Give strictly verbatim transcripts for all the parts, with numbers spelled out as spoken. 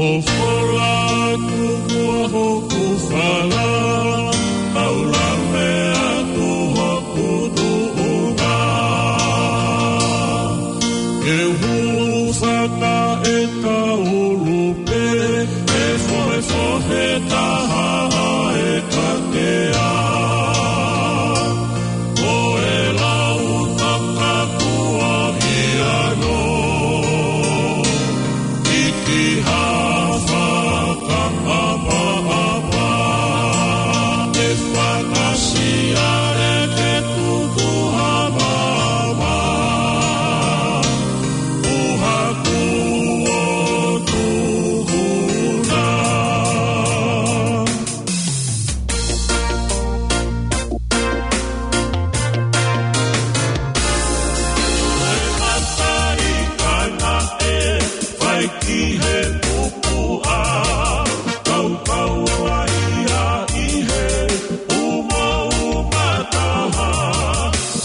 ʻOku fola atu muʻa hoku fala, ʻo lave atu hoku tuʻunga. ʻE hulu fata e kaulu pē, ʻe fohefohe taha e katea. Ko e lau takakuahi ano, ʻi ki ha fakaʻapaʻapa, ʻe fakasiale ke tutu ha mama, ʻo haku ʻo tuhuna. Ko e mata ʻi kaina ʻe fai ki he pupuʻa, kaukau ai ia ʻi he umauma taha,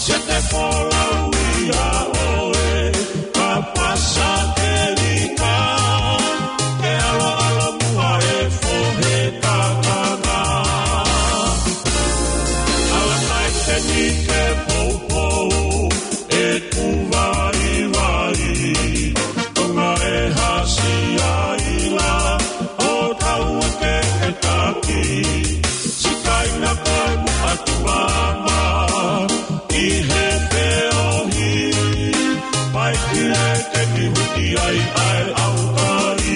se te folau ia ʻoe, ka pasa ke lika, ke ʻaloʻalo muʻa e fohe kakana. Ala mai te ni ke poupou, ʻeku vaivai, Tonga e hasi ai la, ʻo tau ake e taki, sikaina ko e muʻa tuama, ʻi he feohi, pai ki he ke ni huti ai ʻa e ʻaukai.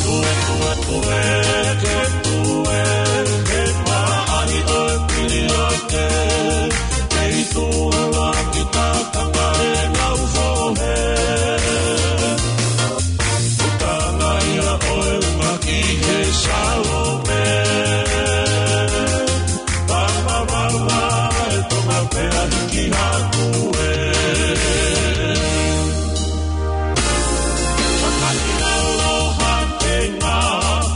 Tue, tue, tue, ke tue, ke maʻali ʻo e pili ake, ke i tuala ki takanga e ngau fohe. Utanga ia ʻo e unga ki he Salome. Vavavava e Tonga pea hiki hake ē. Fakahina aloha ke ngā,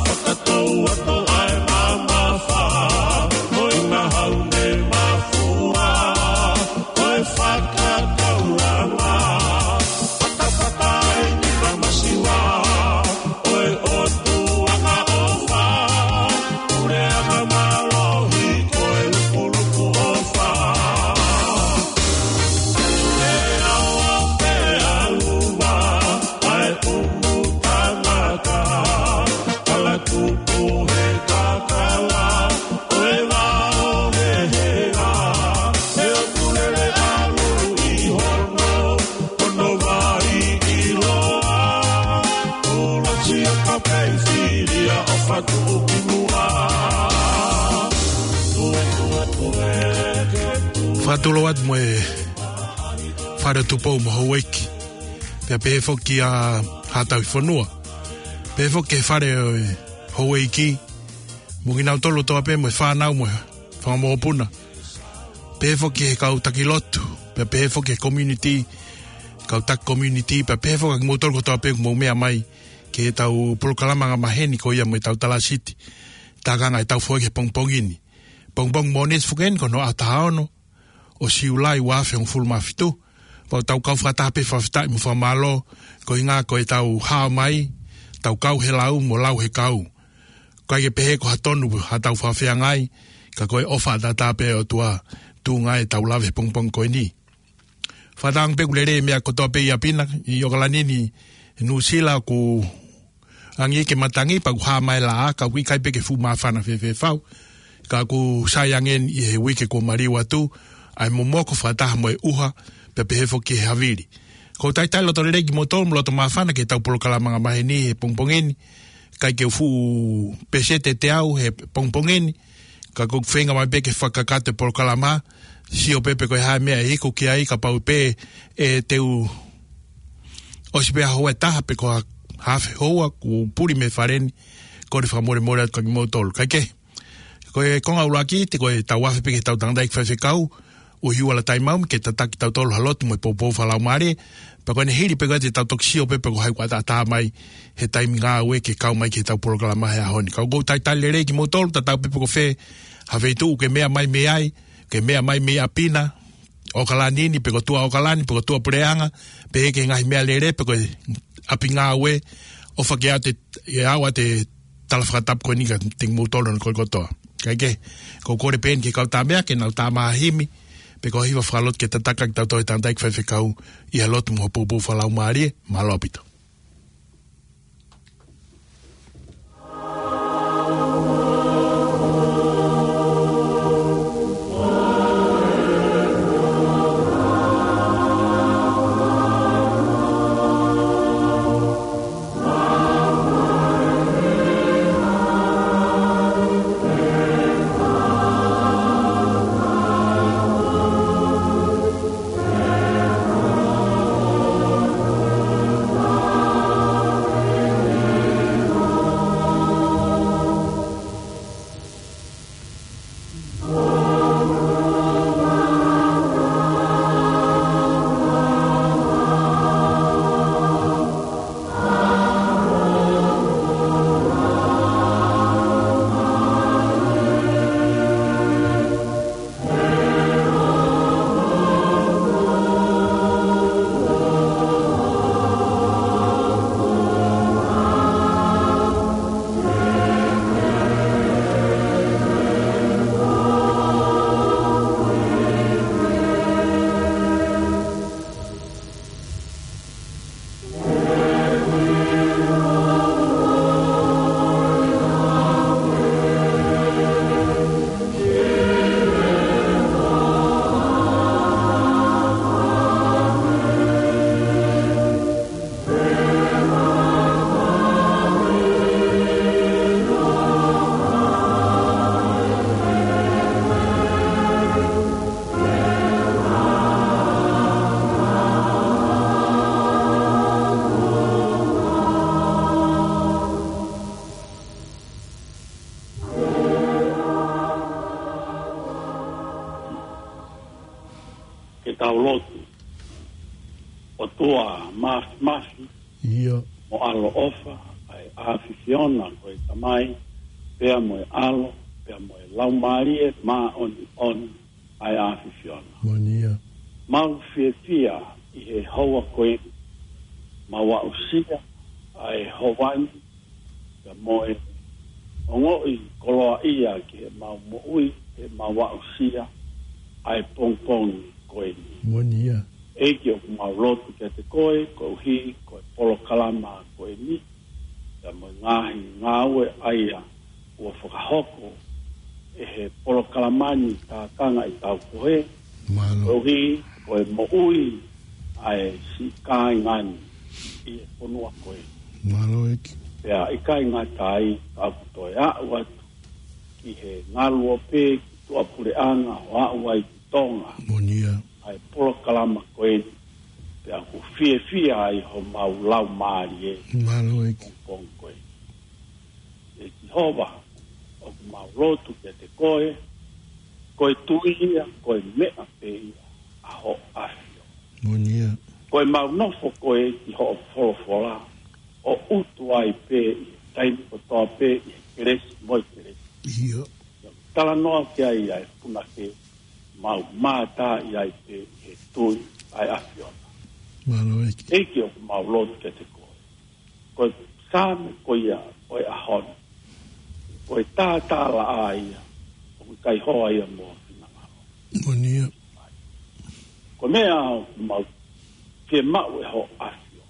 fakatou atu ai mamafa, ʻo e ngahau ne mafua, ʻo e fakakaulanga, fatafata ai ni mamasiwa, ʻo e ʻotu anga ʻofa, puleʻanga mālohi, ko e lukuluku ʻofa. Pea ʻo pea luma, ʻa e ʻumu tangata, kala tupu he kakala, ʻo e vao he hea, he ʻoku lele ʻalu ʻi hono, hono vai ʻiloa, ʻuluaki a kapei filia ʻo fatu ki muʻa. Tue, tue, tue, ke tue. Fakatulou atu mo e Fale ʻo Tupou mo Houʻeiki. Pea pehē foki ʻa Haʻatauhifonua. Pehē foki ki he Fale ʻo Houʻeiki. Mo kinautolu kotoa pē mo e fānau mo e fanga mokopuna. Pehē foki ki he kau taki lotu. Pea pehē foki ki he community, kau taki community. Pea pehē foki kimoutolu kotoa pē ʻoku mou meʻa mai ki heʻetau polokalama angamaheni ko ia mo ʻetau Tala Siti. Tākanga ʻetau foʻi ki he pongipongi ni. Pongipongi Mōnite foki eni ko hono ʻaho taha ono ʻo Siulai ua afe hongofulu mā fitu. Pea ʻoku tau kau fakataha pē fakafetaʻi mo fakamālō, koeʻuhinga ko ʻetau hao mai, tau kau he lau mo lau he kau. ʻIkai ke pehē ko ha tonu haʻatau fakafeangai, ka ko e ʻofa ʻataʻatā pē ʻa e ʻOtua tuʻunga ai ʻetau lave he pongipongi ko eni. Fakatauange pē ʻoku lelei e meʻa kotoa pē ʻi ʻapi na, ʻi ʻOkalani ni, Nuʻusila ʻoku angi ke matangi, pea ʻoku hā mai e laʻā, ka ʻoku ʻikai pē ke fuʻu māfana fēfē fau. Ka ʻoku sai ange eni ʻi he uike kuo maliu atu, ʻa e momoko fakataha mo e ʻuha, pea pehē foki ki he havili. ʻOku ou talitali loto lelei kimoutolu mo loto māfana ki heʻetau polokalama angamaheni he pongipongi ni, ʻikai ke u fuʻu peseti ʻe teau he pongipongi ni, ka ʻoku ou feinga mai pē ke fakakakato e polokalama, sio pē pe ko e hā e meʻa ʻe iku ki ai, kapau pē ʻe te u ʻosi pē ʻa e houa ʻe taha pe ko ha hafe houa kuo u puli mei fale ni, kole fakamolemole atu kia kimoutolu. Kae kehe, ko e konga ʻuluaki, te ko e tau afe pē ki heʻetau tangataʻeiki faifekau, ʻUhiuala Taimaumi ke tataki kitautolu ha lotu mo e poupou fakalaumālie, pea ko ʻene hili pē ko ia te tau toki sio pē pe ko hai kuo ʻataʻatā mai he taimi ngāue ke kau mai ki heʻetau polokalama he ʻaho ni. Ka ʻoku ou talitali lelei kimoutolu, tatau pē pe ko fē ha feituʻu ke meʻa mai mei ai, ke meʻa mai mei ʻapi na, ʻOkalani ni, pe ko tuʻa ʻOkalani, pe ko tuʻa puleʻanga, pehē ki he ngaahi meʻalele, pe ko e ʻapi ngāue, ʻOfa ke ʻoatu ʻe au ʻa e tala fakatapu ko eni kiate kimoutolu ʻo e kau kotoa. Kae kehe, ko e kole pē eni ki he kau tamaiki ke nau tala mai ha himi, pe ko ha hiva fakalotu ke tataki kitautolu he tangataʻeiki faifekau ʻi he lotu mo e poupou fakalaumālie. Mālō ʻaupito. Ke tau lotu. ʻOtua Māfimafi, ʻIo. mo ʻaloʻofa, ʻa e ʻAfiona ko e Tamai, pea mo e ʻAlo, pea mo e Laumālie Māʻoniʻoni, ʻa e ʻAfiona. Moʻoni ia. Mau fiefia ʻi he houa ko eni, mau aʻusia ʻa e houa ni, pea mo e ongoʻi koloaʻia ki heʻemau moʻui, heʻemau aʻusia ʻa e pongipongi ko eni. Moʻoni ia. ʻEiki, ʻoku mau lotu kiate koe, koeʻuhi ko e polokalama ko eni, pea mo e ngaahi ngāue ʻa ia kuo fakahoko ʻe he polokalama ni, Tākanga ʻi Taupohe, Mālō. koeʻuhi ko e moʻui ʻa e siʻi kāinga ni ʻi he fonua ko ē. Mālō ʻEiki. Pea ʻikai ngata ai, ka ʻoku toe aʻu atu ki he ngaluope ki tuʻapuleʻanga ʻo aʻu ai ki Tonga. Moʻoni ia. ʻA e polokalama ko eni, pea ʻoku fiefia ai homau laumālie. Mālō ʻEiki. Pongipongi ko ē. ʻE Sihova, ʻoku mau lotu kiate koe, ko e tui ia, ko e meʻa pē ia ʻa hoʻo ʻAfio. Moʻoni ia. Ko ʻemau nofo ko ē ki hoʻo folofola, ʻo utu ai pē ʻi he taimi kotoa pē ʻi he kelesi mo e kelesi. ʻIo. Talanoa ki ai ʻa e punake, mau mātā ʻi ai pē ʻi he tui ʻa e ʻAfiona. Mālō ʻEiki. ʻEiki, ʻoku mau lotu kiate koe. Ko e Saame ko ia ʻo e ʻaho ni, ko e tātālaʻā ia, ʻoku ʻikai hoa ia mo finangalo. Moʻoni ia. Ko e meʻa ʻoku mau fiemaʻu ʻe hoʻo ʻAfio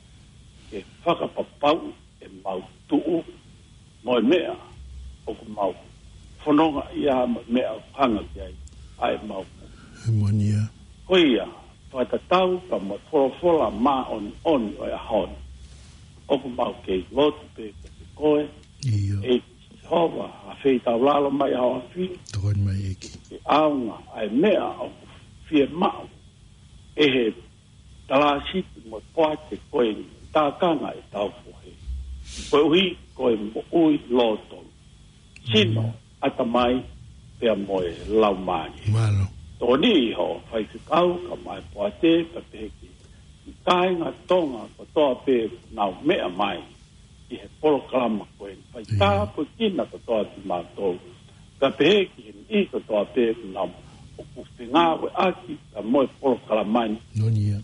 ke fakapapauʻi ʻemau tuʻu, mo e meʻa ʻoku mau fononga ia, mo e meʻa ʻoku hanga ki ai ʻa ʻemau moʻui. Moʻoni ia. Ko ia, fakatatau pea mo e folofola māʻoniʻoni ʻo e ʻaho ni, ʻoku mau kei lotu pē kiate koe, ʻIo. ʻEiki Sihova, ʻa fei tau lalo mai ʻa hoʻo ʻAfio. Tokoni mai ʻEiki. Ke ʻaonga ʻa e meʻa ʻoku fiemaʻu ʻe he talāsipi mo e poate ko eni, Tākanga ʻi Taupohe, koeʻuhi ko e moʻui lōtolu, sino, Mm. ʻatamai, pea mo e laumālie. Mālō. Tokoniʻi hoʻo faifekau, kae ʻumaʻā e poate, pea pehē ki he kāinga Tonga kotoa pē ʻoku nau meʻa mai ʻi he polokalama ko eni. Fai Mm. tāpuekina kotoa kimautolu. Kae pehē ki he niʻihi kotoa pē ʻoku nau, ʻoku fengāueʻaki pea mo e polokalama ni. Moʻoni ia.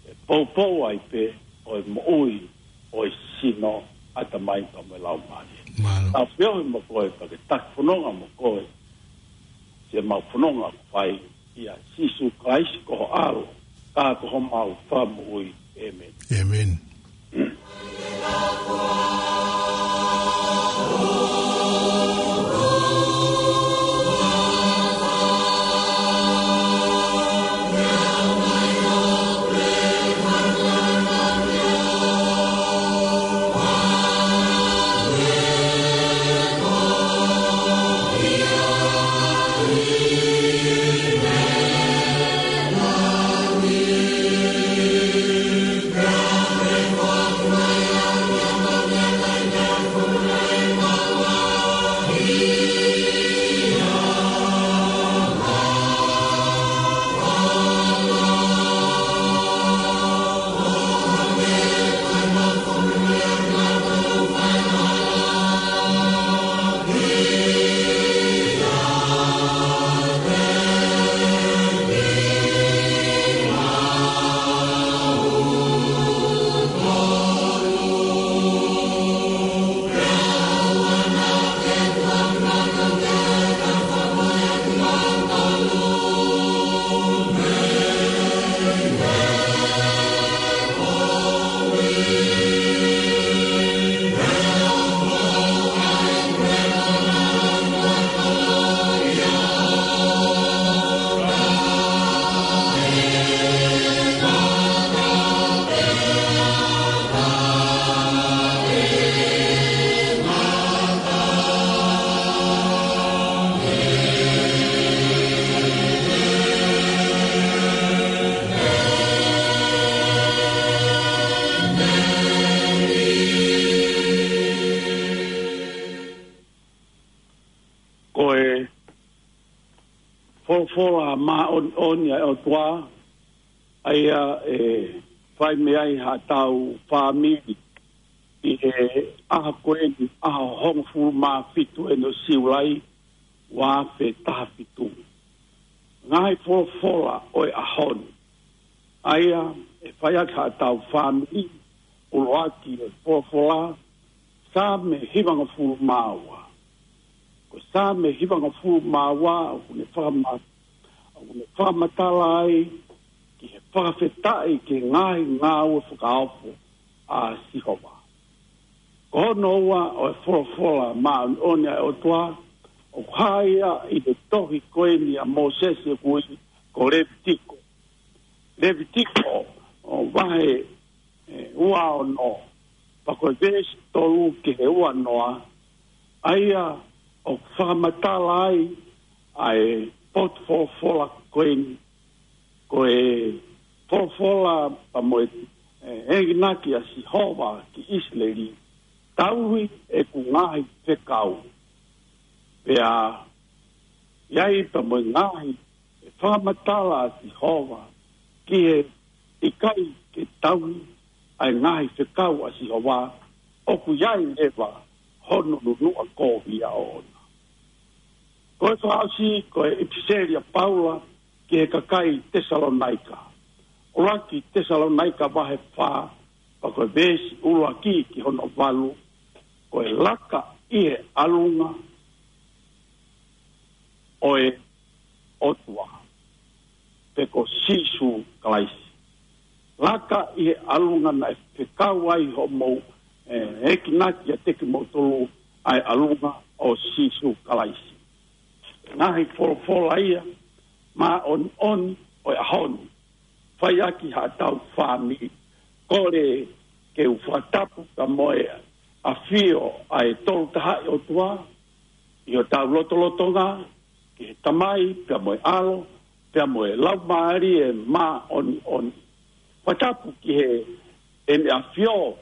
ʻE poupou ai pē ʻa e moʻui ʻo e sino ʻatamai pea mo e laumālie. Mālō. Tau feohi mo koe pea ke taki fononga mo koe. Siʻemau fononga ʻoku fai ʻia Sīsū Kalaisi ko ho ʻAlo, ka ko homau Fakamoʻui. ʻĒmeni. ʻĒmeni. Ko e folofola māʻoniʻoni ʻa e ʻOtua, ʻa ia ʻe fai mei ai haʻatau fāmili ʻi he ʻaho ko eni, ʻaho hongofulu mā fitu ʻeni ʻo Siulai, ua afe taha fitu. Ngaahi folofola ʻo e ʻaho ni, ʻa ia ʻe fai ʻaki haʻatau fāmili, ʻuluaki e folofola, Saame hivangofulu mā ua. Ko e Saame hivangofulu mā ua, ʻoku ne fakama-, ʻoku ne fakamatala ai ki he fakafetaʻi ki he ngaahi ngāue fakaofo ʻa Sihova. Ko hono ua ʻo e folofola māʻoniʻoni ʻa e ʻOtua, ʻoku hā ia ʻi he tohi ko eni ʻa Mōsese ʻoku ui ko Levitiko. Levitiko ʻo vahe, ʻe, ua ono, pea ko e veesi tolu ki he ua noa, ʻa ia ʻoku fakamatala ai ʻa e potu folofola ko eni, ko e folofola pea mo e, ʻe, enginaki ʻa Sihova ki ʻIsileli, tauhi ʻeku ngaahi fekau. Pea ʻi ai pea mo e ngaahi ʻe fakamatala ʻa Sihova ki he ʻikai ke tauhi ʻa e ngaahi fekau ʻa Sihova, ʻoku ʻi ai leva hono nunuʻa kovi ʻoʻona. Ko e fakaʻosi, ko e ʻipiseli ʻa Paula ki he kakai Tesalonaika. ʻUluaki Tesalonaika vahe fā, pea ko e veesi ʻuluaki ki hono valu, ko e laka ʻi he ʻalunga ʻo e ʻOtua, pe ko Sīsū Kalaisi. Laka ʻi he ʻalunga naʻe fekau ai hoʻomou, ʻe, ekinaki ʻiate kimoutolu ʻa e ʻalunga ʻo Sīsū Kalaisi. Ngaahi folofola ia māʻoniʻoni ʻo e ʻaho ni, fai ʻaki haʻatau fāmili. Kole ke u fakatapu pea mo e ʻafio ʻa e Tolu Tahaʻi ʻOtua ʻi hotau lotolotonga, ki he Tamai, pea mo e ʻAlo, pea mo e Laumālie Māʻoniʻoni. Fakatapu ki he ʻEne ʻAfio,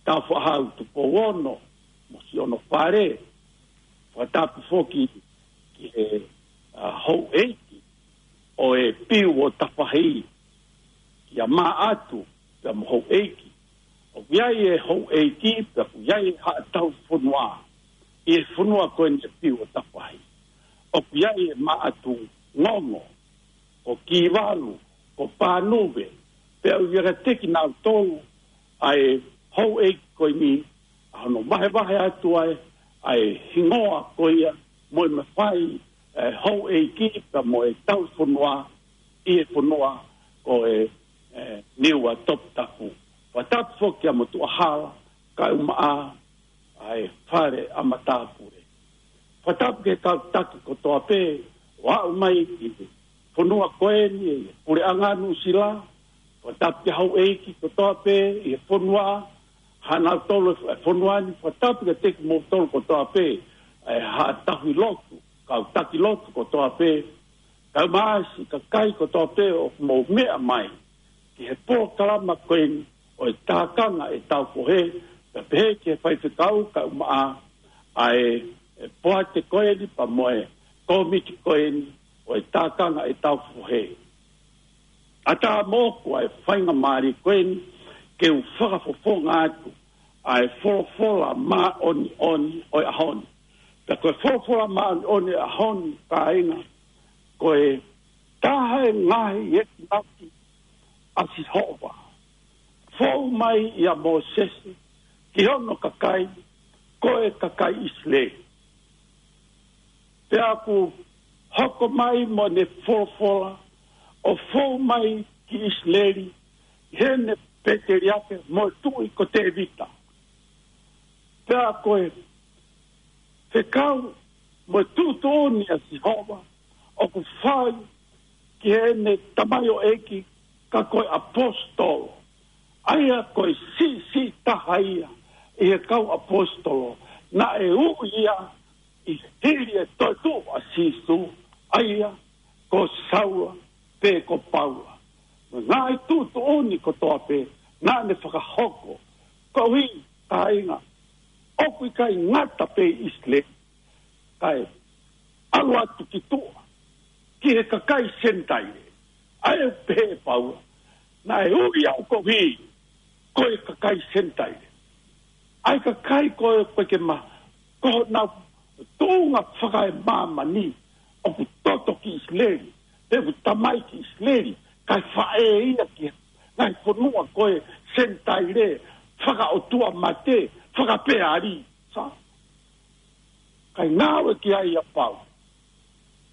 Tāufaʻāhau Tupou Ono, mo siʻono fale. Fakatapu foki ki he, ʻa, houʻeiki ʻo e Piu ʻo Tafahi, kia Maʻatu, pea mo houʻeiki. ʻOku ʻi ai e houʻeiki, pea ʻoku ʻi ai e haʻa tauhi fonua ʻi he fonua ko eni ʻo e Piu ʻo Tafahi. ʻOku ʻi ai e Maʻatu Ngongo, ko Kivalu, ko Panuve, pea ʻoku ʻiate kinautolu ʻa e houʻeiki ko eni, hono vahevahe atu ai ʻa e hingoa ko ia mo e mafai ʻa e houʻeiki pea mo e tauhi fonua ʻi he fonua ko e, e Niua Toputapu. Fakatapu foki ʻa Motuʻahala, Kaumaʻa, ʻa e Fale ʻa Matāpule. Fakatapu ki he kau taki kotoa pē ʻo aʻu mai ki he fonua ko eni ʻi he Puleʻanga Nuʻusila. Fakatapu ki he houʻeiki kotoa pē ʻi he fonua, hanautolu e fonua ni. Fakatapu kiate kimoutolu kotoa pē ʻa e haʻa tauhi lotu, kau taki lotu kotoa pē, kae ʻumaʻā siʻi kakai kotoa pē ʻoku mou meʻa mai ki he polokalama ko eni ʻo e tākanga ʻetau fohe, pea pehē ki he faifekau kae ʻumaʻā ʻa e, e poate ko eni pea mo e kōmiti ko eni ʻo e tākanga ʻetau fohe. ʻAtā moʻoku ʻa e faingamālie ko eni ke u fakafofonga atu ʻa e folofola māʻoniʻoni ʻo e ʻaho ni. Pea ko e folofola māʻoniʻoni ʻo e ʻaho ni, kāinga, ko e taha e ngaahi ekinaki ʻa Sihova fou mai ʻia Mōsese ki hono kakai, ko e kakai ʻIsileli. Pea ʻoku hoko mai mo ʻene folofola ʻo fou mai ki ʻIsileli ʻi heʻene pēteliake mo e tuʻi ko Tēvita. Pea ko e fekau mo e tuʻutuʻuni ʻa Sihova ʻoku fai ki heʻene tamaioʻeiki, ka ko e ʻaposetolo, ʻa ia ko e siʻisiʻi taha ia ʻi he kau ʻaposetolo, naʻe ui ia ʻi he hili e toetuʻu ʻa Sīsū, ʻa ia ko Saula pe ko Paula. Mo e ngaahi tuʻutuʻuni kotoa pē naʻa ne fakahoko. Koeʻuhi, kāinga, ʻoku ʻikai ngata pē ʻi ʻIsileli, kae ʻalu atu ki tuʻa ki he kakai Senitaile. ʻA ia ʻoku pehē ʻe Paula, naʻe ui au koeʻuhi ko e kakai Senitaile. ʻA e kakai ko ē ʻoku ʻikai ke ma-, ko honau tuʻunga fakaemāmani ʻoku toto ki ʻIsileli, pe ʻoku tamai ki ʻIsileli, kae faʻē ia ki he ngaahi fonua ko e Senitaile, fakaʻotua mate, fakapeali. Sa? Kae ngāue ki ai ʻa Paula.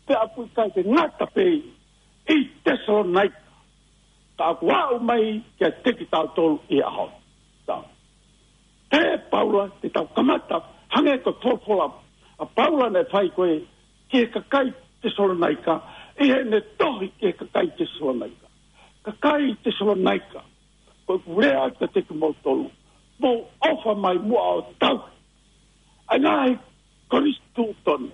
Pea ʻoku ʻikai ke ngata pē ʻi Tesalonaika, ka ʻoku aʻu mai kiate kitautolu ʻi he ʻaho ni. Ta. Pehē ʻe Paula, te tau kamata, hangē ko e folofola ʻa Paula naʻe fai ko ē ki he kakai Tesalonaika, ʻi heʻene tohi ki he kakai Tesalonaika. Kakai Tesalonaika, ko ʻeku lea kiate kimoutolu, mou ʻofa mai muʻa ʻo tauhi ʻa e ngaahi konisitūtone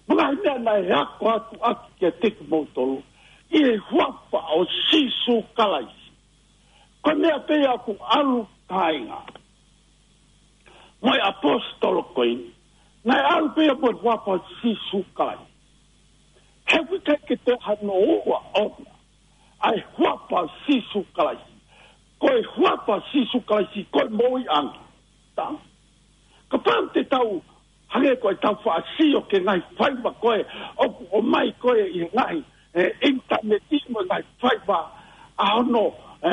mo e ngaahi meʻa naʻe ako atu ʻaki kiate kimoutolu ʻi he huafa ʻo Sīsū Kalaisi. Ko e meʻa pē ia ʻoku ʻalu, kāinga, mo e ʻaposetolo ko eni, naʻe ʻalu pē ia mo e huafa ʻo Sīsū Kalaisi. He ʻoku ʻikai ke toe hano ua ʻona ʻa e huafa ʻo Sīsū Kalaisi. Ko e huafa ʻo Sīsū Kalaisi ko e moʻuiʻanga. Ta? Kapau te tau hangē ko ʻetau faʻa sio ki he ngaahi faiva ko ē ʻoku ʻomai ko ē ʻi he ngaahi, e, ʻinitaneti mo e ngaahi faiva ʻa hono, e,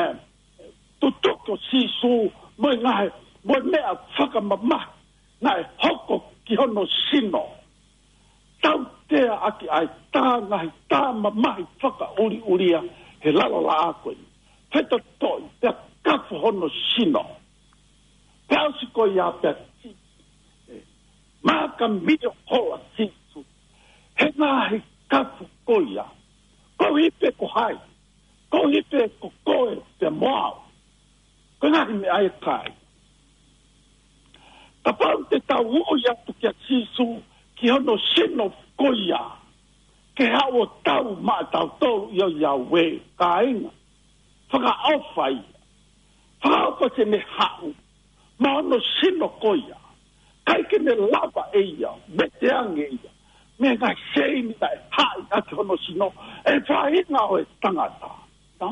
tutuki ʻo Sīsū mo e ngaahi, mo e meʻa fakamamahi naʻe hoko ki hono sino. Tautea ʻaki ʻa e tā ngaahi tā mamahi fakaʻuliʻulia he lalo laʻā ko eni. Fetotoʻi pea kafo hono sino. Pea ʻosi ko ia pea ti, e, maka mio hola Sīsū he ngaahi kafo ko ia. Koeʻuhi pē ko hai? Koeʻuhi pē ko koe pea mo au. Ko e ngaahi meʻa ia, kāinga. Kapau te tau ui atu kia Sīsū ki hono sino ko ia, ke haʻu ʻo tau maʻatautolu ʻi he ʻao, kāinga. Fakaʻofa ia. Fakaʻofa te ne haʻu mo hono sino ko ia. ʻIkai ke ne lava ʻe ia, mete ange ia mei he ngaahi seini naʻe haʻi ʻaki hono sino ʻe he faʻahinga ʻo e tangata. Ta?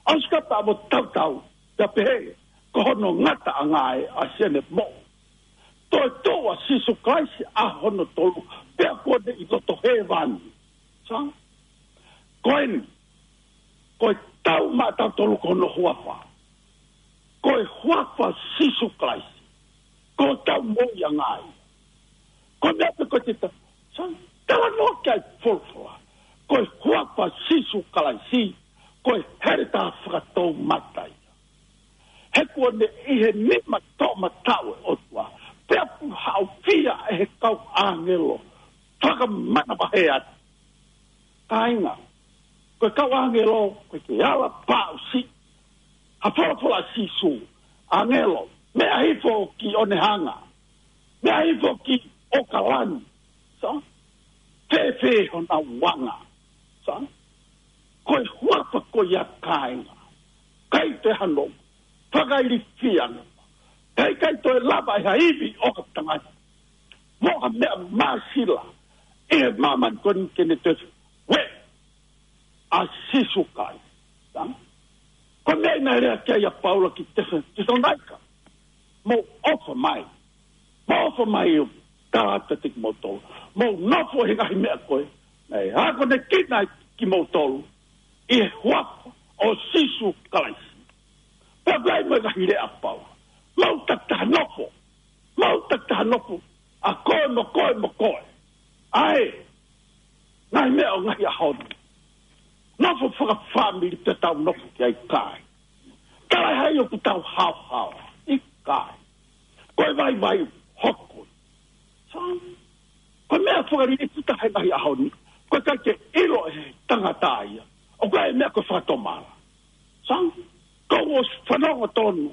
ʻOsi ka pea mo tautau, pea pehē, ko hono ngataʻanga ē ʻa siʻene moʻui. Toetuʻu ʻa Sīsū Kalaisi ʻaho hono tolu, pea kuo ne ʻi loto hēvani. Sa? Ko eni, ko e tau maʻatautolu ko hono huafa. Ko e huafa Sīsū Kalaisi. Ko hotau moʻui ʻa ngai. Ko e meʻa pē ko e te ta-, sa-, talanoa ki ai e folofola. Ko e huafa ʻo Sīsū Kalaisi, ko e heletā fakatoumata ia. He kuo ne ʻi he nima toʻomataʻu ʻo e ʻOtua, pea kuo haʻofia ʻe he kau ʻāngelo fakamanavahē atu. Kāinga, ko e kau ʻāngelo, ko e ke ala paʻusi, ha folofola ʻa Sīsū, ʻāngelo, meʻa hifo ki ʻOnehunga, meʻa hifo ki ʻOkalani, sa? Fēfē honau anga, sa? Ko e huafa ko ia kāinga, ʻikai te hano fakailifia, ʻikai, ʻikai toe lava ʻe ha ivi ʻo ha tangata mo ha meʻa māsila ʻi he māmani ko eni ke ne toe ueʻi ʻa Sīsū Kalaisi. Sa? Ko e meʻa ia naʻe lea ki ai ʻa Paula ki Tesa-, Tesalonaika. Mou ʻofa mai. Mou ʻofa mai ʻo tala atu kiate kimoutolu. Mou nofo he ngaahi meʻa ko ē naʻe akonekina ai kimoutolu ʻi he huafa ʻo Sīsū Kalaisi. Pea ʻoku ʻi ai mo e ngaahi lea ʻa Paula. Mou takitaha nofo. Mou takitaha nofo. ʻA koe mo koe mo koe. ʻA e ngaahi meʻa ʻo e ngaahi ʻaho ni. Nofo fakafāmili pea tau nofo ki ai, kāinga. Talaʻehai ʻoku tau haohaoa. ʻIkai. Ko e vaivai hoko. Sa? Ko e meʻa fakalilifu taha he ngaahi ʻaho ni, ko e ʻikai ke ʻilo ʻe he tangata ia ʻoku ʻi ai e meʻa ko e fakatomala. Sa? Kuo u ʻosi fanongo tonu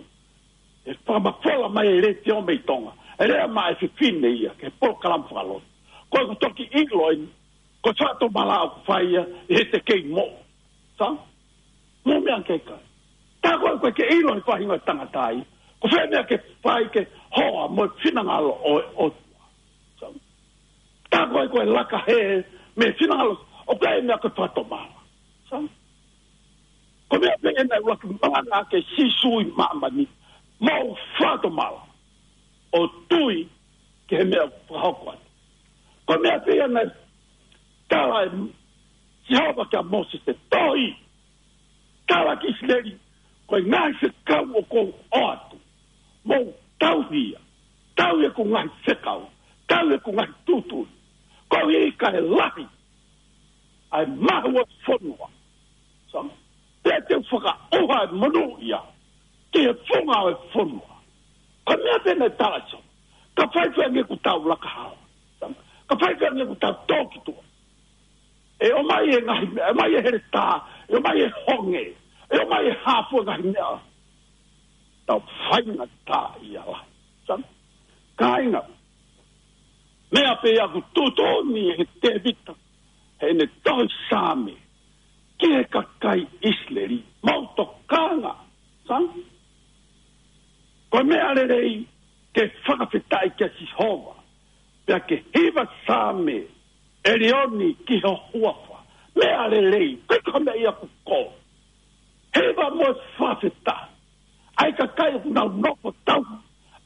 he fakamafola mai e letiō mei Tonga, ʻe lea mai e fefine ia ki he polokalama fakalotu. Ko e ʻoku toki ʻilo eni ko e fakatomala ʻoku fai ia ʻi heʻete kei moʻui. Sa? Mou meʻa ki ai, kāinga. Tā ko ē ʻoku ʻikai ke ʻilo ʻe he faʻahinga ʻo e tangata ia ko fē e meʻa ke fai ke hoa mo e finangalo ʻo e ʻOtua. Sa? Tā ko ē ʻoku laka hē mei he finangalo, ʻoku ʻi ai e meʻa ko e fakatomala. Sa? Ko e meʻa pē ia naʻe ʻuluaki malanga ʻaki ʻe Sīsū ʻi māmani, mou fakatomala ʻo tui ki he meʻa ʻoku fakahoko atu. Ko e meʻa pē ia naʻe tala ʻe Sihova kia Mōsese, tohi, tala ki ʻIsileli, ko e ngaahi fekau ʻoku ou ʻoatu, mou tauhi ia, tauhi ʻeku ngaahi fekau, tauhi ʻeku ngaahi tuʻutuʻuni, koeʻuhi kae lahi ʻa e mahu ʻo e fonua. Sa? Pea te u fakaʻuha e monūʻia ki he funga ʻo e fonua. Ko e meʻa pē naʻe tala ʻe Sihova. Ka faifai ange ʻoku tau laka hala. Sa? Ka faifai ange ʻoku tau tō ki tuʻa, ʻe ʻomai e ngaahi meʻa, ʻe ʻomai e heletā, ʻe ʻomai e honge, ʻe ʻomai e hā fua e ngaahi meʻa, tau faingataʻaʻia lahi. Sa? Kāinga, meʻa pē ia ʻoku tuʻutuʻuni ʻe Tēvita heʻene tohi Saame ki he kakai ʻIsileli, mou tokanga. Sa? Ko e meʻa lelei ke fakafetaʻi kia Sihova, pea ke hiva saame ʻe lioni ki ho huafa. Meʻa lelei, ʻikai ko ha meʻa ia ʻoku ko. Hiva mo fakafetaʻi ʻa e kakai ʻoku nau nofo tauhi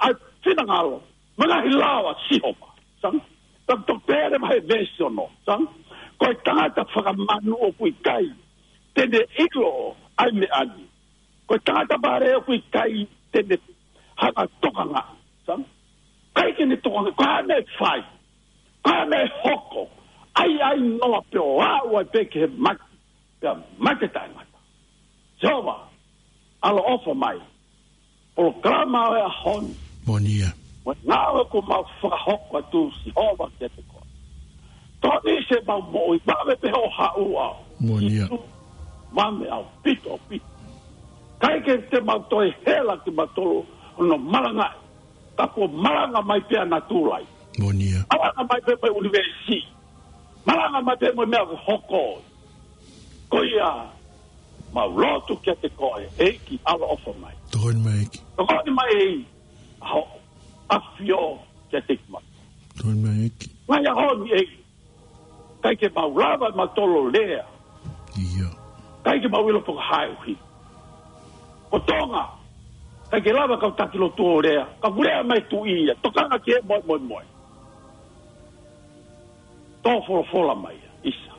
ʻa e finangalo mo e ngaahi lao ʻa Sihova. Sa? Tau toki pehē mai he veesi ono. Sa? Ko e tangata fakamanu ʻoku ʻikai te ne ʻilo ʻa e meʻa ni. Ko e tangata vale ʻoku ʻikai te ne hanga ʻo tokanga. Sa? ʻIkai ke ne tokanga, ko e hā e meʻa ʻe fai, ko e hā e meʻa ʻe hoko, ʻai, ʻai noa pē ʻo aʻu ai pē ki he mate, pea mate taʻengata. Sihova, ʻaloʻofa mai. Polokalama ʻo e ʻaho ni. Moʻoni ia. Mo e ngāue kuo mau fakahoko atu, Sihova, kiate koe. Tokoni siʻemau moʻui, vave pē hoʻo haʻu ʻaho. Moʻoni ia. Sīsū, vave ʻaupito, ʻaupito. ʻIkai ke te mau toe hela kimautolu hono malangaʻi, ka kuo malanga mai pē ʻa natula ia. Moʻoni ia. Malanga mai pē mei he ʻunivēsi. Malanga mai pē mo e meʻa ʻoku hoko. Ko ia, mau lotu kiate koe, ʻEiki, ʻaloʻofa mai. Tokoni mai, ʻEiki. Tokoni mai, ʻEiki, ʻa hoʻo ʻafio kiate kimautolu. Tokoni mai, ʻEiki. Ngaahi ʻaho ni, ʻEiki, ʻikai ke mau lava ʻe mautolu ʻo lea. Ia. ʻIkai ke mau ʻilo pe ko e hā e ʻuhinga. Ko Tonga, ʻikai ke lava e kau taki lotu ʻo lea. Ka ʻoku lea mai e tuʻi ia, tokanga ki he moemoemoe. Tō folofola mai ia, ʻisa.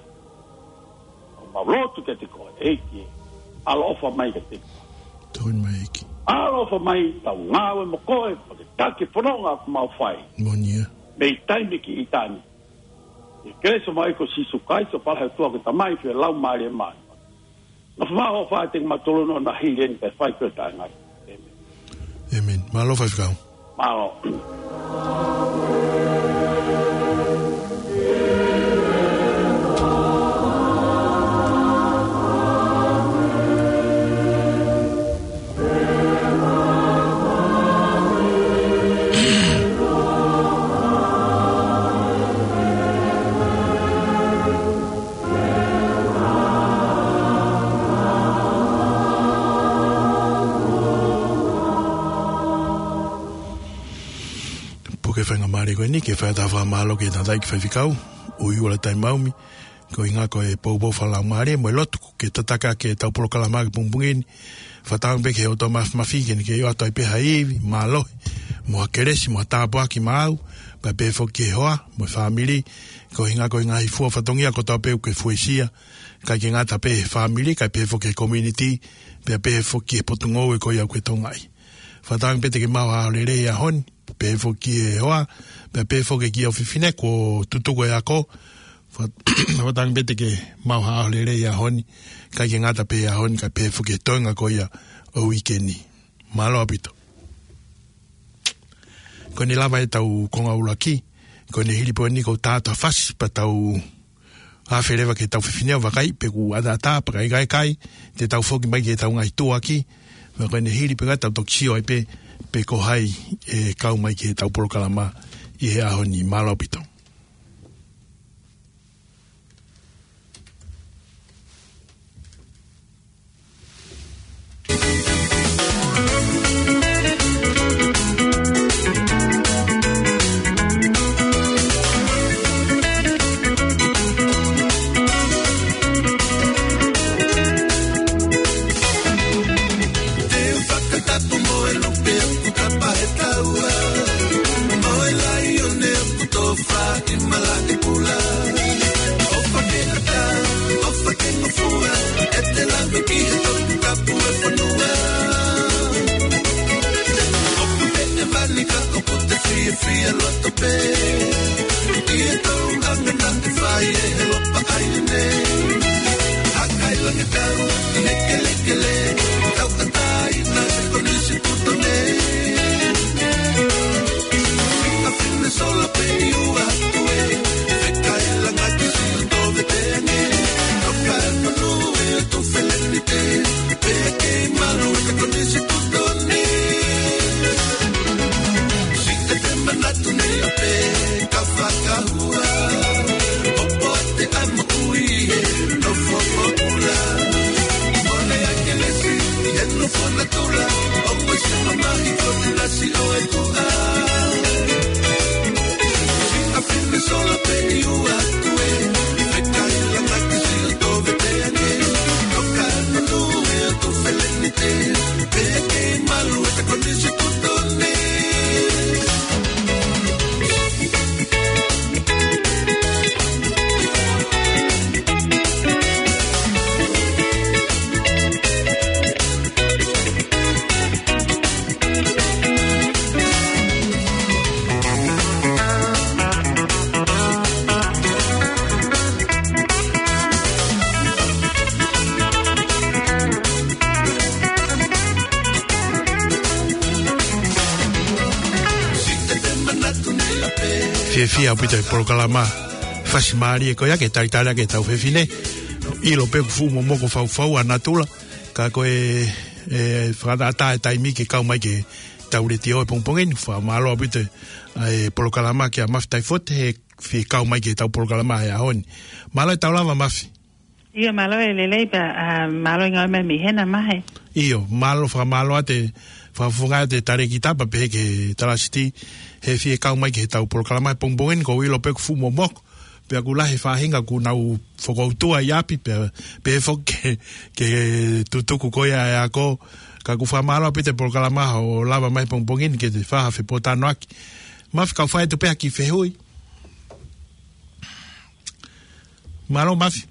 Mau lotu kiate koe, ʻEiki. ʻAloʻofa mai kiate koe. Tokoni mai, ʻEiki. ʻAloʻofa mai, tau ngāue mo koe, Taki fononga ʻoku mau fai. Moʻoni ia. Mei taimi ki ʻitāniti. ʻI he kelesi ʻa e ʻEiki ko Sīsū Kalaisi, ʻofa lahi ʻa e ʻOtua ko e Tamai, feohi ʻa e Laumālie Māʻoniʻoni. Nofo mai ho ʻofa kiate kimautolu ʻo na hili eni kae fai ki ho taʻengatá. ʻĒmeni. ʻĒmeni. Mālō faifekau. Mālō. Puke faingamālie ko eni ke fai ʻa e fakamālō ki he tangataʻeiki faifekau ʻUiua Lataimāumi, ko e ʻuhinga ko e poupou fakalaumālie mo e lotu ke tataki ʻetau polokalama ki he pongipongi ni. Fakatauange pē ki he ʻOtua Māfimafi ke ne kei ʻoatu ai pē ha ivi, mālohi, mo ha kelesi, mo ha tāpuaki maʻau, pea pehē foki ki he hoa mo e fāmili, ko e ʻuhinga ko e ngaahi fua fatongia kotoa pē ʻoku ke fuesia, ʻikai ke ngata pē he fāmili, kae pehē foki ki he community, pea pehē foki ki he potungāue ko ia ʻoku ke tokangaʻi. Fakatauange pē te ke maʻu ha ʻaho lelei he ʻaho ni, pehē foki ki he hoa, pea pehē foki ki he ʻofefine kuo tutuku e ako. Fa-, fakatauange pē te ke maʻu ha ʻaho lelei he ʻaho ni, ʻikai ke ngata pē he ʻaho ni, kae pehē foki ki he toenga ko ia ʻo e uike ni. Mālō ʻaupito. Ko ʻene lava ʻetau konga ʻuluaki, ko ʻene hili pē eni kuo tā atu ha fasi pea tau afe leva ki heʻetau fefine ʻo vakai pe ʻoku ʻataʻatā, pea ka ʻikai, ʻikai, te tau foki mai ki heʻetau ngaahi tuʻuaki, pea ko ʻene hili pē ʻoku tau toki sio ai pē, pe ko hai ʻe kau mai ki heʻetau polokalama ʻi he ʻaho ni. Mālō ʻaupito. Te u fakatapu mo e lupe ʻoku kapa he taua, mo e laione ʻoku tofa ʻi malaʻe kula. ʻOfa ke ʻatā, ʻofa ke ngofua, ʻete lave ki he Toputapu ʻo e fonua. ʻOku pehē vani ka ʻoku te fiefia loto pē ʻi he tōʻonga naʻe fai ʻe he Lopa ʻAi Nei. Hakailangitau ʻi he kelekele, tauʻatāina he konisitūtone. Fika fine sola pē ʻi ua atu ē, fekailanga ki Siaʻatouveteane. Toka e fonua ʻo e Tuʻi Felenite, pea kei malu e konisitūtone. Siʻi te manatu nei ʻa pē ka fakahua, ʻo poate ʻa e moʻui he nofo pōpula. Mole ʻa e kelesi ʻi he nofo natula, ʻo maʻu ʻa e mamahi ko e nasi ʻo e tuʻa. Siʻa fine sola pē ʻi ua atu ē, fekailanga ki Siaʻatouveteane. Toka e fonua ʻo e Tuʻi Felenite, pea kei malu e konisitūtone. Fiefia ʻaupito e polokalama fasi mālie ko ia ke talitali ʻaki ʻetau fefine. ʻIlo pē ʻoku fuʻu momoko faufau ʻa natula, ka ko e, e, fakaʻatā e taimi ke kau mai ki heʻetau letiō he pongipongi ni. Fakamālō ʻaupito e polokalama kia Mafi Taifote he fie kau mai ki heʻetau polokalama he ʻaho ni. Mālō e tau lava, Mafi. ʻIo, mālō e lelei pea, ʻa, mālō e ngāue mai mei hena, Mafi. ʻIo, mālō, fakamālō atu e fakafofonga atu e talēkita pea pehē ki he talāsiti he fie kau mai ki heʻetau polokalama he pongipongi ni. ʻOku ou ʻilo pē ʻoku fuʻu momoko, pea ʻoku lahi e faʻahinga ʻoku nau fokoutua ʻi ʻapi, pea, pehē foki ki he, ki he tutuku ko ia e ako. Ka ʻoku fakamālō ʻaupito e polokalama hoʻo lava mai he pongipongi ni ke te fai ha fepōtalanoaʻaki. Mafi, kau fai atu pē ha kiʻi fehuʻi. Mālō, Mafi.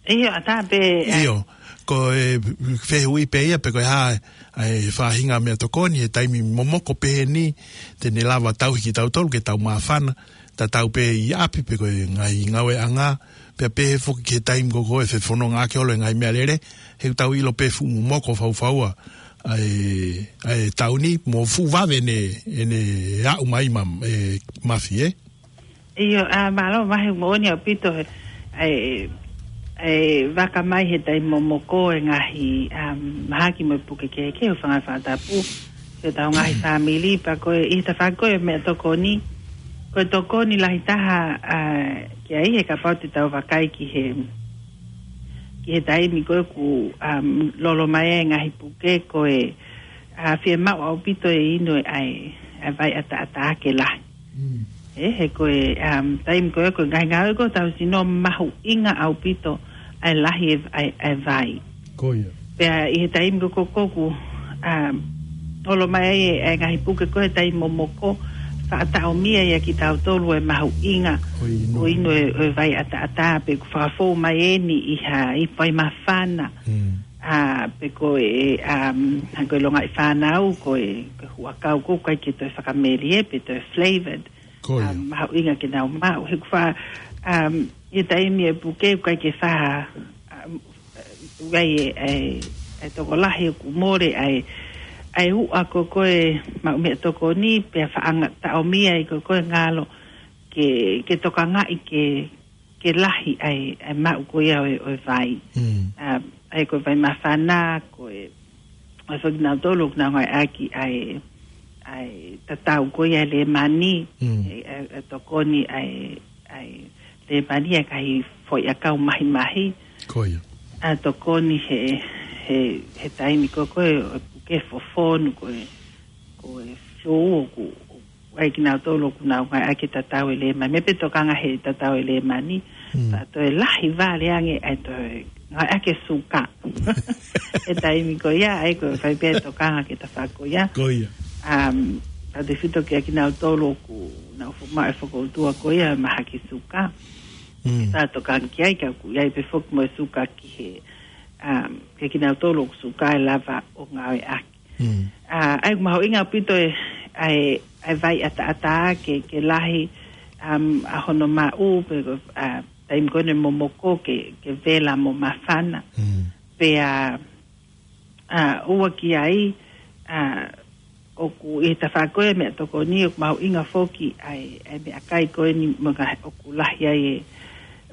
ʻIo, ʻatā pē, ʻa. ʻIo. ko e fehuʻi pē ia pe ko e hā ʻa e faʻahinga meʻatokoni he taimi momoko pehē ni te ne lava tauhi kitautolu ke tau māfana, tatau pē ʻi ʻapi pe ko e ngaahi ngāueʻanga, pea pehē foki ki he taimi ko ē ʻe fefononga ʻaki holo e ngaahi meʻalele, he ʻoku tau ʻilo pē fuʻu momoko faufaua ʻa e, ʻa e taʻu ni, mo fuʻu vave ʻene, ʻene aʻu mai ma, ʻe, Mafi, ē? ʻIo, ʻa, mālō, mahi moʻoni ʻaupito he, ʻa e, ʻa e vaka mai he taimi momoko e ngaahi, um, mahaki mo e puke kehekehe, hūfanga he fakatapu, ki hotau ngaahi fāmili, pea ko e, ʻi he tafaʻaki ko ē meʻatokoni, ko e tokoni lahi taha, ʻa, ki ai he kapau te tau vakai ki he, ki he taimi ko ē ʻoku, um, lolo mai ai e ngaahi puke ko e, ʻa, fiemaʻu ʻaupito e inu ʻa e, ʻa e vai ʻataʻatā ke lahi. Mm. ʻE, he ko e, um, taimi ko ē, ko e ngaahi ngāue ko ē hotau sino mahuʻinga ʻaupito ʻa e lahi e, ʻa e, ʻa e vai. Ko ia. Pea ʻi he taimi ko ē ʻoku, um, lolo mai ai e, e ngaahi puke ko ē he taimi momoko, faʻa taʻomia ia kitautolu e mahuʻinga ʻo inu. ʻO inu e, e vai ʻataʻatā pe ʻoku fakafou mai eni ʻi ha, ʻi vai māfana. Mm. ʻA, pe ko e, um, ha ko e longaʻi fānau, ko e, ko e huʻakau ko ē ʻoku ʻikai ke toe fakamelie pe toe flavored. Ko ia. Um, mahuʻinga ke nau maʻu. He ʻoku faʻa, um, ʻi he taimi e puke ʻoku ʻikai ke faʻa, um, ʻoku ʻi ai e, e, e tokolahi ʻoku mole ʻa e, ʻa e uʻa ko ē ko e maʻu meʻatokoni, pea faʻa nga-, taʻomia ai ko ē ko e ngalo ke, ke tokangaʻi ke, ke lahi ʻa e, ʻa e maʻu ko ia ʻo e, ʻo e vai. Mm. ʻA, ʻa e ko e vai māfana, ko e, ʻa e foki kinautolu ʻoku nau ngāueʻaki ʻa e, ʻa e tatau ko ia e lēmani, Mm. ʻe, ʻe, ʻe tokoni ʻa e, ʻa e lēmani ʻa e ngaahi foʻiʻakau mahimahi. Ko ia. ʻA tokoni he, he, he taimi ko ē ko e, ʻo e puke fofonu ko e, ko e flu ʻoku, ʻa e kinautolu ʻoku nau ngāueʻaki e tatau e lēmani. Meʻa pē tokanga he tatau e lēmani. Mm. Pea toe lahi vale ange ʻa e toe ngāueʻaki e suka. He taimi ko ia, ʻa ia ko e fai pē tokanga ki he tafaʻaki ko ia. Ko ia. Um, tautefito kia kinautolu ʻoku nau fo-, maʻu e fokoutua ko ia, mahaki suka. Mm. Pea tokanga ki ai, ka ʻoku ʻi ai pē foki mo e suka ki he, um, kia kinautolu ʻoku suka ʻe lava ʻo ngāueʻaki. Mm. ʻA, ʻa ia ʻoku mahuʻinga ʻaupito e, ʻa e, ʻa e vai ʻataʻatā ke, ke lahi, um, ʻa hono maʻu, pe, ʻa, taimi ko eni momoko ke, ke vela mo māfana. Mm. Pea, ʻa, ua ki ai, ʻa, ʻoku ʻi he tafaʻaki ko ē meʻatokoni ʻoku mahuʻinga foki ʻa e, ʻa e meʻakai ko eni mo e ngaahi ʻoku lahi ai e,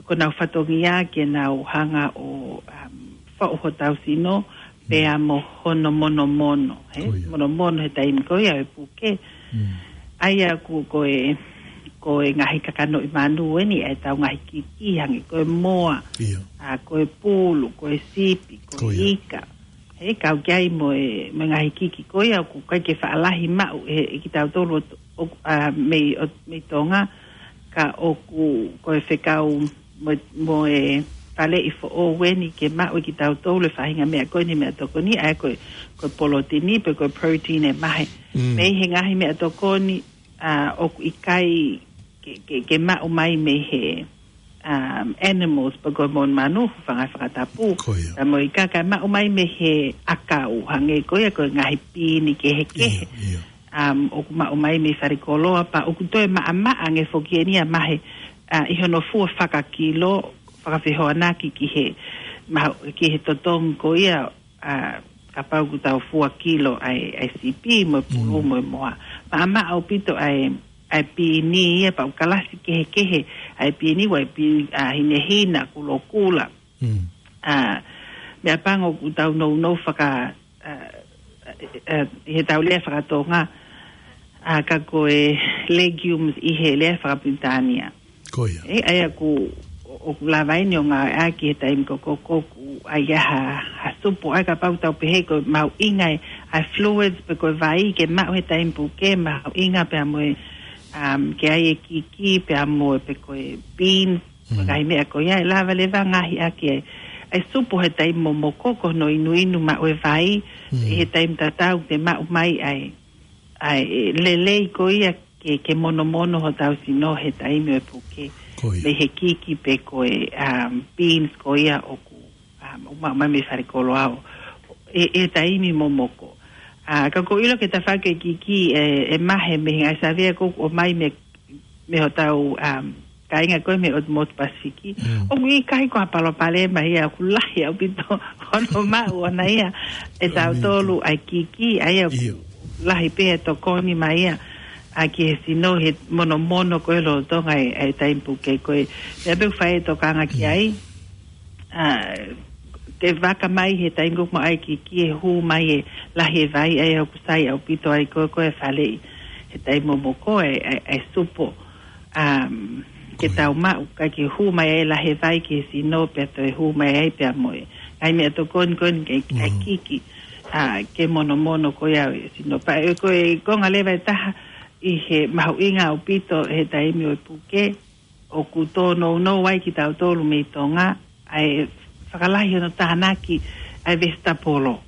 ko ʻenau fatongia ke nau hanga ʻo, um, faʻu hotau sino, pea mo hono monomono, he? Ko ia. Monomono he taimi ko ia e puke. Mm. ʻA ia ʻoku ko e, ko e ngaahi kakanoʻi manu eni, ʻa e tau ngaahi kiki, hangē ko e moa, Ia. ʻa, ko e pulu, ko e sipi, ko Ko e ia. ika. He kau ki ai mo e, mo e ngaahi kiki ko ia, ʻoku ʻikai ke faʻa lahi maʻu ʻe, ʻe kitautolu ʻo, ʻo, ʻa, mei, ʻo, mei Tonga, ka ʻoku, ko e fekau mo, mo e faleʻi foʻou eni ke maʻu ʻe kitautolu e faʻahinga meʻa ko eni meʻatokoni, ʻa ia ko e, ko e polotini pe ko e protein ʻe mahe. Mm. Mei he ngaahi meʻatokoni, ʻa, ʻoku ʻikai ke, ke, ke maʻu mai mei he, um, animals, pe ko e monumanu, hūfanga he fakatapu. Ko ia. Ka mo e ika ka maʻu mai mei he ʻakau, hangē ko ia ko e ngaahi pīni kehekehe. Ia, ia. Um, ʻoku maʻu mai mei fale koloa, pea ʻoku toe maʻamaʻa ange foki eni ʻa e mahe, ʻa, ʻi hono fua fakakilo, fakafehoanaki ki he, ma-, ki he totongi ko ia, ʻa, kapau ʻoku tau fua kilo ʻa e, ʻa e sipi mo e pulu Mm. mo e moa. Maʻamaʻa ʻaupito ʻa e, ʻa e pīni ia pea ʻoku kalasi kehekehe ʻa e pīni, ʻoku ʻi ai e pīni, ʻa, hinehina, kulokula. Mm. ʻA, meʻapango ʻoku tau nounou faka-, ʻa, ʻa, ʻa, ʻi he tau lea fakatonga, ʻa, ka ko e legumes ʻi he lea fakapilitānia. Ko ia. ʻE, ʻa ia ʻoku, ʻo, ʻoku lava eni ʻo ngāueʻaki he taimi ko ē ʻoku, ʻoku ʻi ai ha, ha supu, ʻa ia kapau tau pehē ko e mahuʻinga e, ʻa e fluids pe ko e vai ke maʻu he taimi puke, mahuʻinga pea mo e, um, ke ʻai e kiki pea mo e pe ko e beans, Mm. ngaahi meʻa ko ia, ʻe lava leva ngaahi ʻaki e, ʻa e supu he taimi momoko ko hono inuinu maʻu e vai, Mm. ʻi he taimi tatau te maʻu mai ʻa e, ʻa e lelei ko ia ke, ke monomono hotau sino he taimi ʻo e puke. Ko ia. Mei he kiki pe ko e, um, beans ko ia ʻoku, ʻo maʻu mai mei falekoloa ʻi he taimi momoko. ʻA, ka ʻoku ou ʻilo ki he tafaʻaki ʻo e kiki ʻe, ʻe mahe mei he ngaahi savea ʻoku ʻomai mei, mei hotau, um, kāinga ko ē mei he ʻotu motu Pasifiki. Mm. ʻOku ʻikai ko ha palopalema ia, ʻoku lahi ʻaupito hono maʻu ʻona ia ʻe tautolu ʻa e kiki, ʻa ia ʻoku ʻIo. lahi pē ʻa e tokoni mai ia ʻa ki he sino he monomono ko ē lolotonga ʻa e, ʻa e taimi puke ko ē. Meʻa pē ʻoku fai e tokanga ki Mm. ai, ʻa, ke vaka mai he taimi ko ē ʻoku maʻu ai e kiki ʻe hū mai e lahi e vai ʻa ia ʻoku sai ʻaupito ai ko ē, ko ē faleʻi he taimi momoko ʻa e, ʻa e, ʻa e supo, um, ke Ko ia. tau maʻu, ka ke hū mai e lahi e vai ki he sino pea toe hū mai ai pea mo e ngaahi meʻatokoni ko eni ke, ʻa e Mm. kiki, ʻa, ke monomono ko ia ʻa e sino. Pea ʻe ko e konga leva ʻe taha ʻi he mahuʻinga ʻaupito he taimi ʻo e puke, ʻoku tōnounou ai kitautolu mei Tonga, ʻa e fakalahi hono tānaki ʻa e vesitapolo.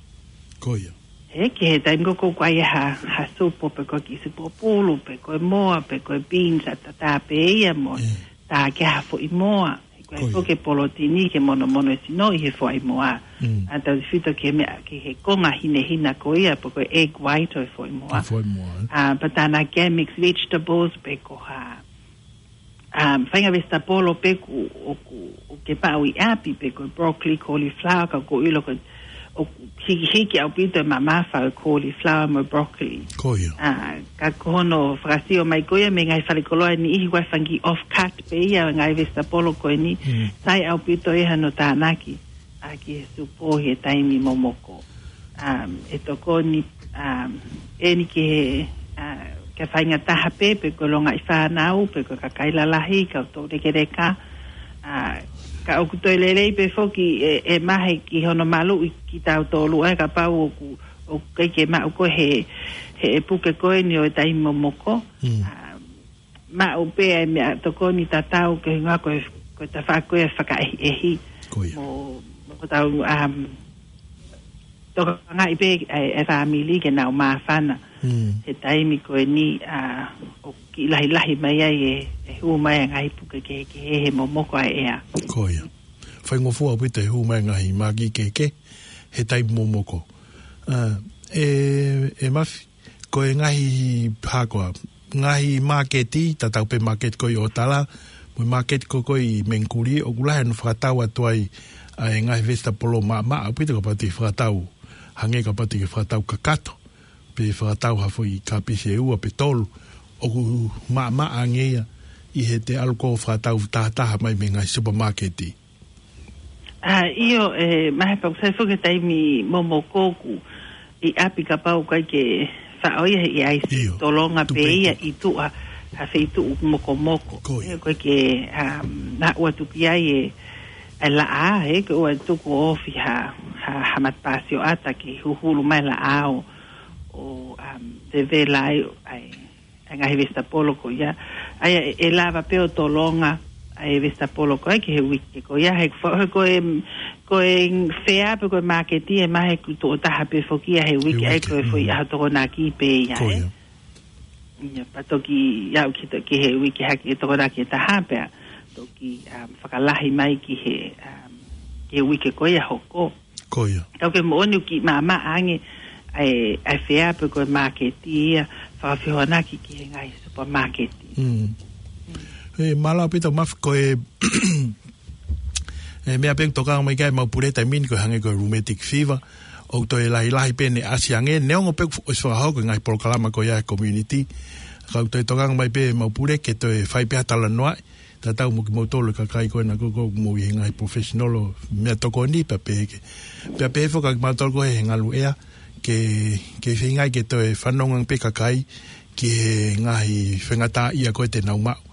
Ko ia. He, ki he taimi ko ē ʻoku ʻi ai ha, ha supo pe ko e kiʻi supo pulu, pe ko e moa, pe ko e beans ʻa tatā pē ia mo, Mm. tā ki ha foʻi moa. He ko e Ko ia. foʻi polotini ke monomono e sino ʻi he foʻi moa. Mm. ʻA tautefito ki he meʻa, ki he konga hinehina ko ia, pe ko e egg white ʻo e foʻi moa. ʻO e foʻi moa, ē. ʻA, pea tānaki ai mixed vegetables, pe ko ha, um, faʻahinga vesitapolo pē ʻoku, ʻoku, ʻoku ke maʻu ʻi ʻapi pe ko e broccoli, cauliflower, ka ʻoku ou ʻilo ko e, ʻoku hikihiki ʻaupito e mamafa ʻo e cauliflower mo e broccoli. Ko ia. ʻA, ka ko hono fakasio mai ko ia mei he ngaahi falekoloa ʻe niʻihi ʻoku ʻi ai e fanga kiʻi offcut pē ia ʻo e ngaahi vesitapolo ko eni. Mm. Sai ʻaupito ia hono tānaki ʻa ki he supo he taimi momoko. Um, ʻe tokoni, um, eni ki he, uh, ki he faʻahinga taha pē, pe ko e longaʻi fānau, pe ko e kakai lalahi, kau toulekeleka. Uh, ka ʻoku toe lelei pē foki ʻe, ʻe mahe ki hono maluʻi kitautolu ʻa e kapau ʻoku, ʻoku ʻikai ke maʻu ko ē he, he puke ko eni ʻo e taimi momoko. Mm. Um, maʻu pē ʻa e meʻatokoni tatau ki he ngaahi ko e, ko e tafaʻaki ʻo e fakaʻehiʻehi. Ko ia. Mo, mo ko tau, um, tokangaʻi pē ʻa e, ʻa e fāmili ke nau māfana. Mm. He taimi ko eni, ʻa, ʻoku kiʻi lahilahi mai ai e, e hū mai ʻa e ngaahi puke kehekehe he momoko ʻa e ʻea. Ko ia. Faingofua ʻaupito e hū mai e ngaahi mākiki kehekehe he taimi momoko. ʻA, ʻe, ʻe Mafi, ko e ngaahi hako ʻa, ngaahi māketi, tatau pē māketi ko ē ʻo ʻOtala, mo e māketi ko ē ʻi Mengikuli, ʻoku lahi hono fakatau atu ai ʻa e ngaahi vesitapolo maʻamaʻa, ʻaupito kapau te ke fakatau, hangē kapau te ke fakatau kakato, pe fakatau ha foʻi kāpisi ʻe ua pe tolu, ʻoku maʻamaʻa ange ia ʻi heʻete ʻalu ʻo fakatau tahataha mai mei he ngaahi supamāketi. ʻA, ʻio, ʻe, mahe pau sai foki he taimi momoko ʻoku ʻi ʻapi kapau ʻoku ʻikai ke faʻo ia he ʻi ai ʻIo, tolonga tupe pē ia ʻi tuʻa, ha feituʻu mokomoko. Ko ia. ʻE, ʻoku ʻikai ke, um, naʻa ʻoua tuku ai e, e laʻā, he, ke ʻoua tuku ʻo ofi ha, ha, ha matapā sioʻata ke huhulu mai laʻā ʻo, ʻo, um, vevela ai, ʻa e, ʻa e ngaahi vesitapolo ko ia. ʻA ia ʻe, ʻe lava pē ʻo tolonga ʻa e vesitapolo ko ia ki he uike ko ia. He fa-, he ko e, ko e fea pe ko e māketi ʻe mahe ʻoku tuʻo taha pē foki ia he uike, ʻa ia ko e foʻi ʻaho Tokonaki pē ia, Ko ē. ia. Ia, pea toki aʻu ki he, ki he uike hake ʻe Tokonaki ʻe taha pea toki, um, fakalahi mai ki he, um, ki he uike ko ia hoko. Ko ia. Ka ʻoku moʻoni ʻoku kiʻi maʻamaʻa ange ʻa e, ʻa e fea pe ko e māketi ia, fakafehoanaki ki he ngaahi supamāketi. Mm. ʻE, mālō ʻaupito Mafi, ko e, e meʻa pē ʻoku tokanga mai ki ai ʻemau pule he taimi ni ko e hangē ko e rheumatic fever, ʻoku toe lahilahi pē ʻene ʻasi ange, neongo pē ʻoku ʻosi fakahoko e ngaahi polokalama ko ia he community, ka ʻoku toe tokanga mai pē ʻemau pule ke toe fai pē ha talanoaʻi, tatau mo kimoutolu e kakai ko ena ko ē ʻoku mou ʻi he ngaahi professional ʻo meʻatokoni pea pehē ki he. Pea pehē foki kiate kimautolu ko ē he ngaluʻea ke, ke feinga ke toe fanongo pē kakai ki he ngaahi faingataʻaʻia ko ē te nau maʻu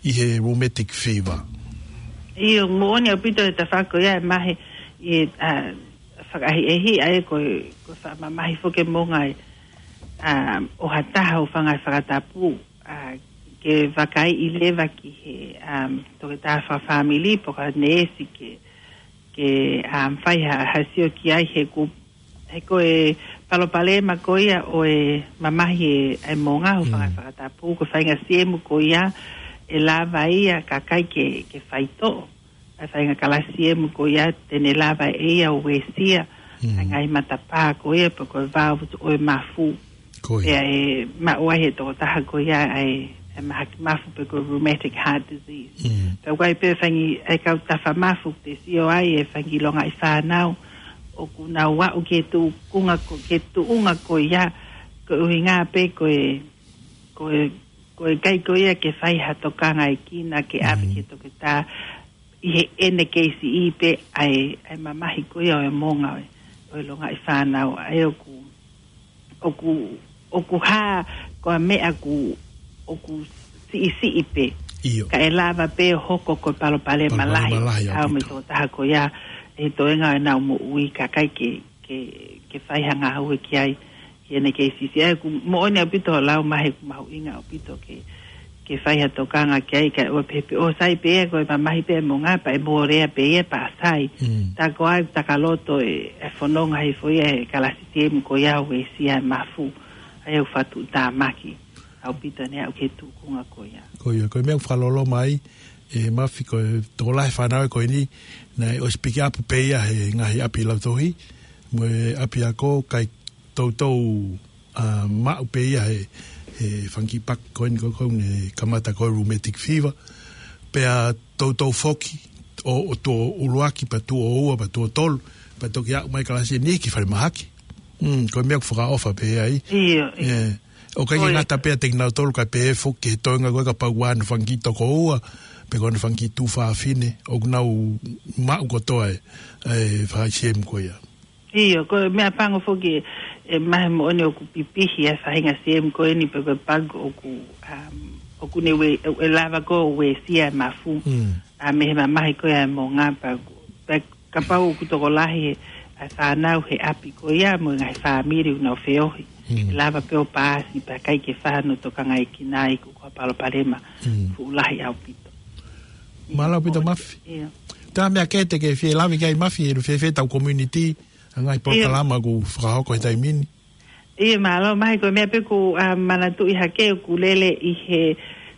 ʻi he rheumatic fever. ʻIo, moʻoni ʻaupito e tafaʻaki ko ia ʻe mahe ʻi he, ʻa, fakaʻehiʻehi ʻa ia ko e, ko e faʻa mamahi foki e moʻunga ʻe, ʻa, ʻo ha taha ʻo e fanga fakatapu, ʻa, ke vakaiʻi leva ki he, um, toketā fakafāmili pe ko ha neesi ke, ke, um, fai ha, ha sio ki ai he ʻoku, he ko e palopalema ko ia ʻo e mamahi e, e moʻunga ʻo e fanga Mm. fakatapu, ko e faʻahinga siemu ko ia ʻe lava ia kakai ke, ke faitoʻo. ʻa e faʻahinga kalasi emu ko ia te ne lava ʻe ia ʻo uesia ʻa e ngaahi matapā ko ia pe ko e valve ʻo e mafu. Ko ia. Pea ʻe maʻu ai he tokotaha ko ia ʻa e, ʻa e mahaki mafu pe ko e rheumatic heart disease. Pea ʻoku ʻi ai pē fanga ʻa e kau tafa mafu te sio ai e fanga longaʻi fānau ʻoku nau aʻu ki he tuʻunga ko, ki he tuʻunga ko ia, ko e ʻuhinga pē ko e, ko e, ko e ʻikai ko ia ke fai ha tokangaekina ke ʻave ki he toketā ʻi heʻene kei siʻi pē ʻa e, ʻa e mamahi ko ia ʻo e moʻunga ʻo e, ʻo e longaʻi fānau. ʻA ia ʻoku, ʻoku, ʻoku hā ko e meʻa ʻoku, ʻoku siʻisiʻi pē. ʻIo. Ka ʻe lava pē ʻo hoko ko e palopalema lahi. Palopalema lahi ʻaupito. Mei he tokotaha ko ia he toenga ʻenau moʻui ka ʻikai ke, ke, ke fai ha ngāue ki ai. Ki heʻene kei siʻisiʻi. ʻA ia ʻoku moʻoni ʻaupito hoʻo lau Mafi, ʻoku mahuʻinga ʻaupito ke, ke fai ha tokanga ki ai, ka ʻoua pē pē ʻo sai pē ia ko e mamahi pē ʻa e moʻunga pea ʻe mole pē ia pea sai. Tā ko ʻeku takaloto ʻe, ʻe fononga hifo ia he kalasi emu ko ia ʻo uesia e mafu. ʻA ia ʻoku fakatuʻutāmaki ʻaupito ʻene aʻu ki he tuʻunga ko ia. Ko ia, ko e meʻa ʻoku fakaloloma ai ʻe Mafi ko e tokolahi fānau ko eni, naʻe ʻosi pikiʻapu pē ia he ngaahi ʻapi lautohi, mo e ʻapiako, kae toutou, ʻa, maʻu pē ia he, he fanga kiʻi paki ko eni ko, ko eni kamata ko e rheumatic fever. Pea toutou foki, ʻo, ʻo tuʻo ʻuluaki, pea tuʻo ua, pea tuʻo tolu, pea toki aʻu mai kalasi eni ki falemahaki. Mm, ko e meʻa ʻoku fakaʻofa pē ai. ʻIo, ʻio. ʻOku ʻikai ke ngata pē ʻiate kinautolu kae pehē foki ki he toenga ko ē kapau ʻoku ʻi ai hano fanga kiʻi tokoua, pe ko hano fanga kiʻi tuofāfine, ʻoku nau maʻu kotoa e, e fanga ʻi he emu ko ia. ʻIo, ko e meʻa pango foki ʻe Mafi moʻoni ʻoku pipihi ʻa e faʻahinga ʻi he emu ko eni pe ko e pagi ʻoku, um, ʻoku ne ue, ʻe lava ko ē ʻo uesia e mafu. ʻA, mei he mamahi ko ia ʻa e moʻunga pea, pea kapau ʻoku tokolahi ʻa e fānau he ʻapi ko ia mo e ngaahi fāmili ʻoku nau feohi. ʻE lava pē ʻo paasi pea ʻikai ke fai hano tokangaekina ʻi he ko e palopalema fuʻu lahi ʻaupito. Mālō ʻaupito Mafi. ʻIo. Tā meʻa kehe te ke fie lave ki ai Mafi, ʻe fēfē ʻetau community, ʻa e ngaahi polokalama ʻoku fakahoko he taimi ni? ʻIo, mālō Mafi, ko e meʻa pē ʻoku, ʻa, manatuʻi hake ʻoku lele ʻi he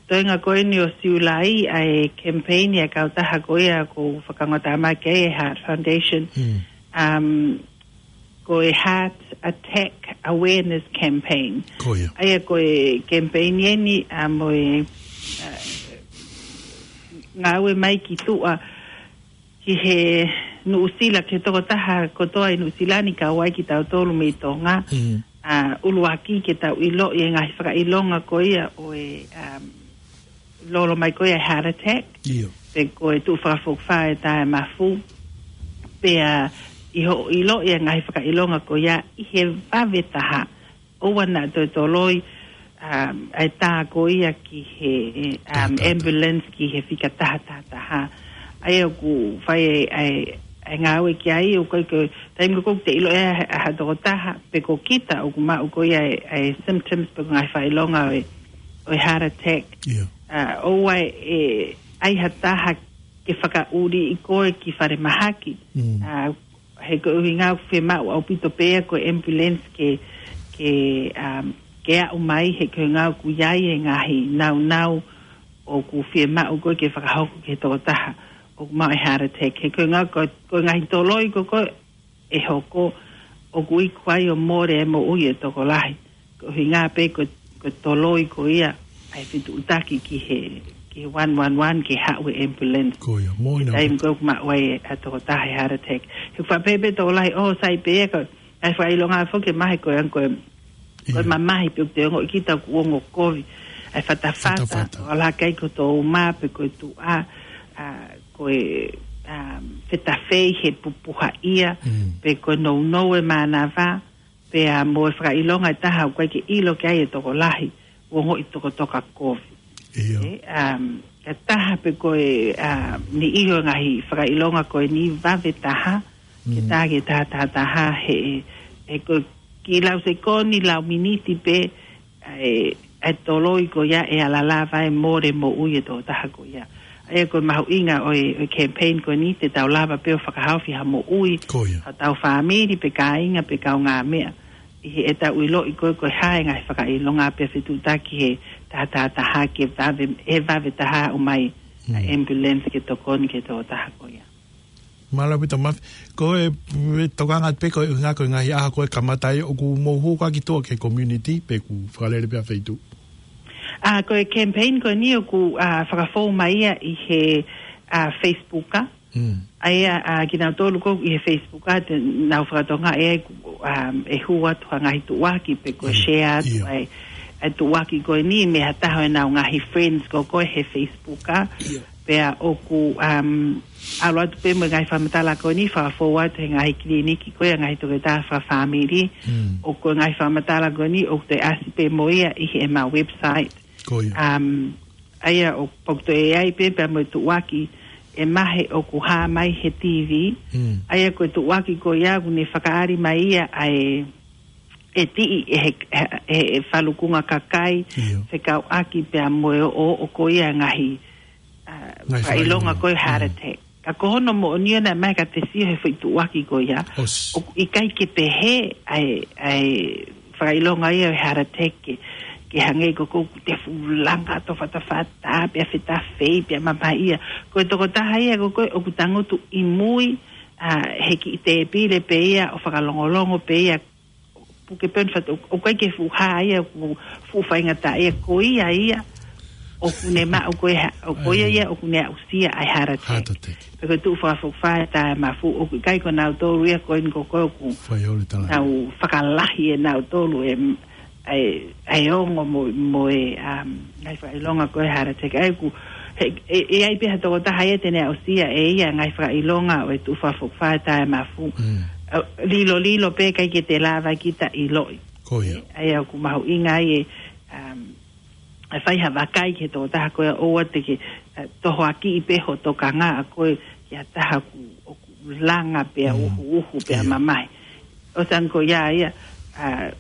toenga ko eni ʻo Siulai ʻa e campaign ʻa e kautaha ko ia ʻoku fakangataʻa mai ki ai e Heart Foundation. Um, ko e Heart Attack Awareness Campaign. Ko ia. ʻA ia ko e campaign eni, ʻa, mo e, ʻa, ngāue mai ki tuʻa ki he Nuʻusila, ki he tokotaha kotoa ʻi Nuʻusila ni kau ai kitautolu mei Tonga. ʻA, ʻuluaki ke tau ʻiloʻi e ngaahi fakaʻilonga ko ia ʻo e, um, lolo mai ko ia e heart attack. ʻIo. Pe ko e tuʻu fakafokifā e tā e mafu. Pea ʻi hoʻo ʻiloʻi e ngaahi fakaʻilonga ko ia ʻi he vave taha, ʻoua naʻa toe toloi, um, ʻa e tā ko ia ki he, um, ambulance ki he fika taha taha taha. ʻA ia ʻoku fai e, ʻa e, ʻa e ngāue ki ai, ʻoku ʻikai ko e taimi ko ē ʻoku te ʻiloʻi ʻe ha, ha tokotaha, pe ko kita ʻoku maʻu ko ia e, ʻa e symptoms pe ko e ngaahi fakaʻilonga ʻo e, ʻo e heart attack. ʻIo. ʻA, ʻoua ʻe ʻai ha taha ke fakaʻuliʻi koe ki falemahaki. ʻA, he ko e ʻuhinga ʻoku fiemaʻu ʻaupito pē ia ko e ambulance ke, ke, um, ke aʻu mai he ko e ʻuhinga ʻoku ʻi ai e ngaahi nāunau ʻoku fiemaʻu ko ē ke fakahoko ki he tokotaha ʻoku maʻu e heart attack. He ko e ʻuhinga ko, ko e ngaahi toloi ko ē ʻe hoko ʻoku iku ai ʻo mole e moʻui e tokolahi. Ko e ʻuhinga pē ko, ko e toloi ko ia ʻa e fetuʻutaki ki he, ki he one one one ke haʻu e ambulance. Ko ia, moʻoni ʻaupito. Taimi ko ē ʻoku maʻu ai ʻa e tokotaha e heart attack. He ʻoku faʻa pehē pē tokolahi, ʻo sai pē ia ko, ʻa e fakaʻilonga foki Mafi ko e ʻuhinga ko e, ko e mamahi pē ʻoku te ongoʻi kita ʻoku ongo kovi. ʻA e fatafata, fatafata. ʻO lahi ai ko e tō uma pe ko e tuʻa, ʻa, ko e, um, fetafei he pupuhaʻia, pe ko e nounou e mānava, pea mo e fakaʻilonga ʻe taha ʻoku ʻikai ke ʻilo ki ai e tokolahi, ʻoku ongoʻi tokotoka kovi. ʻIo. ʻE, um, ʻe taha pē ko e, um, niʻihi ʻo e ngaahi fakaʻilonga ko eni vave taha, ke tā ki he taha taha taha he, he ko e kiʻi lau sekoni, lau miniti pē, ʻa e, ʻa e toloi ko ia ʻe ala lava ʻo mole moʻui e tokotaha ko ia. ʻA ia ko e mahuʻinga ʻo e, ʻo e campaign ko eni te tau lava pē ʻo fakahaofi ha moʻui. Ko ia. Hotau fāmili pe kāinga pe kaungāmeʻa. ʻI heʻetau ʻiloʻi ko ē ko e hā e ngaahi fakaʻilonga pea fetuʻutaki he taha taha taha ke vave, he vave taha ʻo mai ʻa e ambulance ke tokoni ki he tokotaha ko ia. Mālō ʻaupito Mafi. Ko e, e tokanga pē ko e ʻuhinga ko e ngaahi ʻaho ko ē kamata ai ʻoku mou hū ko ā ki tuʻa ki he community pe ʻoku fakalele pē ʻa e feituʻu? ʻA, ko e campaign ko eni ʻoku, ʻa, fakafou mai ia ʻi he, ʻa, Facebook, ʻa. Mm. ʻA ia, ʻa, kinautolu ko ē ʻi he Facebook, ʻa, te nau fakatokangaʻi ai ʻoku, ʻa, ʻe hū atu ha ngaahi tuʻuaki pe ko e share atu ʻa e, ʻa e tuʻuaki ko eni mei ha taha ʻo ʻenau ngaahi friends ko ē he Facebook, ʻa. Pea ʻoku, um, ʻalu atu pē mo e ngaahi fakamatala ko eni, fakafou atu he ngaahi kiliniki ko ia, ngaahi toketā fakafāmili. Mm. ʻOku ko e ngaahi fakamatala ko eni, ʻoku toe ʻasi pē mo ia ʻi heʻemau website. Ko ia. Um, ʻa ia ʻoku pau ke toe ʻi ai pē pea mo e tuʻuaki ʻe mahe ʻoku hā mai he T V. Mm. ʻA ia ko e tuʻuaki ko ia ʻoku ne fakaʻali mai ia ʻa e, ʻe tiʻi ʻe he, he, he, he falukunga kakai, fekauʻaki pea mo e ʻoʻo ko ia ngaahi ʻa, fakaʻilonga ko e heart attack. Ka ko hono moʻoni ʻoku ʻomai ka te sio he foʻi tuʻuaki ko ia. ʻOku ʻikai ke pehē ʻa e, ʻa e fakaʻilonga ia ʻo e heart attack ke, ke hangē ko ē ʻoku te fuʻu langa tofatofatā, pea fetafei, pea mamahi ia. Ko e tokotaha ia ko ē ʻoku tangutu ʻi mui, ʻa, he kiʻi tēpile pē ia ʻo fakalongolongo pē ia puke pē ʻo fatu, ʻoku ʻikai ke fuʻu hā ia, ʻoku fuʻu faingataʻa ia, ko ia ia, ʻoku ne maʻu ko e ha-, ʻoku ko ia ia, ʻoku ne aʻusia ʻa e heart attack. Heart attack. Pea ko e tuʻu fakafokifā ʻa e taʻemafu, ʻoku ʻikai ko nautolu ia ko eni ko ē ʻoku nau fakalahi ʻe nautolu ʻe, ʻa e, ʻa e ongo mo, mo e, um, ngaahi fakaʻilonga ko e heart attack. ʻA ia ʻoku, he, ʻe, ʻe ʻi ai pē ha tokotaha ia te ne aʻusia ʻe ia ngaahi fakaʻilonga ʻo e tuʻu fakafokifā ʻa e taʻemafu. Mm. ʻA, lilolilo pē ʻikai ke te lava kita ʻiloʻi. Ko ia. ʻA ia ʻoku mahuʻinga ai ʻe, um, ʻe fai ha vakai ki he tokotaha ko ia ʻoua te ke, ʻa, tohoakiʻi pē ho tokanga ʻa koe ki ha taha ʻoku, ʻoku langa pea uhuuhu pea mamahi. ʻOsi ange ko ia ia, ʻa,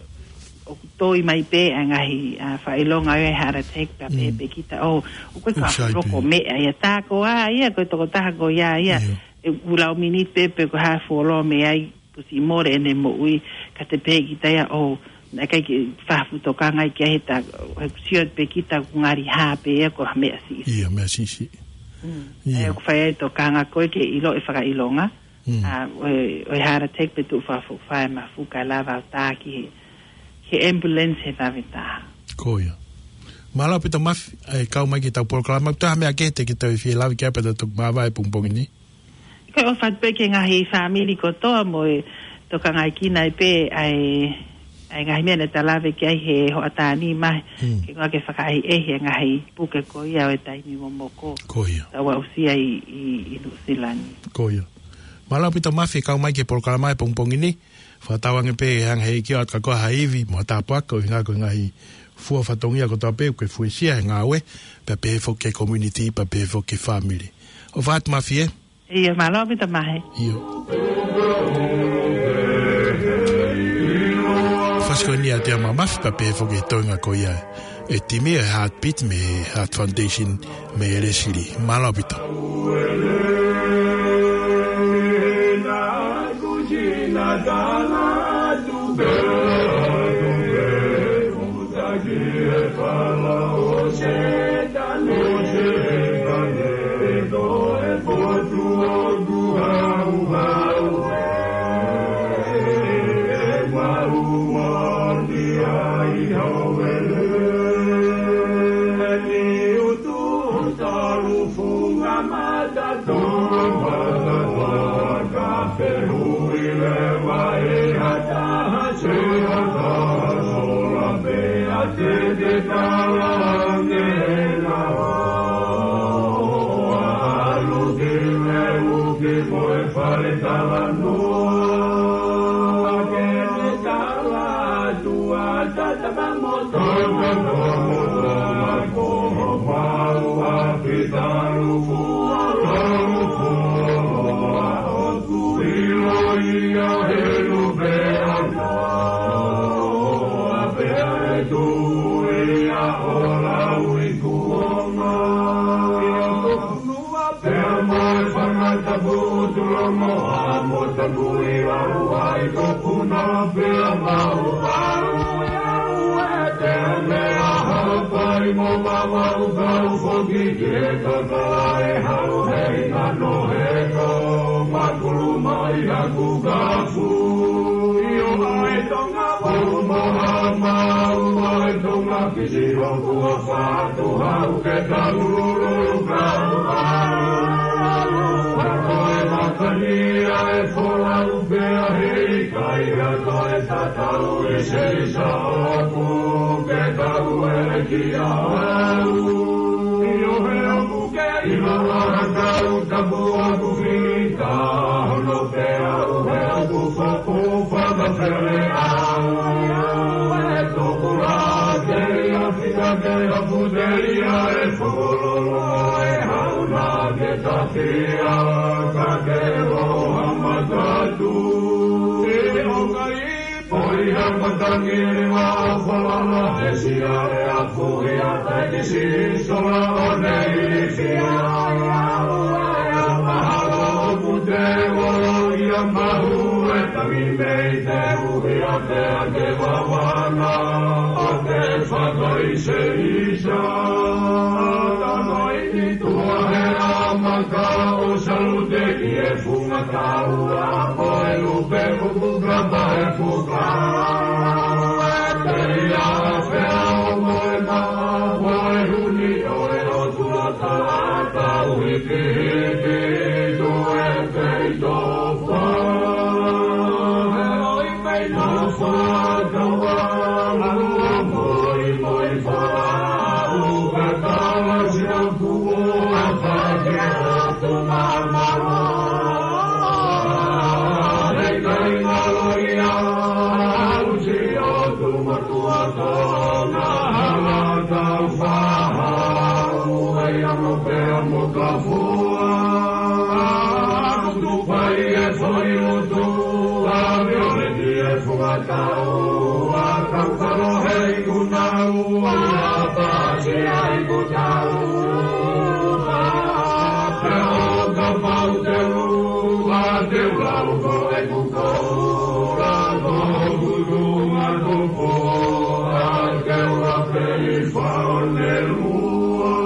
ʻoku toi mai pē ʻa e ngaahi, ʻa, fakaʻilonga ʻo e heart attack pea pehē pē kita ʻo, ʻoku ʻikai ko ha fuʻu loko meʻa ia tā ko ā ia, ko e tokotaha ko ia ia. ʻE ʻulau miniti pē pe ko e hā e fuoloa mei ai, kuo ʻosi mole ʻene moʻui, ka te pehē kita ia ʻo, naʻe ʻikai ke fai ha fuʻu tokanga ki ai he tā, he ʻoku sio pē kita ʻoku ngali hā pē ia ko ha meʻa siʻisiʻi. Ia, meʻa siʻisiʻi. Mm. Ia. ʻA ia ʻoku fai ai e tokanga ko ē ke ʻiloʻi e fakaʻilonga. Mm. ʻA, ʻo e, ʻo e heart attack pe tuʻu fakafokifā ʻa e mafu kae lava ʻo tā ki he, ki he ambulance he vave taha. Ko ia. Mālō ʻaupito Mafi, ʻa e kau mai ki heʻetau polokalama, ʻoku ʻi ai ha meʻa kehe te ke toe fie lave ki ai pea ta toki māvae he pongipongi ni? Ko e ʻofa atu pē ki he ngaahi fāmili kotoa mo e tokangaekina ai pē ʻa e, ʻa e ngaahi meʻa naʻa ta lave ki ai he hoʻatā ni mai, ke ngā ke fakaʻehiʻehi e ngaahi puke ko ia ʻo e taimi momoko. Ko ia. Tau aʻusia ʻi, ʻi, ʻi Nuʻusila ni. Ko ia. Mālō ʻaupito Mafi kau mai ki he polokalama he pongipongi ni. Fakatauange pē ʻe hanga ʻe he ʻEiki ʻo ʻoatu kiate koe ha ivi mo ha tāpuaki ʻo e ngaahi, ko e ngaahi fua fatongia kotoa pē ʻoku ke fuesia he ngāue, pea pehē foki ki he community, pea pehē foki ki he fāmili. ʻOfa atu Mafi ē. Ia, mālō ʻaupito Mafi. ʻIo. Fasi ko eni ʻa Teama Mafi pea pehē foki ki he toenga ko ia ʻe Timi ʻa e Heartbeat mei he Heart Foundation mei Leslie. Mālō ʻaupito. Mo mamaʻu kau foki ki he kakala ʻe hau he ʻingano he kau makulu mai haku kafu. ʻIo ʻa e Tonga pau mo ha mau ʻa e Tonga pisi hoku a fatu hau ke taululu kau a. Ko e makani ʻa e folau pea he ʻikai ha toe tatau ʻi se isa ʻoku ke tau ʻele ki a au. ʻIo he ʻoku ke ʻilo ʻa ha kau tapu ʻoku fita hono pea ʻuhe ʻoku foʻu fakafele au. ʻE tokula ke ia fita ke apu te ia e fukulolo e hauna ke tafia ka ke loha matatu. ʻE o kai Poi ha matangi ni wa falala he sia e afu ia taikisi sola o nei fia ia ua ia mahalo ʻoku te ua ia mahu e tangi mei te uhi a te ake wawana o te fakai se isa. Tano ini tua he a maka o salute ki e funga taua mo e lupe ʻoku kapa e puka. Te ia fea o mo e maʻa mo e huni ʻo e ʻOtua taʻata uhi ki hiki tu e pei tofa. He ʻoi pei tofa kaua lua moi moi fala uka tawa sina kuo a fake atu mamawa. He kai ngalo ia usi o tu matua tona hala tau faha ua ia mo pea mo ka fua. Kutu pai e fai utu a viole ki e funga tau a kau kalo he iku nau a pasi a iku tau. Pea o ka pau te u a te u lau ko e kuko la ko kuku ma kuko a te u a peli fao ne lua.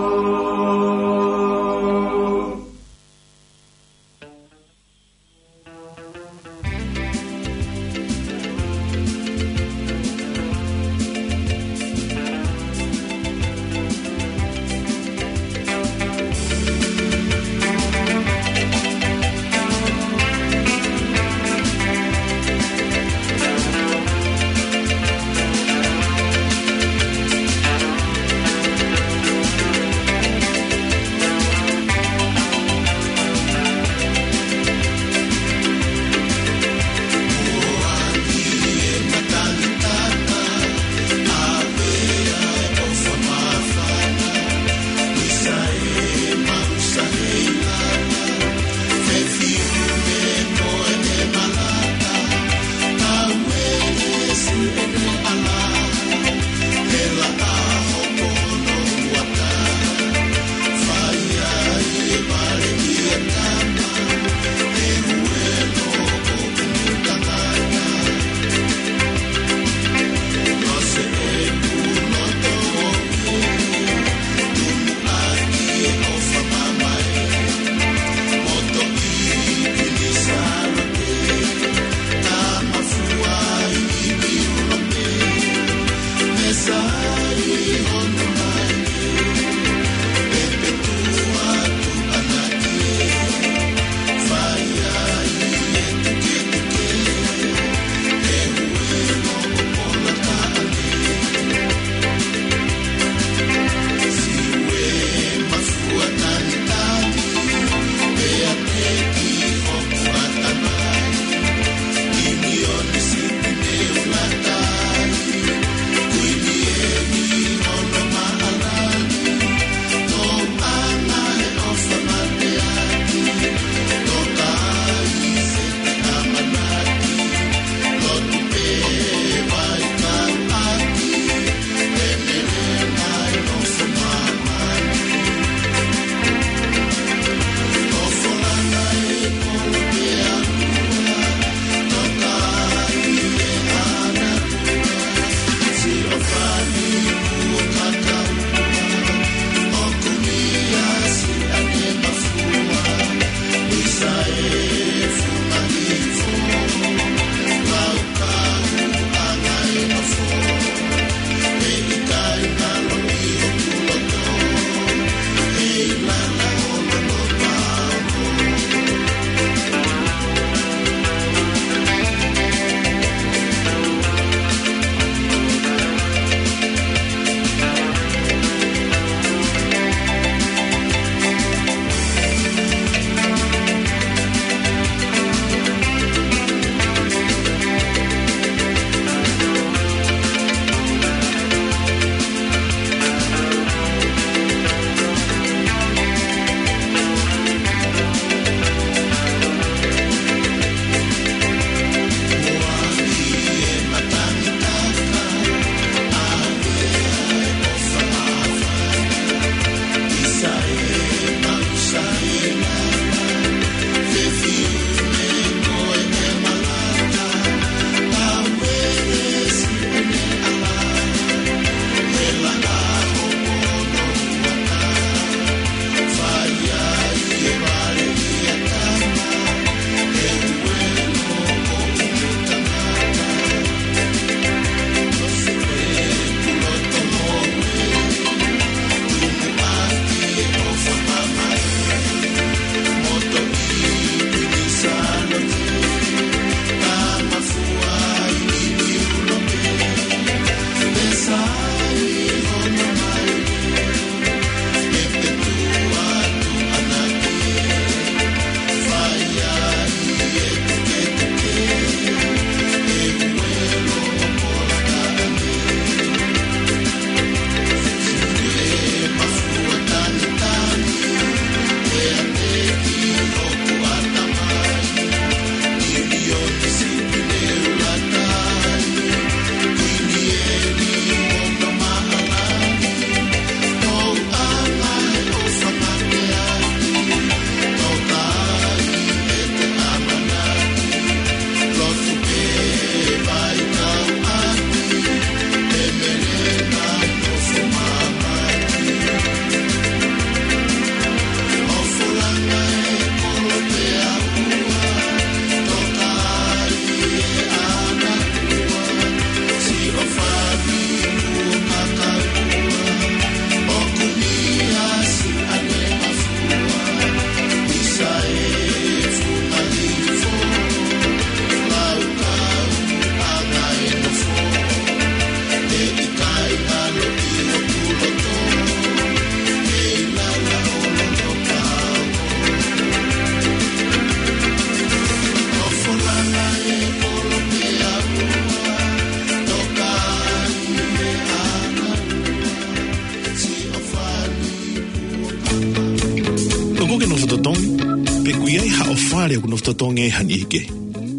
ʻo fale ʻoku nofo totongi ai ha niʻihi kehe.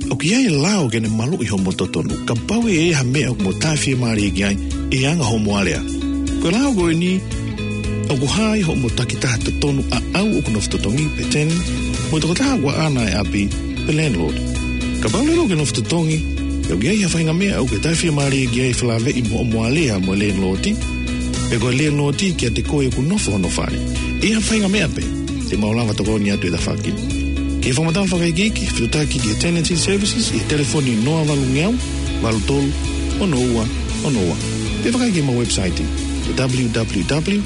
ʻOku ʻi ai e lao ke ne maluʻi hoʻomo totonu, kapau ʻe ʻi ai ha meʻa ʻoku mo tāfiemālie ki ai ʻi he anga hoʻomo alea. Ko e lao ko eni, ʻoku hā ai hoʻomo takitaha totonu ʻaʻau ʻoku nofo totongi pe tenant, mo e tokotaha ʻoku ʻaʻana e ʻapi pe landlord. Kapau leva ʻoku ke nofo totongi, ʻoku ʻi ai ha faʻahinga meʻa ʻoku ke tāfiemālie ki ai felāveʻi mo hoʻomo alea mo e landlord, pe ko e landlord kiate koe ʻoku nofo hono fale. ʻI ai ha faʻahinga meʻa pē, te mau lava tokoni atu he tafaʻaki ni. Ke fakamatala fakaikiiki, fetuʻutaki ki he Tenancy Services ʻi he telefoni noa valu ngeau, valu tolu, ono ua, ono ua. Pe vakai ki heʻemau website, www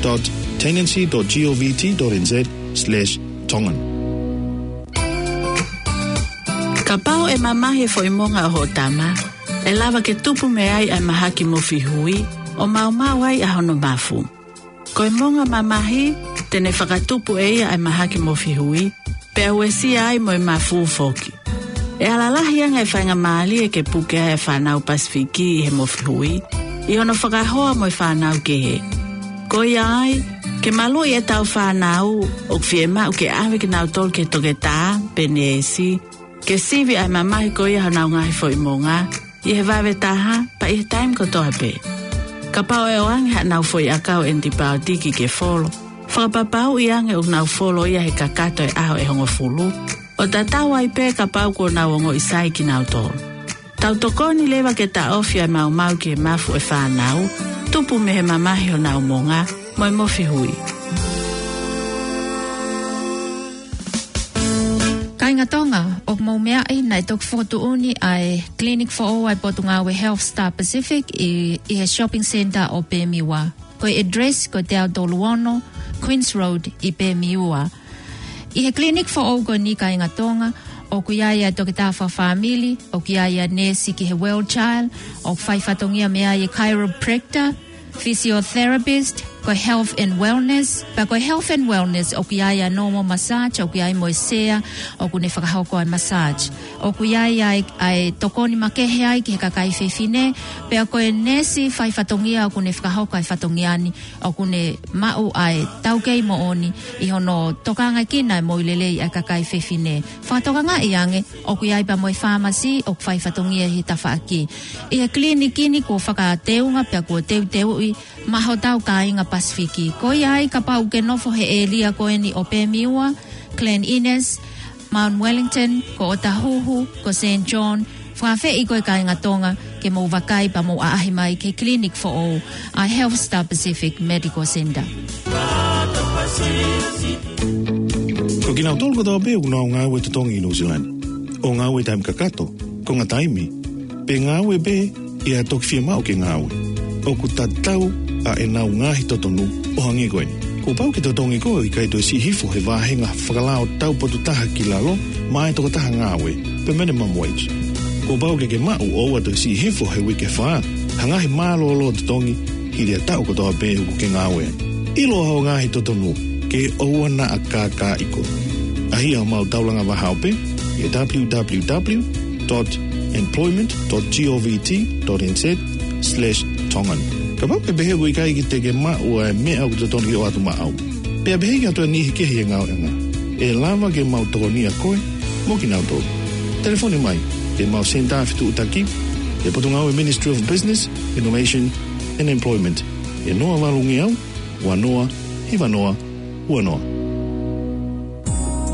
dot tenancy dot govt dot nz slash tongan. Kapau ʻe mamahi e foʻi monga ʻo hoʻo tama, ʻe lava ke tupu mei ai ʻa e mahaki mofihui, ʻo maumau ai ʻa hono mafu. Ko e monga mamahi, te ne fakatupu ʻe ia ʻa e mahaki mofihui, pea uesia ai mo e mafu foki. ʻE ala lahi ange e faingamālie ke puke ai e fānau Pasifiki ʻi he mofihui, ʻi hono fakahoa mo e fānau kehe. Ko ia ai, ke maluʻi ʻetau fānau, ʻoku fiemaʻu ke ʻave kinautolu ki he toketā pe neesi, ke sivi ʻa e mamahi ko ia honau ngaahi foʻi monga, ʻi he vave taha, pea ʻi he taimi kotoa pē. Kapau ʻe ʻoange haʻanau foʻi ʻakau ʻenitipaotiki ke folo, fakapapauʻi ange ʻoku nau folo ia he kakato e ʻaho ʻe hongofulu, ʻo tatau ai pē kapau kuo nau ongoʻi sai kinautolu. Tau tokoni leva ke taʻofi ʻa e maumau ki he mafu ʻo e fānau, tupu mei he mamahi honau monga, mo e mofihui. Kāinga Tonga, ʻoku mou meaʻi naʻe toki fokotuʻuni ʻa e clinic foʻou ʻa e Potungāue Health Star Pacific ʻi, ʻi he shopping centre ʻo Pemiwa. Ko e address ko e teau tolu ono Queens Road ʻi Pemiwa. ʻI he clinic foʻou ko eni, kāinga Tonga, ʻoku ʻi ai ʻa e toketā fakafāmili, ʻoku ʻi ai ʻa e neesi ki he Well Child, ʻoku fai fatongia mei ai e chiropractor, physiotherapist, ko e health and wellness. Pea ko e health and wellness, ʻoku ʻi ai ʻa e normal massage, ʻoku ʻi ai mo e sea ʻoku ne fakahoko ʻa e massage. ʻOku ʻi ai ʻa e, ʻa e tokoni makehe ai ki he kakai fefine, pea ko e neesi fai fatongia ʻoku ne fakahoko ʻa e fatongia ni, ʻoku ne maʻu ʻa e taukei moʻoni ʻi hono tokangaʻi ʻa e moʻui lelei ʻa e kakai fefine. Fakatokangaʻi ange, ʻoku ʻi ai pea mo e fāmasi ʻoku fai fatongia ʻi he tafaʻaki. ʻI he clinic ni kuo fakateunga pea kuo teuteuʻi maʻa hotau kāinga Pasifiki. Ko ia ai kapau ʻoku ke nofo he ʻēlia ko eni ʻo Pemiwa, Glen Innes, Mount Wellington, ko ʻOtahuhu, ko Saint John, fakaafeʻi koe kāinga Tonga ke mou vakai pea mou ʻaʻahi mai ki he clinic foʻou ʻa e Health Star Pacific Medical Centre. Ko kinautolu kotoa pē ʻoku nau ngāue totongi ʻi New Zealand, ʻo ngāue taimi kakato, konga taimi, pe ngāue pē ʻi he toki fiemaʻu ke ngāue, ʻoku tatau ʻa ʻenau ngaahi totonu ʻo hangē ko eni. Kuo pau ke totongi koe ʻo ʻikai toe siʻi hifo he vāhenga fakalao tau potu taha ki lalo maʻa e tokotaha ngāue, pe minimum wage. Kuo pau ke ke maʻu ʻo ʻoua toe siʻi hifo he uike fā ha ngaahi mālōlō totongi hili ʻa e taʻu kotoa pē ʻoku ke ngāue ai. ʻIlo hoʻo ngaahi totonu ke ʻoua naʻa kākaaʻi koe. ʻAʻahi homau taulanga vahaope ʻi he www dot employment dot govt dot nz slash tongan. Kapau ʻoku ke pehē ʻoku ʻikai ke te ke maʻu ʻa e meʻa ʻoku totonu ke ʻoatu maʻau, pea pehē ki ha toe niʻihi kehe ʻi he ngāueʻanga, ʻe lava ke mau tokonia koe mo kinautolu. Telefoni mai ki heʻemau senitā fetuʻutaki, ʻi he Potungāue Ministry of Business, Innovation and Employment, ʻi he noa valu ngeau, ua noa, hiva noa, ua noa.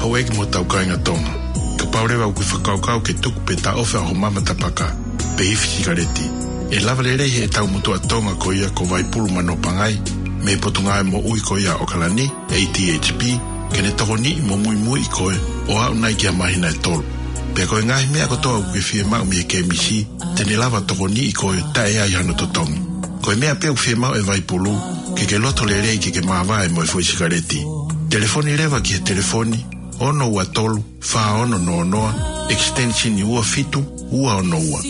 Houʻeiki mo hotau kāinga Tonga, kapau leva ʻoku ke fakakaukau ke tuku pe taʻofi ʻa hoʻo mama tapaka pe ifi sikaleti, ʻe lava lelei heʻetau motuʻa Tonga ko ia ko Vaipulu Manoa Pangai mei he Potungāue Moʻui ko ia ʻo ʻAokalani, A T H P, ke ne tokoniʻi mo muimuiʻi koe ʻo aʻu nai ki ha māhina ʻe tolu. Pea ko e ngaahi meʻa kotoa ʻoku ke fiemaʻu mei he kēmisi, te ne lava tokoniʻi koe taʻe ʻi ai hano totongi. Ko e meʻa pē ʻoku fiemaʻu ʻe Vaipulu, ke ke loto lelei ke ke māvae mo e foʻi sikaleti. Telefoni leva ki he telefoni ono ua tolu, fā ono noa noa, extension ua fitu ua ono ua.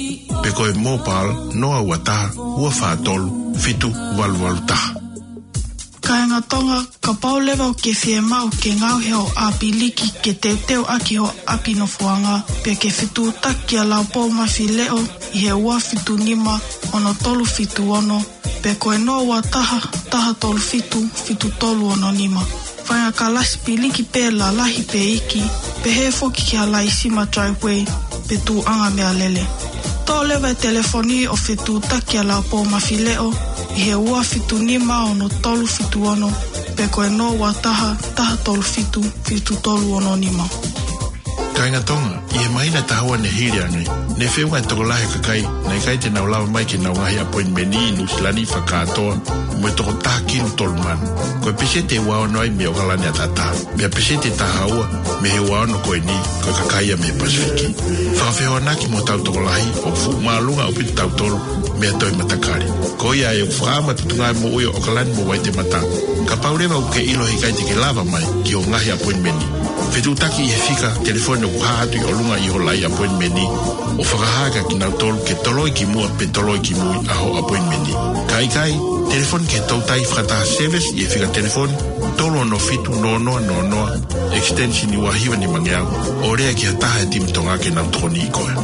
Pe ko e mobile noa ua taha, ua fā tolu, fitu valu valu taha. Kāinga Tonga, kapau leva ʻoku ke fiemaʻu ke ngaohi hoʻo ʻapi liki ke teuteu ʻaki hoʻo ʻapi nofoʻanga, pe ke fetuʻutaki kia Laupou Mafileʻo ʻi he ua fitu nima, ono tolu fitu ono, pe ko e noa ua taha, taha tolu fitu, fitu tolu ono nima. Paʻanga kalasi piliki pē lalahi pe iiki, pehē foki ki ha laisima driveway pe tuʻuʻanga meʻalele. Toʻo leva e telefoni ʻo fetuʻutaki ʻa Laupō Mafileʻo ʻi he ua fitu nima ono tolu fitu ono, pe ko e noa ua taha, taha tolu fitu, fitu tolu ono nima. Kāinga Tonga, ʻi he māhina ʻe taha ua ne hili ange, ne feʻunga e tokolahi e kakai naʻe ʻikai te nau lava mai ki heʻenau ngaahi appointment ʻi Nuʻusila ni fakakātoa mo e toko taha kilu tolu mano. Ko e peseti ʻe ua ono ai mei ʻOkalani ʻAtata, pea peseti ʻe taha ua mei he ua ono ko eni ko e kakai ia mei he Pasifiki. Fakafehoanaki mo hotau tokolahi, ʻoku fuʻu māʻolunga ʻaupito kitautolu mei ha toe matakali. Ko ia ai ʻoku fakaʻamu atu e tuʻunga moʻui ʻo ʻOkalani mo Waitemata. Kapau leva ʻoku ke ʻilo he ʻikai te ke lava mai ki hoʻo ngaahi appointment, fetuʻutaki ʻi he fika telefoni ʻoku hā atu ʻi ʻolunga ʻi hoʻo laʻi appointment, ʻo fakahā kia kinautolu ke toloi ki muʻa pe toloi ki mui ʻa hoʻo appointment. Ka ʻikai, telefoni ki he toutai fakataha service ʻi he fika telefoni tolu ono fitu noa noa noa noa, extension ua hiva nimangeau, ʻo lea ki ha taha e timi Tonga ke nau tokoniʻi koe.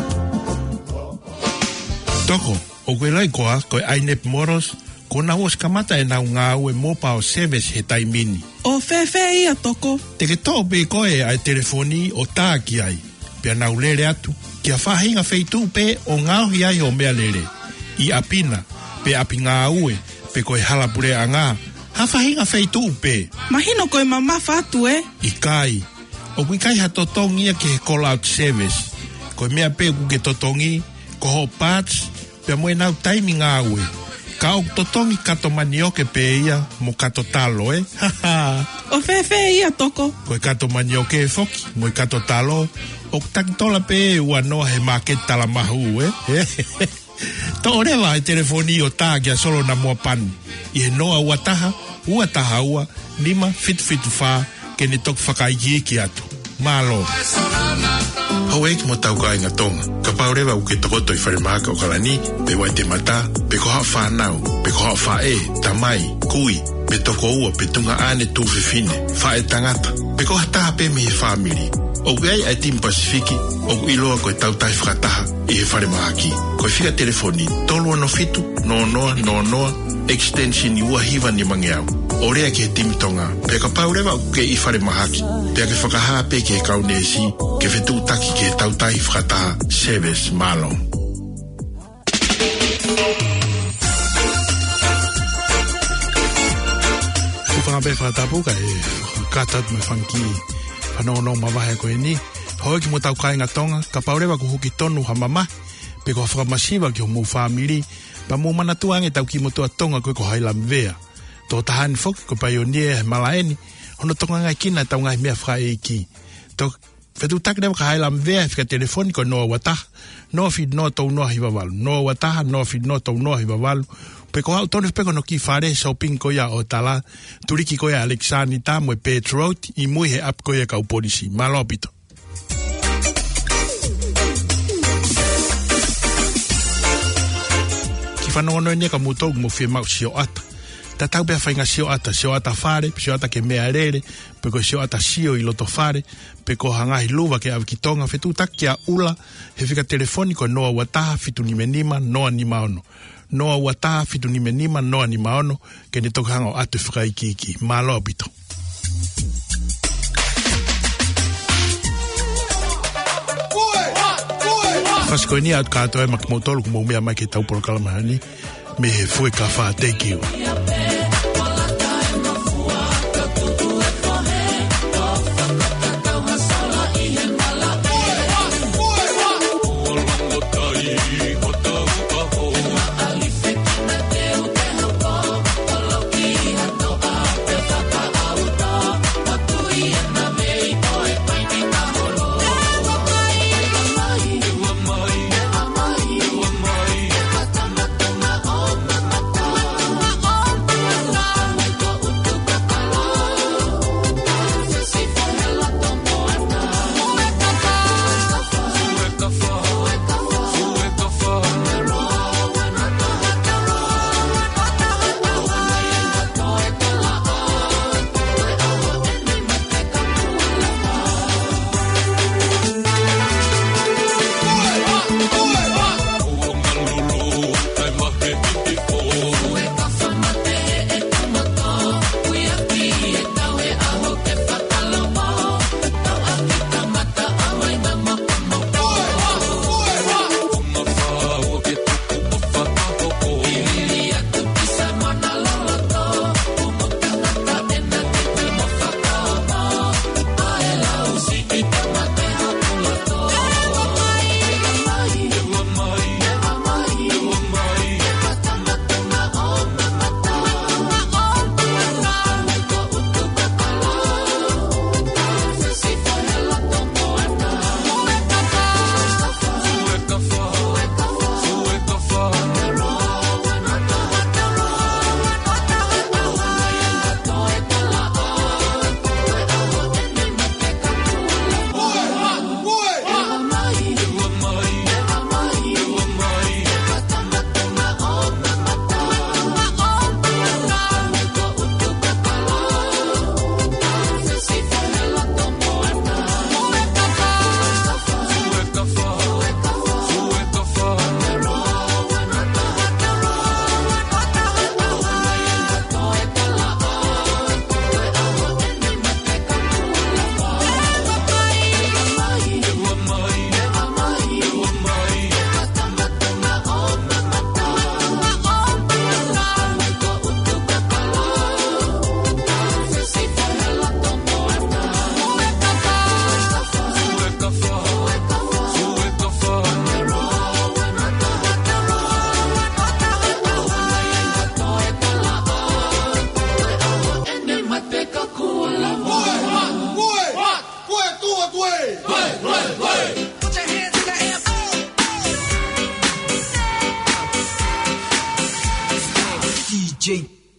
Toko, ʻoku ke ʻiloʻi koā ko e ʻAinep Motors, kuo nau ʻosi kamata ʻenau ngāue mobile service he taimi ni? ʻO fēfē ia, Toko? Te ke toʻo pē koe ʻa e telefoni ʻo tā ki ai, pea nau lele atu ki ha faʻahinga feituʻu pē ʻo ngaohi ai hoʻo meʻalele, ʻi ʻapi na, pe ʻapi ngāue, pe ko e hala puleʻanga, ha faʻahinga feituʻu pē. Mahino ko e mamafa atu, ē? ʻIkai. ʻOku ʻikai ha totongi ia ki he call out service. Ko e meʻa pē ʻoku ke totongi, ko hoʻo parts, pea mo ʻenau taimi ngāue. Ka ʻoku totongi kato manioke pē ia mo kato talo, ē? ʻO fēfē ia, Toko? Ko e kato manioke foki mo e kato talo, ʻoku takitola pē ʻe ua noa he māketi Talamahu, ē? Toʻo leva e telefoni ʻo tā kia Solo Namoa Pani ʻi he noa ua taha, ua taha ua, nima fitu fitu fā, ke ne toki fakaikiiki atu. Mālō. Houʻeiki mo hotau kāinga Tonga, kapau leva ʻoku ke tokoto ʻi falemahaki ʻOkalani, pe Waitemata, pe ko haʻo fānau, pe ko haʻo faʻē, tamai, kui, pe tokoua, pe tuongaʻane, tuofefine, faʻētangata, pe ko ha taha pē mei he fāmili, ʻoku ʻi ai ʻa e timi Pasifiki ʻoku ʻiloa ko e Tautai Fakataha ʻi he falemahaki. Ko e fika telefoni tolu ono fitu noa noa noa noa, extension ua hiva nimangeau, ʻo lea ki he timi Tonga. Pea kapau leva ʻoku ke ʻi falemahaki, pea ke fakahā pē ki he kau neesi ke fetuʻutaki ki he Tautai Fakataha service. Mālō. Hūfanga pē he fakatapu kae kata atu mo e fanga kiʻi fanongonongo mavahe ko eni. Houʻeiki mo hotau kāinga Tonga, kapau leva ʻoku huki tonu ha mamahi pe ko ha fakamasiva ki homou fāmili, pea mou manatua ange ʻetau kiʻi motuʻa Tonga ko ē ko Hailamvea. Tokotaha ni foki ko e paionia he malaʻe ni, hono tokangaekina ʻetau ngaahi meʻa fakaʻeiki. Tau fetuʻutaki leva kia Hailamvea he fika telefoni ko e noa ua taha, noa fitu noa tolu noa hiva valu, noa ua taha, noa fitu noa tolu noa hiva valu. Pe ko haʻu tonu pē ki hono kiʻi fale shopping ko ia ʻo Tala, tuliki ko ia ʻa Alexanita mo e Pet Road, ʻi mui he ʻapi ko ia ʻa e kau polisi. Mālō ʻaupito. Kiʻi fanongonongo eni ia kia moutolu ʻoku mou fiemaʻu sioʻata. Tatau pē ha faʻahinga sioʻata, sioʻata fale, sioʻata ki he meʻalele, pe ko e sioʻata sio ʻi loto fale, pe ko ha ngaahi luva ke ʻave ki Tonga, fetuʻutaki kia ʻUla he fika telefoni ko e noa ua taha fitu nima nima noa nima ono. Noa ua taha fitu nima nima noa nima ono, ke ne toki hanga ʻo ʻoatu e fakaikiiki. Mālō ʻaupito. Fasi ko eni ʻoatu kātoa ia maʻa kimoutolu ʻoku mou meʻa mai ki heʻetau polokalama ni mei he Fuekafa. Thank you.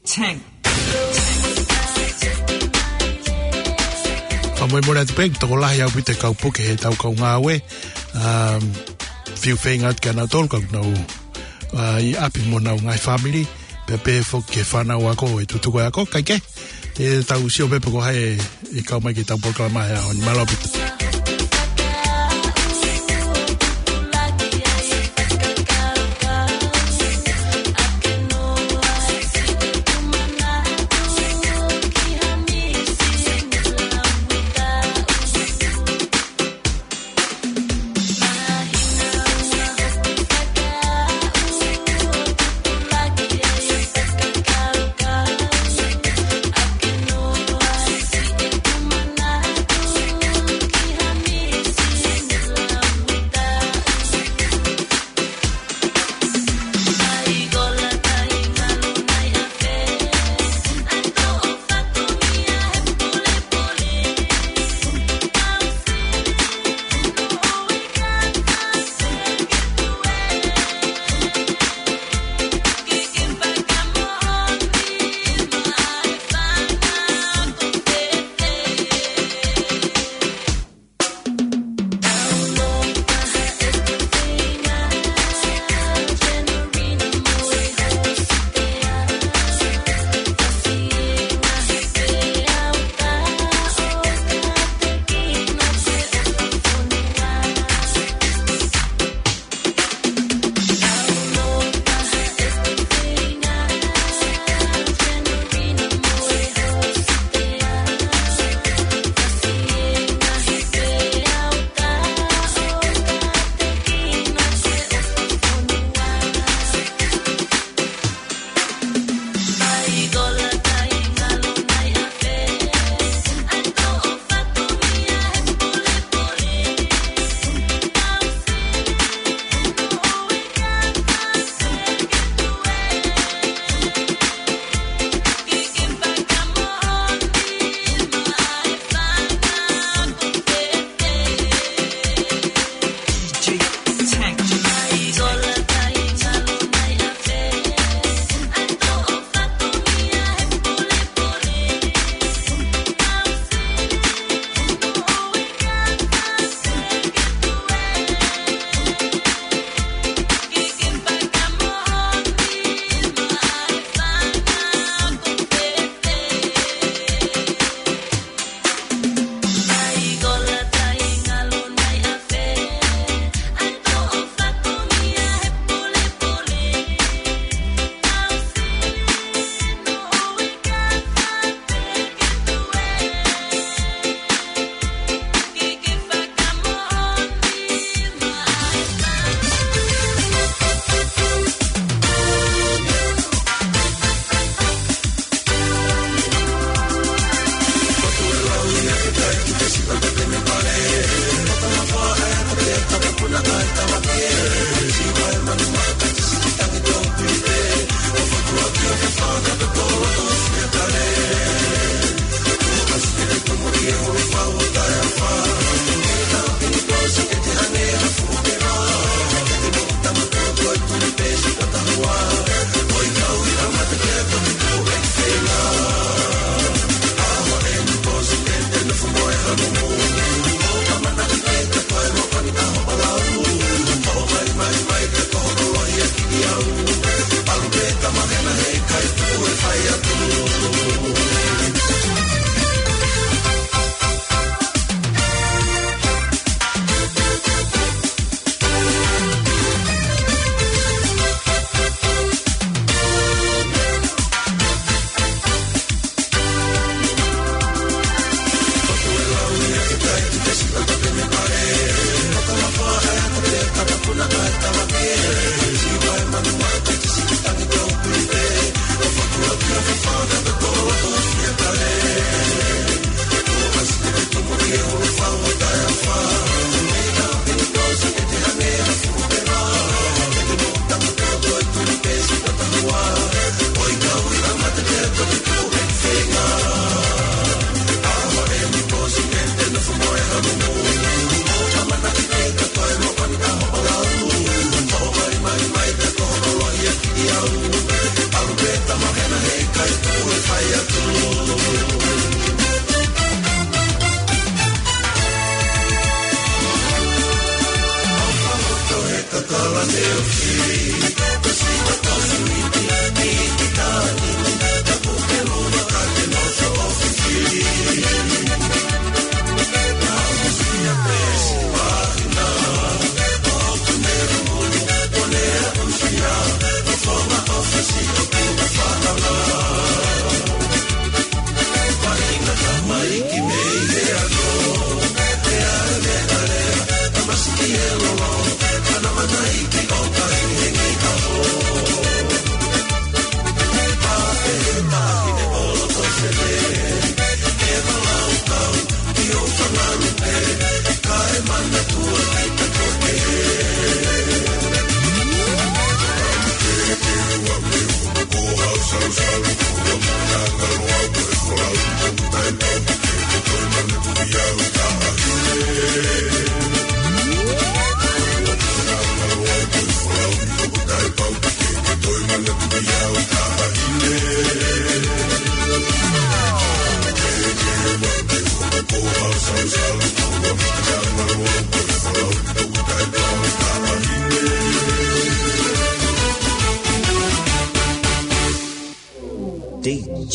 Tank. Fakamolemole atu pē, tokolahi ʻaupito e kau puke he ʻetau kau ngāue. Um, fiu feinga atu kia nautolu ka nau, uh, ʻi ʻapi mo honau ngaahi fāmili. Pea pehē foki ki he fānau ako, ʻe tutuku e ako, kae kehe. Te tau sio pē pe ko hai ʻe kau mai ki heʻetau polokalama he ʻaho ni. Mālō ʻaupito.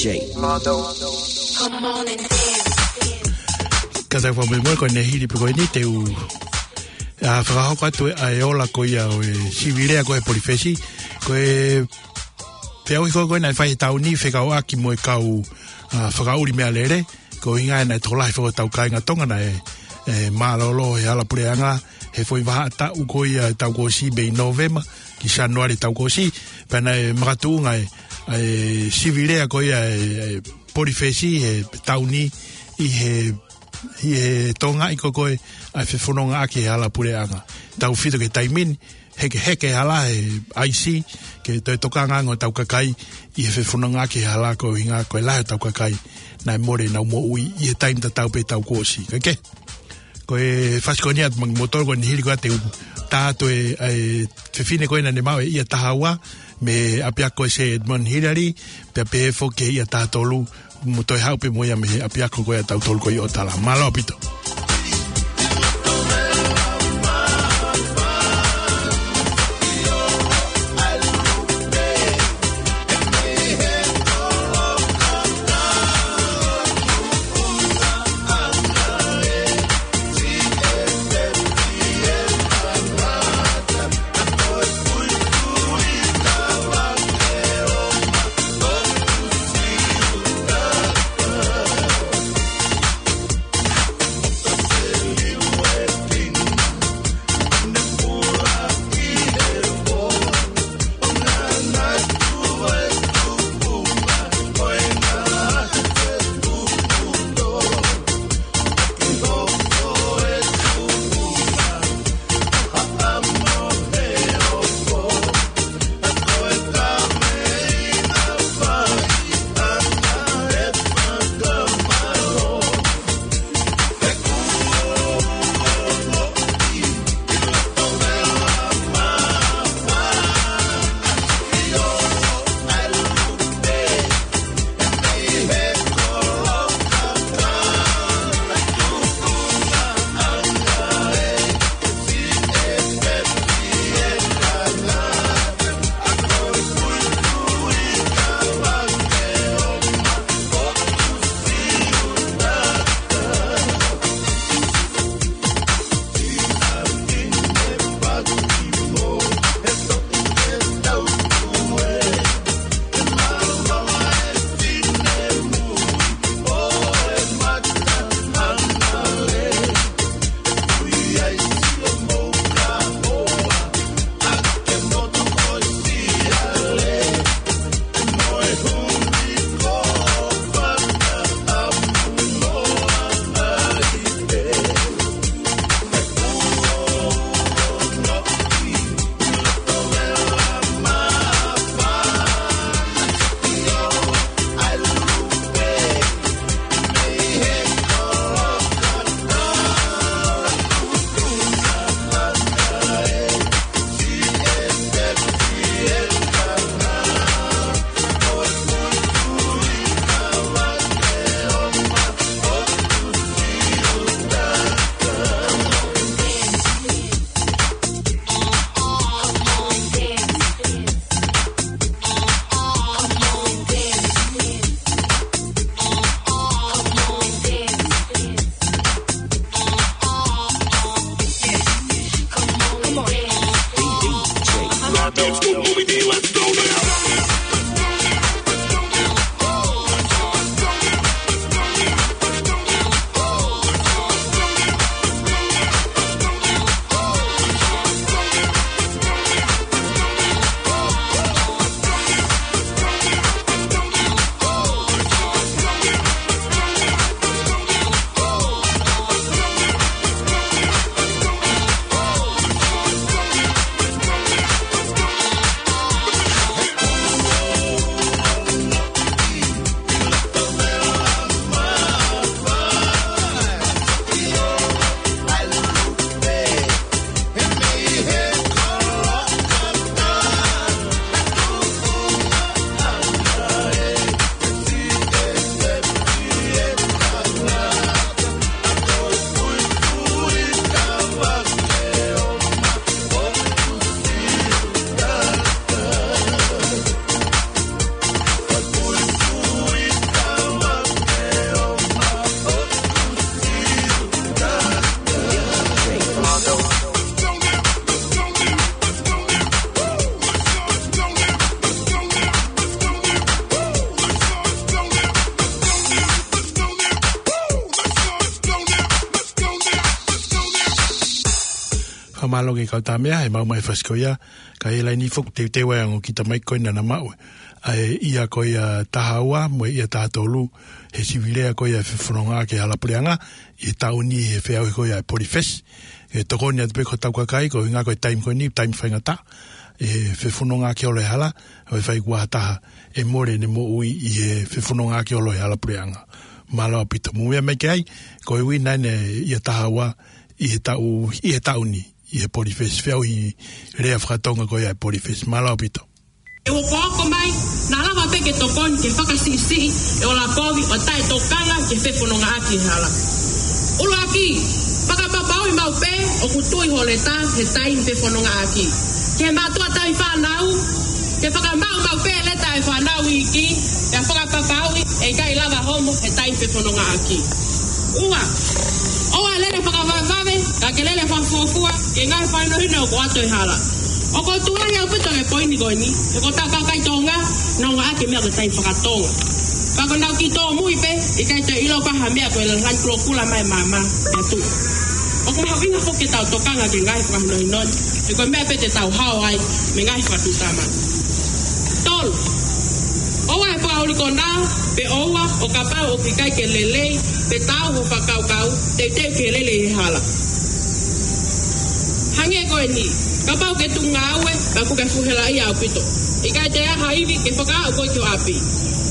J. Ka tau fakamolemole ko ʻene hili pē ko eni te u, ʻa, fakahoko atu ʻa e ola ko ia ʻo e sivi lea ko e Polifesi, ko e feʻauhi ko ē naʻe fai he taʻu ni fekauʻaki mo e kau, ʻa, fakaʻuli meʻalele, ko e ʻuhinga naʻe tokolahi foki hotau kāinga Tonga naʻe, ʻe, mālōlō he hala puleʻanga, he foʻi vahaʻa taʻu ko ia ʻo e taʻu kuo ʻosi mei Nōvema ki Sānuali taʻu kuo ʻosi, pea naʻe makatuʻunga ʻa e, ʻa e sivi lea ko ia ʻo e, ʻo e Polifesi he taʻu ni ʻi he, ʻi he tokangaʻi ko ē ʻa e fefonongaʻaki he hala puleʻanga. Tautefito ki he taimi ni, hekeheke hala he ʻaisi, ke toe tokanga ange hotau kakai ʻi he fefonongaʻaki he hala ko e ʻuhinga ko e lahi hotau kakai naʻe mole ʻenau moʻui ʻi he taimi tatau pē taʻu kuo ʻosi. Kae kehe, ko e fasi ko eni atu maʻa kimoutolu ko ʻene hili ko ia te u tā atu ʻa e, ʻa e fefine ko ē naʻa ne maʻu e ʻia taha ua mei he ʻapiako ʻo e Sir Edmund Hillary, pea pehē foki ki he ʻia taha tolu, mo toe haʻu pē mo ia mei he ʻapiako ko ia ʻa tautolu ko ē ʻo tala. Mālō ʻaupito. Mālō ki he kau Tāmea, he maʻu mai e fasi ko ia, ka ʻi he laini foki teuteu ai ʻa e ongo kita mai ko ena naʻa maʻu. ʻA e ʻea ko ia taha ua, mo e ʻea taha tolu, he sivi lea ko ia e fefonongaʻaki e hala puleʻanga, ʻi he taʻu ni he feʻauhi ko ia e Polifesi. ʻE tokoni atu pē ki hotau kakai, ko e ʻuhinga ko e taimi ko eni, taimi faingataʻa, ʻe fefonongaʻaki holo e hala, ʻo e fai kuo ha taha ʻe mole ʻene moʻui ʻi he fefonongaʻaki holo e hala puleʻanga. Mālō ʻaupito. Mou meʻa mai ki ai, ko e uiina ʻeni e ʻea taha ua, ʻi he taʻu, ʻi he taʻu ni, ʻi he Polifesi, feʻauhi lea fakatonga ko ia e Polifesi. Mālō ʻaupito. ʻE ua ko ako mai, naʻa lava pē ke tokoni ke fakasiʻisiʻi e ola kovi ʻo e taʻetokanga ki he fefonongaʻaki e hala. ʻUluaki, fakapapauʻi maʻu pē ʻoku tui ho leta he taimi fefonongaʻaki. Ki he mātuʻa tauhi fānau, ke fakamaʻu maʻu pē e leta e fānau iiki, pea fakapapauʻi ʻe ʻikai lava homo he taimi fefonongaʻaki. Ua, ʻoua ʻe lele fakavavevave, ka ke lele fakafuofua, ki he ngaahi fakahinohino ʻoku ʻoatu ʻe he hala. ʻOku ou tui lahi ʻaupito ki he poini ko eni, he ko hotau kakai Tonga, nau ngāueʻaki e meʻa ko e taimi fakatonga. Pea ko ʻenau kiʻi tōmui pē, ʻikai toe ʻilo ko ha meʻa ko e lanu kulokula mai e maama, ʻe tuʻu. ʻOku mahuʻinga foki ke tau tokanga ki he ngaahi fakahinohino ni, he ko e meʻa pē te tau hao ai mei he ngaahi fakatuʻutāmaki. Tolu, ʻoua ʻe fakaʻulikonā, pe ʻoua, ʻo kapau ʻoku ʻikai ke lelei, pe taau ho fakakaukau, teuteu ki he lele ʻi he hala. Hangē ko eni, kapau ke tuku ngāue, pea ʻoku ke fuʻu helaʻia ʻaupito. ʻIkai toe ʻi ai ha ivi ke fakaaʻu koe ki ho ʻapi.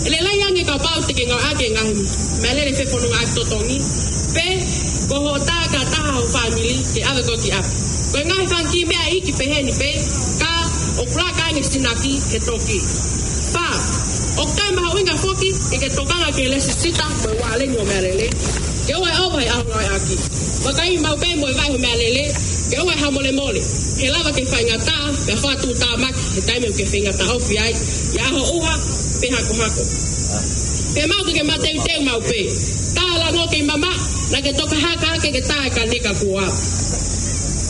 ʻE lelei ange kapau te ke ngāueʻaki e ngaahi meʻalele fefonongaʻaki totongi, pe ko hoʻo tā ki ha taha ho fāmili ke ʻave koe ki ʻapi. Ko e ngaahi fanga kiʻi meʻa iiki peheni pē, ka ʻoku laka ange sinaki he toki. Fā, ʻoku toe mahuʻinga foki ke ke tokanga ki he lēsisita mo e ualeni ʻo e meʻalele, ke ʻoua ʻe ʻova he ʻaho ngāueʻaki. Vakaiʻi maʻu pē mo e vai ho meʻalele, ke ʻoua ʻe hamolemole, he lava ke faingataʻa, pea fakatuʻutāmaki he taimi ʻoku ke faingataʻaʻia ai, ʻi he ʻaho ʻuha pe hakohako. Pea maʻu ke ke mateuteu maʻu pē, tā e lango kei mamaʻo, naʻa ke toki haka hake ke tā e kaneka kuo aʻu.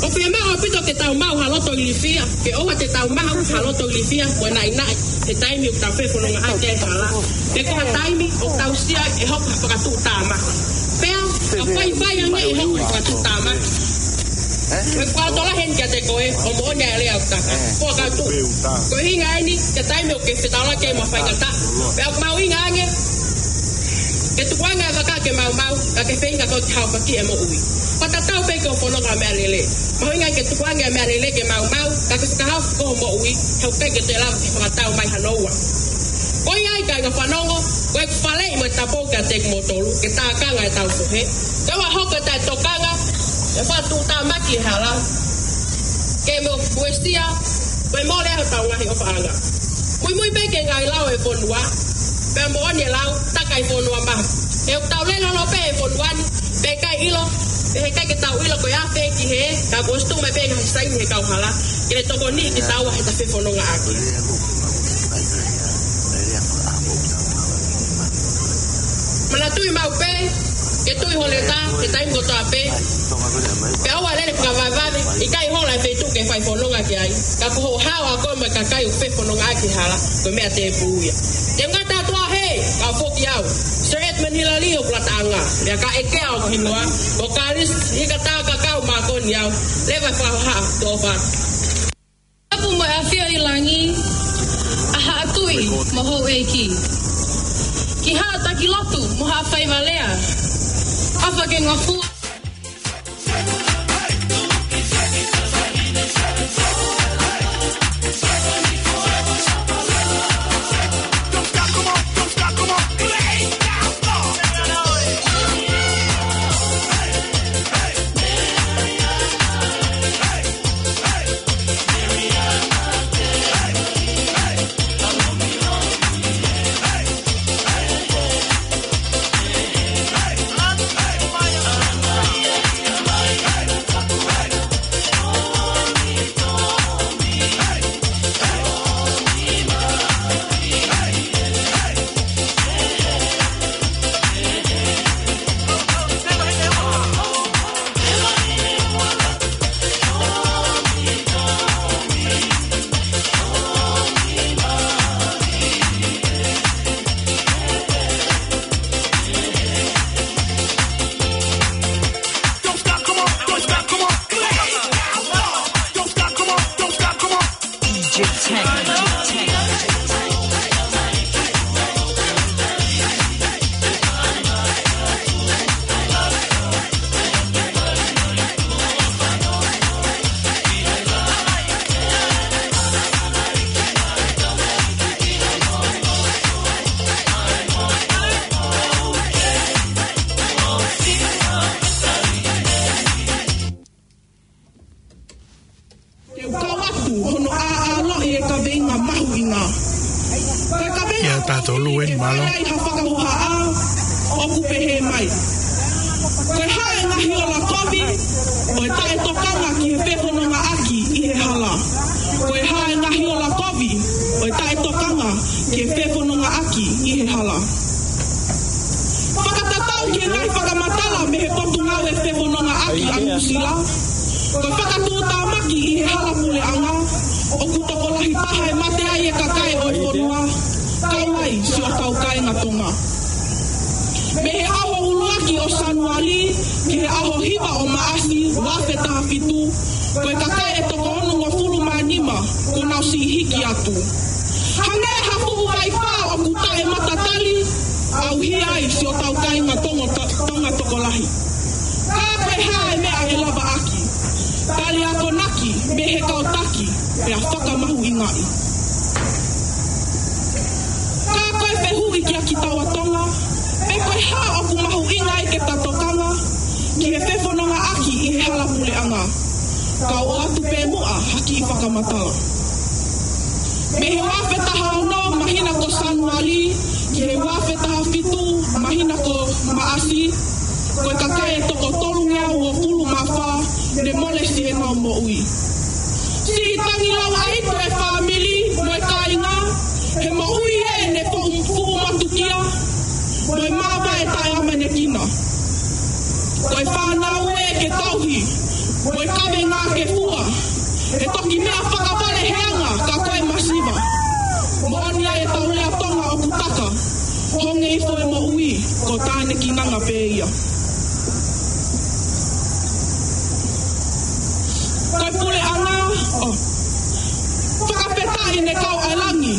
ʻOku fiemaʻu ʻaupito ke tau maʻu ha loto ilifia, ke ʻoua te tau maʻu ha loto ilifia mo e naʻinaʻi he taimi ʻoku tau fefonongaʻaki ai e hala, pe ko ha taimi ʻoku tau sio ai ʻe hoko ha fakatuʻutāmaki. Pea ka faifai ange ʻe hoko ha fakatuʻutāmaki, ko e fakalotolahi eni kiate koe, ʻo moʻoni ʻa e lea ʻoku taka. Ko e kau tuʻu. Ko e ʻuhinga eni, ko e taimi ʻoku ke fetaulaki ai mo e faingataʻa. Pea ʻoku mahuʻinga ange ke tukuange e vaka ke maumau, ka ke feinga koe ke haofaki e moʻui. Fakatatau pē ki hoʻo fononga meʻalele. Mahuʻinga ke tukuange e meʻalele ke maumau, ka ke fakahaofi hoʻo moʻui, he ʻoku ʻikai ke toe lava ke fakatau mai hano ua. Ko ia ai kāinga fanongo, ko ʻeku faleʻi mo e tapu kiate kimoutolu, ke tākanga e taufohe. Ke ʻoua ʻe hoko e taʻetokanga, ʻe fakatuʻutāmaki e hala, ke mo fuesia, ko e mole ai hotau ngaahi ʻofaʻanga. Muimui pē ki he ngaahi lao e fonua, pea moʻoni e lau, taka e fonua maha. He ʻoku tau lele holo pē he fonua ni, pea ʻikai ʻilo, pea heʻikai ke tau ʻilo ko e ʻafē ki hē, ka kuo ʻosi tuʻu mai pē ngaahi saini he kauhala, ke ne tokoniʻi kitaua heʻeta fefonongaʻaki. Manatuʻi maʻu pē ke tui ho leta he taimi kotoa pē, pea ʻoua ʻe lele fakavavevave, ʻikai hola e feituʻu ke fai fononga ki ai, ka ko hoʻo hao ʻa koe mo e kakai ʻoku fefonongaʻaki he hala, ko e meʻa tēpū ia. Te u ngata atu ā hē, kau foki au, Sir Edmund Hillary ʻo Kulataʻanga, pea ka ʻekea hoku hingoa, ko Kalisi Hikatakakau Makoni au, leva e fakahohaʻa, tō fā. Tapu mo e ʻafio ʻi langi ʻa Haʻa Tuʻi mo Houʻeiki. Ki Haʻa Taki Lotu mo Haʻa Faiva Lea. ʻAfa ke ngofua. taʻetokanga ki he fefonongaʻaki ʻi he hala. Ko e hā e ngaahi ola kovi ʻo e taʻetokanga ki he fefonongaʻaki ʻi he hala? Fakatatau ki he ngaahi fakamatala mei he Potungāue Fefonongaʻaki ʻa Nuʻusila, ko e fakatuʻutāmaki ʻi he hala puleʻanga, ʻoku tokolahi taha e mate ai e kakai ʻo e fonua, kau ai siʻotau kāinga Tonga. Mei he ʻaho ʻuluaki ʻo Sānuali ki he ʻaho hiva ʻo Maʻasi ua afe taha fitu, ko e kakai ʻe toko onongofulu mā nima kuo nau siʻi hiki atu. Hangē ha fuʻu vaifā ʻoku taʻematatali, ʻauhia ai siʻotau kāinga Tonga, Tonga tokolahi. Ka ko e hā e meʻa ʻe lavaʻaki? Tali akonaki mei he kau taki, pea fakamahuʻingaʻi. Ka ko e fehuʻi kia kitaua Tonga, pe ko e hā ʻoku mahuʻinga ai ke ta tokanga ki he fefonongaʻaki ʻi he hala puleʻanga? Kau ʻoatu pē muʻa ha kiʻi fakamatala. Mei he ua afe taha ono māhina ko Sānuali ki he ua afe taha fitu māhina ko Maʻasi, ko e kakai ʻe toko tolungeau uofulu mā fā ne mole siʻenau moʻui. Siʻi tangi lauʻaito e fāmili mo e kāinga, he moʻui ē ne fuʻu, fuʻu matukia, mo e māvae taʻeʻamanekina. Ko e fānau ē ke tauhi, mo e kavenga ke fua, he toki meʻa fakavale he anga ka ko e masiva. Moʻoni ʻa e tau lea Tonga ʻoku taka, honge ifo e moʻui, ko tānekinanga pē ia. Ko e puleʻanga, ʻo, fakafetaʻi ne kau ʻa e langi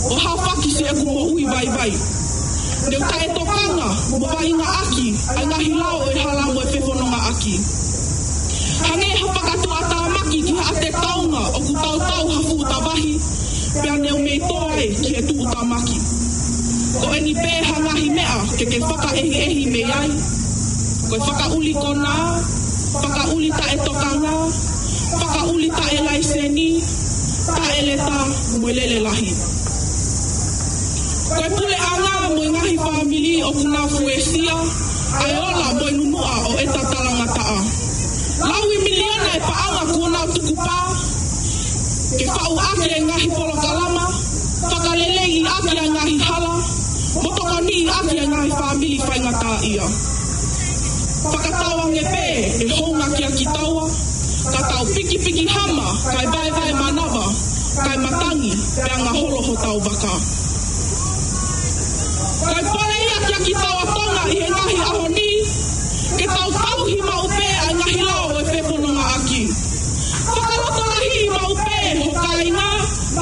ʻo hafaki siʻeku moʻui vaivai. Ne u taʻetokanga mo vaʻingaʻaki ʻa e ngaahi lao ʻo e hala mo e fefonongaʻaki. Hangē ha fakatuʻutāmaki ki haʻate taunga ʻoku tautau ha fuʻu tavahi, pea ne u mei tō ai ki he tuʻutāmaki. Ko eni pē ha ngaahi meʻa ke ke fakaʻehiʻehi mei ai. Ko e fakaʻuli konā, fakaʻuli taʻetokanga, fakaʻuli taʻelaiseni, taʻeleta, mo e lele lahi. Ko e puleʻanga mo e ngaahi fāmili ʻoku nau fuesia ʻa e ola mo e nunuʻa ʻo ʻeta talangataʻa. Lauimiliona e paʻanga kuo nau tukupā ke faʻu ʻaki e ngaahi polokalama, fakaleleiʻaki ʻa e ngaahi hala, mo tokoniʻi ʻaki e ngaahi fāmili faingataʻaʻia. Fakatauange pē ʻe hounga kia kitaua, ka tau pikipiki hama, kae vaevae manava, kae matangi, pea ngaholo hotau vaka. Kae pole ia kia kitaua Tonga ʻi he ngaahi ʻaho ni, ke tau tauhi maʻu pē ʻa e ngaahi lao ʻo e fefonongaʻaki. Fakalotolahiʻi maʻu pē ho kāinga,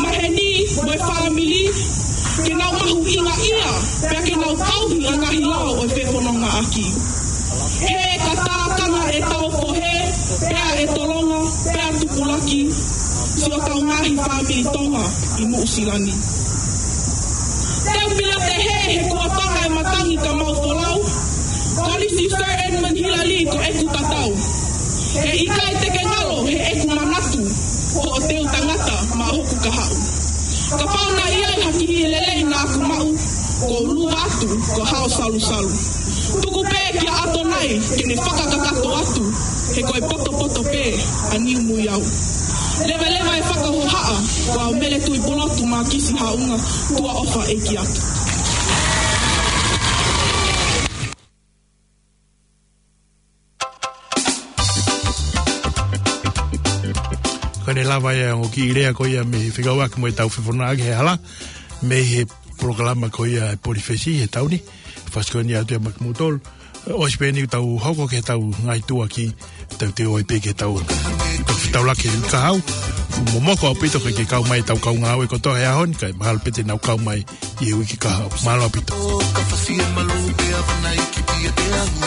maheni, mo e fāmili, ke nau mahuʻingaʻia, pea ke nau tauhi ʻa e ngaahi lao ʻo e fefonongaʻaki. He ka tākanga ʻetau fohe, pea ʻe tolonga, pea tupulaki siʻotau ngaahi fāmili Tonga ʻi Nuʻusila ni. Te u pila te he, he kuo tonga e matangi ka mau folau. Kolisi Sir Edmund Hillary ko ʻeku tatau. He ʻikai te ke ngalo he ʻeku manatu, ko hoʻo teu tangata maʻa hoku kahaʻu. Kapau naʻe ʻi ai ha kiʻi lelei naʻa ku maʻu, kuo u luva atu ko hao salusalu. Tuku pē kia ʻAtonai ke ne fakakakato atu, he ko e potopoto pē ʻa Niumuiau. Leveleva e fakahohaʻa, ko au Mele Tuʻipulotu Makisi Haʻunga, tuʻa ʻofa ʻeiki atu. Ko ʻene lava ia ʻo e kiʻi lea ko ia mei he fekauʻaki mo ʻetau fefonongaʻaki he hala, mei he polokalama ko ia ʻa e Polifesi he taʻu ni, fasi ko eni atu ia maʻa kimoutolu. ʻOsi pē eni ʻetau hoko ki heʻetau ngaahi tuʻuaki, tau toe ō pē ki heʻetau, tau fetaulaki he uike kahaʻu. Momoko ʻaupito ke ke kau mai ʻetau kau ngāue kotoa he ʻaho ni, kae mahalo pē te nau kau mai ʻi he uike kahaʻu. Mālō ʻaupito. Ka fasi e malu pe avana i ki pia te ahu.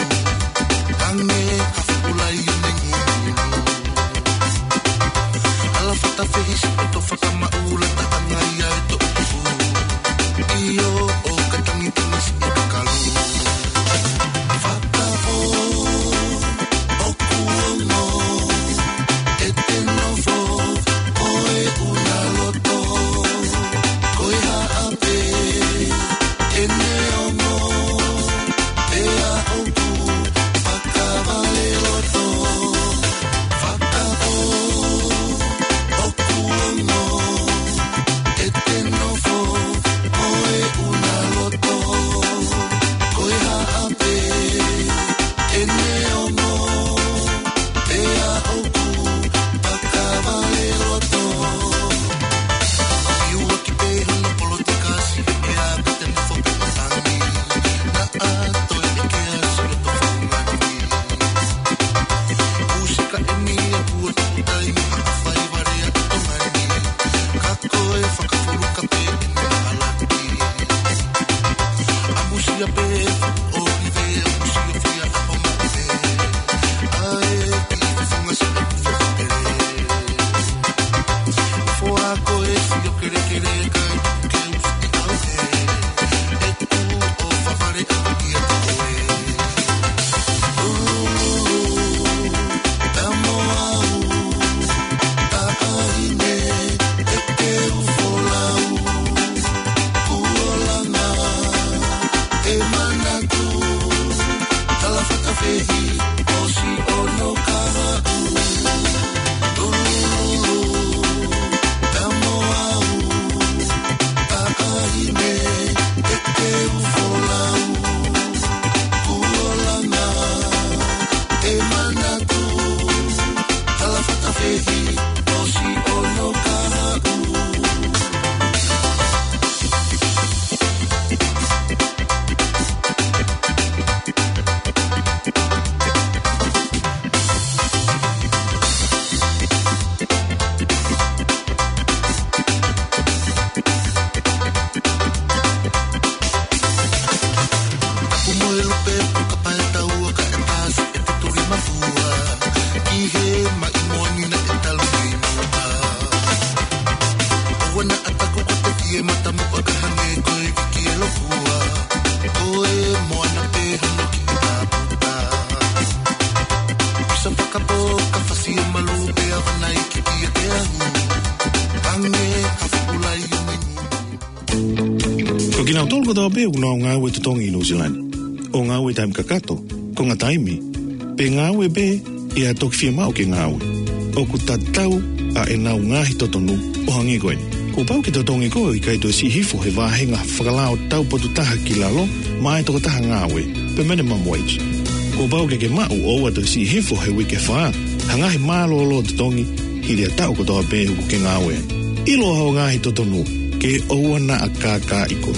Tange ka fukulai o mengu. Ala fata fehi si poto fakamaʻula ta angai ai to. ʻIo ʻo ka tangi tangi si e kakalu. Fata o ʻoku ono e te nofo ʻo e ʻuna loto. Ko e haʻape ʻene ongo pea ʻoku fakavale loto. Ia pē ʻo ʻive ʻo kusi o fia ʻapo maʻu pē. ʻAi ki he funga sina kufe pele. Foa ko e fio kelekele kai ke usi au he. ʻE tuʻu ʻo favale ʻaku ia te koe. Ulu, tamo au, taʻahine, ʻe ke u folau. Kuolana, ʻe manatu, tala fakafehi, ʻosi ono kahaʻu. Lulululu, tamo au, taʻahine, ʻe ke u folau. Kuolana, ʻe manatu, tala fakafehi, ʻosi ono kahaʻu. Tapu mo e lupe, puka pae taua, kae pasi e te tuli mafua. Ki he maʻi moani naʻe talu mei muʻa. ʻOua naʻa taku ko te fie matamuʻa ka hangē ko e viki e lokua. Ko e moana pē hono kiʻi taputa. Pisa fakapō ka fasi e malu pea vanai ki ʻiate au. Hangē ha fuʻu laione. Ko kinautolu kotoa pē ʻoku nau ngāue totongi ʻi Nuʻu Sila ni, ʻo ngāue taimi kakato, konga taimi, pe ngāue pē ʻe toki fiemaʻu ke ngāue, ʻoku tatau ʻa ʻenau ngaahi totonu ʻo hangē ko eni. Kuo pau ke totongi koe ʻo ʻikai toe siʻi hifo he vāhenga fakalao tau potu taha ki lalo maʻa e tokotaha ngāue, permanent minimum wage. Kuo pau ke ke maʻu ʻo ʻoua toe siʻi hifo he uike fā ha ngaahi mālōlō totongi hili ʻa e taʻu kotoa pē ʻoku ke ngāue ai. ʻIlo hoʻo ngaahi totonu ke ʻoua naʻa kākaaʻi koe.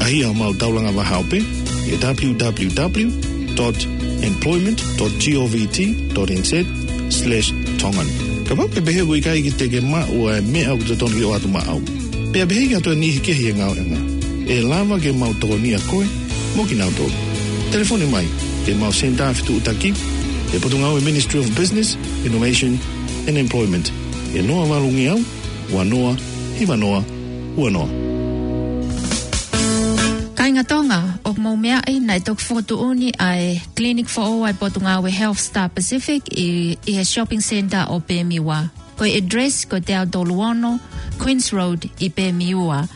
ʻAʻahi homau taulanga vahaope ʻi he w w w dot employment dot govt dot n z slash tongan. Kapau ʻoku ke pehē ʻoku ʻikai ke te ke maʻu ʻa e meʻa ʻoku totonu ke ʻoatu maʻau, pea pehē ʻoku ʻi ai ha niʻihi kehe he ngāueʻanga, ʻe lava ke mau tokonia koe mo kinautolu. Telefoni mai ki heʻemau senitā fetuʻutaki, ʻi he Potungāue Ministry of Business, Innovation and Employment, ʻi he noa valu ngeau, ua noa, hiva noa, ua noa. Kāinga Tonga, ʻoku mou meaʻi naʻe toki fokotuʻuni ʻa e clinic foʻou ʻa e Potungāue Health Star Pacific ʻi, ʻi he shopping centre ʻo Pemiwa. Ko e address ko e teau tolu ono Queens Road ʻi Pemiwa.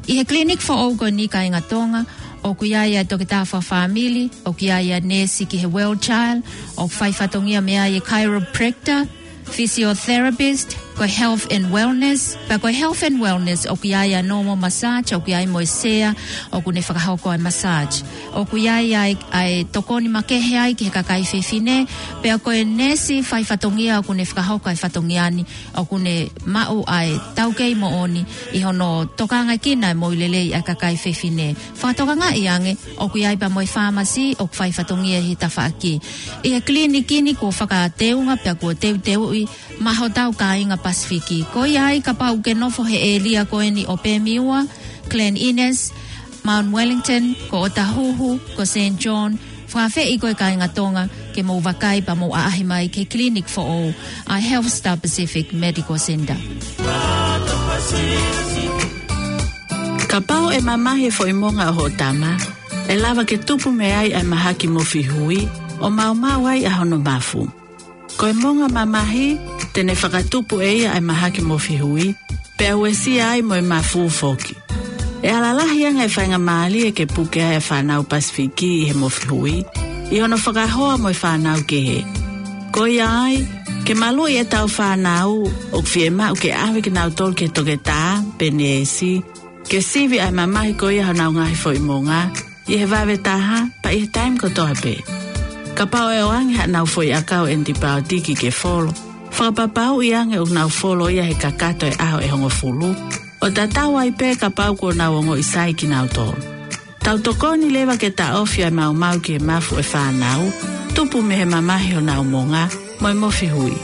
ʻI he clinic foʻou ko eni, kāinga Tonga, ʻoku ʻi ai ʻa e toketā fakafāmili, ʻoku ʻi ai ʻa e neesi ki he Well Child, ʻoku fai fatongia mei ai e chiropractor, physiotherapist, ko e health and wellness. Pea ko e health and wellness, ʻoku ʻi ai ʻa e normal massage, ʻoku ʻi ai mo e sea ʻoku ne fakahoko ʻa e massage. ʻOku ʻi ai ʻa e, ʻa e tokoni makehe ai ki he kakai fefine, pea ko e neesi fai fatongia ʻoku ne fakahoko ʻa e fatongia ni, ʻoku ne maʻu ʻa e taukei moʻoni ʻi hono tokangaʻi ʻa e moʻui lelei ʻa e kakai fefine. Fakatokangaʻi ange, ʻoku ʻi ai pea mo e fāmasi ʻoku fai fatongia ʻi he tafaʻaki. ʻI he clinic ni kuo fakateunga pea kuo teuteuʻi maʻa hotau kāinga Pasifiki. Ko ia ai kapau ʻoku ke nofo he ʻēlia ko eni ʻo Pemiwa, Glen Innes, Mount Wellington, ko ʻOtahuhu, ko Saint John, fakaafeʻi koe kāinga Tonga ke mou vakai pea mou ʻaʻahi mai ki he clinic foʻou ʻa e Health Star Pacific Medical Centre. Kapau ʻe mamahi e foʻi monga ʻo hoʻo tama, ʻe lava ke tupu mei ai ʻa e mahaki mofihui, ʻo maumau ai ʻa hono mafu. Ko e monga mamahi, te ne fakatupu ʻe ia ʻa e mahaki mofihui, pea uesia ai mo e mafu foki. ʻE ala lahi ange e faingamālie ke puke ai ʻa e fānau Pasifiki ʻi he mofihui, ʻi hono fakahoa mo e fānau kehe. Ko ia ai, ke maluʻi ʻetau fānau, ʻoku fiemaʻu ke ʻave kinautolu ki he toketā pe neesi, ke sivi ʻa e mamahi ko ia honau ngaahi foʻi monga, ʻi he vave taha, pea ʻi he taimi kotoa pē. Kapau ʻe ʻoange haʻanau foʻi ʻakau ʻenipaotiki ke folo, fakapapauʻi ange ʻoku nau folo ia he kakato e ʻaho ʻe hongofulu, ʻo tatau ai pē kapau kuo nau ongoʻi sai kinautolu. Tau tokoni leva ke taʻofi ʻa e maumau ki he mafu ʻo e fānau, tupu mei he mamahi honau monga, mo e mofihui.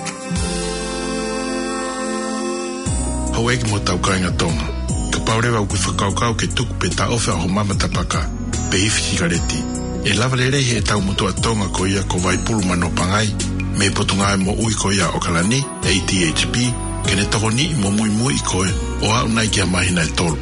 Houʻeiki mo hotau kāinga Tonga, kapau leva ʻoku ke fakakaukau ke tuku pe taʻofi ʻa hoʻo mama tapaka, pe ifi sikaleti. ʻE lava lelei heʻetau motuʻa Tonga ko ia ko Vaipulu Manopangai, mei he Potungāue Moʻui ko ia ʻo ʻOkalani, A D H P, ke ne tokoniʻi mo muimui koe ʻo aʻu nai ki ha māhina ʻe tolu.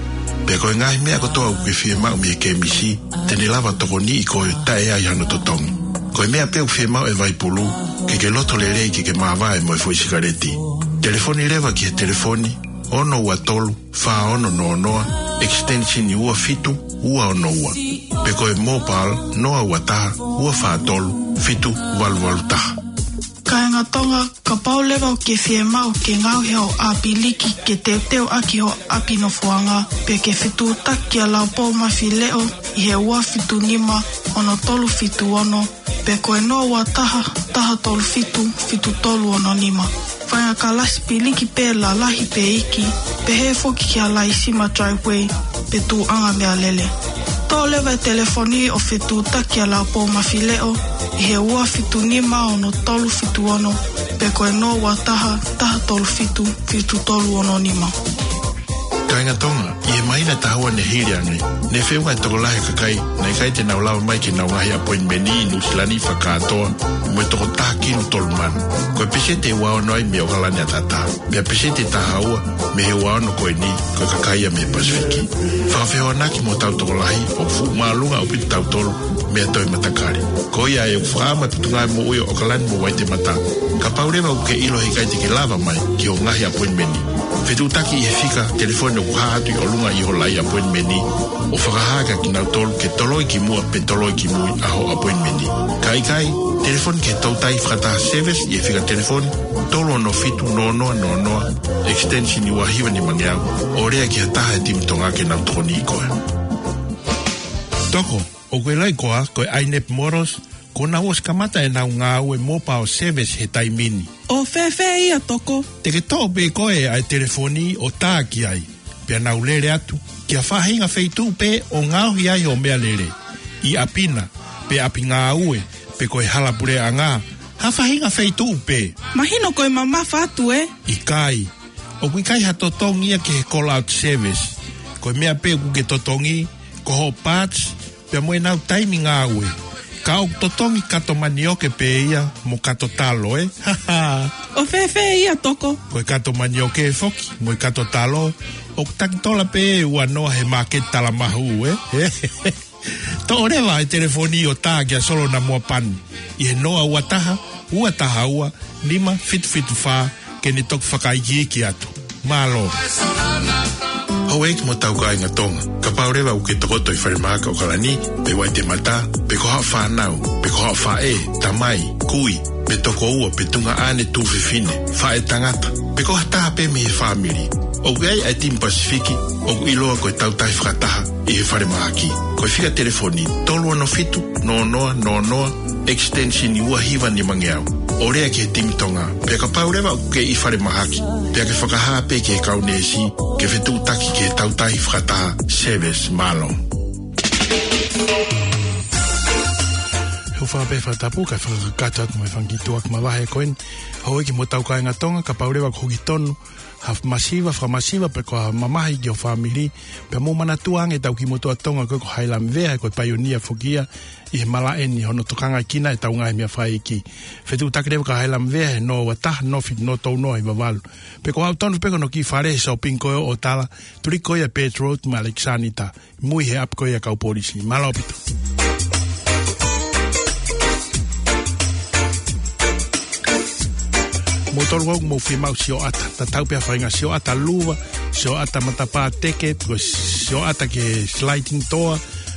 Pea ko e ngaahi meʻa kotoa ʻoku ke fiemaʻu mei he kemisi, te ne lava tokoniʻi koe taʻe ai hano totongi. Ko e meʻa pē ʻoku fiemaʻu ʻe Vaipulu, ke ke loto lelei ke ke māvae mo e foʻi sikaleti. Telefoni leva ki he telefoni, ono ua tolu, fā ono noa noa, extension ua fitu ua ono ua. Pe ko e mobile, noa ua taha, ua fā tolu, fitu valu valu taha. Kāinga Tonga, kapau leva ʻoku ke fiemaʻu ke ngaohi hoʻo ʻapiliki ke teuteu ʻaki hoʻo ʻapi nofoʻanga, pe ke fetuʻutaki kia Laupou Mafileʻo ʻi he ua fitu nima, ono tolu fitu ono, pe ko e noa ua taha, taha tolu fitu, fitu tolu ono nima. Faʻahinga kalasi piliki pē lalahi pe iiki, pehē foki kia Laisima Driveway, pe tuʻunga meʻalele. Toʻo leva e telefoni ʻo fetuʻutaki kia Laupou Mafileʻo ʻi he ua fitu nima, ono tolu fitu ono, pe ko e noa ua taha, taha tolu fitu, fitu tolu ono nima. Kāinga Tonga, ʻi he māhina ʻe taha ua ne hili ange, ne feʻunga e tokolahi e kakai naʻe ʻikai te nau lava mai ki heʻenau ngaahi appointment ʻi Nuʻusila ni fakakātoa mo e toko taha kilu tolu mano. Ko e peseti ʻe ua ono ai mei ʻOkalani ʻataʻatā. Pea peseti ʻe taha ua mei he ua ono ko eni, ko e kakai ia mei he Pasifiki. Fakafehoanaki mo hotau tokolahi, ʻoku fuʻu māʻolunga ʻaupito tautolu mei ha toe matakali. Ko ia ʻoku fakaʻamu e Potungāue Moʻui ʻo ʻOkalani mo Vaitematā, kapau leva ʻoku ke ʻilo he ʻikai te ke lava mai ki hoʻo ngaahi appointment, fetuʻutaki ʻi he fika telefoni ʻoku hā atu ʻi ʻolunga ʻi hoʻo laʻi appointment, ʻo fakahā kia kinautolu ke toloi ki muʻa pe toloi ki mui ʻa hoʻo appointment. Ka ʻikai, telefoni ki he Toutai Fakataha Service ʻi he fika telefoni, tolu ono fitu noa noa noa noa, extension ua hiva nimangeau, ʻo lea ki ha taha e timi Tonga ke nau tokoniʻi koe. Toko, ʻoku ke ʻiloʻi koā, ko e Ainep Motors, kuo nau ʻosi kamata ʻenau ngāue mobile service he taimi ni. ʻO fēfē ia, Toko? Te ke toʻo pē koe ʻa e telefoni ʻo tā ki ai, pea nau lele atu ki ha faʻahinga feituʻu pē ʻo ngaohi ai hoʻo meʻalele, ʻi ʻapi na, pe ʻapi ngāue, pe ko e hala puleʻanga, ha faʻahinga feituʻu pē. Mahino ko e mamafa atu, ē? ʻIkai. ʻOku ʻikai ha totongi ia ki he call out service. Ko e meʻa pē ʻoku ke totongi, ko hoʻo parts, pea mo ʻenau taimi ngāue. Ka ʻoku totongi kato manioke pē ia mo kato talo, ē? ʻO fēfē ia, Toko? Ko e kato manioke foki mo e kato talo, ʻoku takitola pē ua noa he māketi Talamahu, ē? Toʻo leva e telefoni ʻo tā kia Solo Namoa Pani ʻi he noa ua taha, ua taha ua, nima fitu fitu fā, ke ne toki fakaikiiki atu. Mālō. Houʻeiki mo hotau kāinga Tonga, kapau leva ʻoku ke tokoto ʻi falemahaki ʻOkalani, pe Vaitematā, pe ko haʻo fānau, pe ko haʻo faʻē, tamai, kui, pe tokoua, pe tuongaʻane, tuofefine, faʻētangata, pe ko ha taha pē mei he fāmili, ʻoku ʻi ai ʻa e timi Pasifiki ʻoku ʻiloa ko e Toutai Fakataha ʻi he falemahaki. Ko e fika telefoni, tolu ono fitu noa noa noa noa, extension ua hiva nimangeau, ʻo lea ki he timi Tonga. Pea kapau leva ʻoku ke ʻi falemahaki, pea ke fakahā pē ki he kau neesi ke fetuʻutaki ki he Toutai Fakataha Service. Mālō. He ʻoku ou fakaʻamu pē fakatapu kae fakakakato atu mo e fanga kiʻi tuʻuaki mavahe ko eni. Houʻeiki mo hotau kāinga Tonga, kapau leva ʻoku ke hoko tonu ha masiva, fakamasiva, pe ko ha mamahi ki ho fāmili, pea mou manatua ange ʻetau kiʻi motuʻa Tonga ko ē ko Hailamvea, ko e paionia foki ia ʻi he malaʻe ni, hono tokangaʻi ʻetau ngaahi meʻa fakaʻeiki. Fetuʻutaki leva kia Hailamvea he noa ua taha, noa fitu noa tolu noa hiva valu. Pe ko haʻo tonu pē ki hono kiʻi fale he shopping ko ē ʻo Otala, tuliki ko ia Birch Road mo Alexander, mui he ʻapi ko ia ʻa e kau polisi. Mālō ʻaupito. Mou tolu ʻoku mou fiemaʻu sioʻata, tatau pē ha faʻahinga sioʻata luva, sioʻata matapā teke, pe ko e sioʻata ki he sliding door,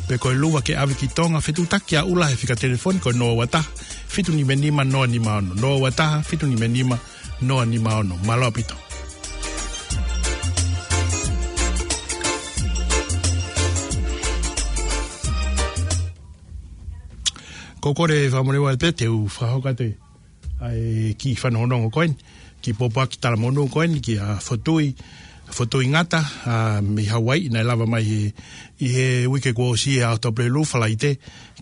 pe ko e luva ke ʻave ki Tonga, fetuʻutaki kia ʻUla he fika telefoni ko e noa ua taha, fitu nima nima, noa nima ono, noa ua taha, fitu nima nima, noa nima ono. Mālō ʻaupito. Ko e kole fakamolemole pē te u fakahoko atu ʻa e kiʻi fanongonongo ko eni, kiʻi pōpoaki talamonū ko eni kia Fotui, Fotui Ngata, ʻa, mei Hauaiʻi, naʻe lava mai he, ʻi he uike kuo ʻosi he ʻaho Tuʻapulelulu, Falaite,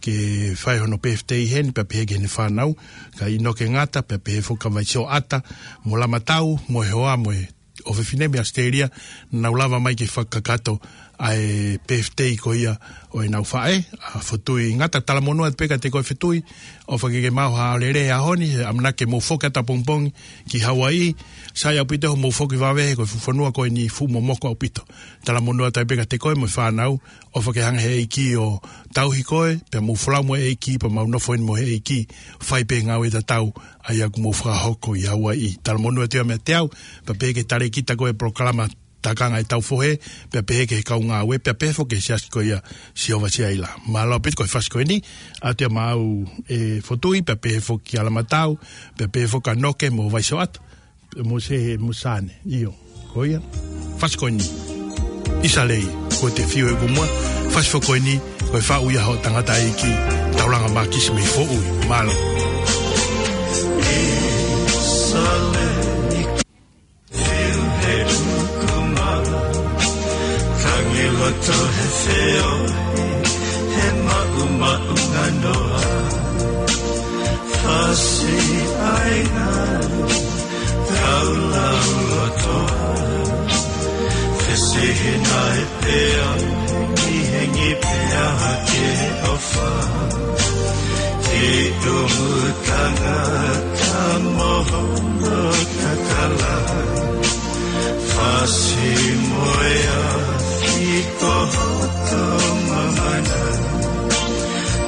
ke fai hono birthday heni, pea pehē ki heʻene fānau, kia ʻInoke Ngata, pea pehē foki kia Vaisioʻata mo Lamatau, mo e hoa, mo e ʻofefine mei ʻAositelēlia, naʻa nau lava mai ke fakakakato ʻa e birthday ko ia ʻo ʻenau faʻē, ʻa Fotui Ngata. Talamonū atu pē kiate koe Fotui, ʻofa ke ke maʻu ha lelei he ʻaho ni, he ʻamanaki ke mou foki atu ʻapongipongi ki Hauaiʻi, sai ʻaupito hoʻomou foki vave he ko e fuʻu fonua ko eni fuʻu momoko ʻaupito. Talamonū atu pē kiate koe mo e fānau, ʻofa ke hanga he ʻEiki ʻo tauhi koe, pea mou folau mo e ʻEiki, pea mau nofo eni mo e ʻEiki, fai pē ngāue tatau, ʻa ia kuo mou fakahoko ʻi Hauaiʻi. Talamonū atu ia meiate au, pea pehē ki he talēkita ko e polokalama Tākanga ʻi Taufohe, pea pehē ki he kau ngāue, pea pehē foki ki he siasi ko ia Sihova Siaila. Mālō ʻaupito ko e fasi ko eni, ʻoatu ia maʻau ʻe Fotui, pea pehē foki kia Lamatau, pea pehē foki kia Noke mo Vaisoʻata, mo se, mo Sane, ʻio, ko ia. Fasi ko eni, ʻIsa Lei, ko e te fiu e kumua, fasi foki ko eni, ko e faʻu ia hoʻo tangataʻeiki, Taulanga Mākisi mei Foʻui, mālō. ʻIsa Lei, fiu he kumua, tangi loto he feohi, he maʻumaʻunga noa, fasi ʻa e ngaahi kau lauloto, fesihina e pea, hengihengi pea hake ʻofa. Ki ʻumu tangata mo hono kakala, fasi mo e afi ko hoto mamana.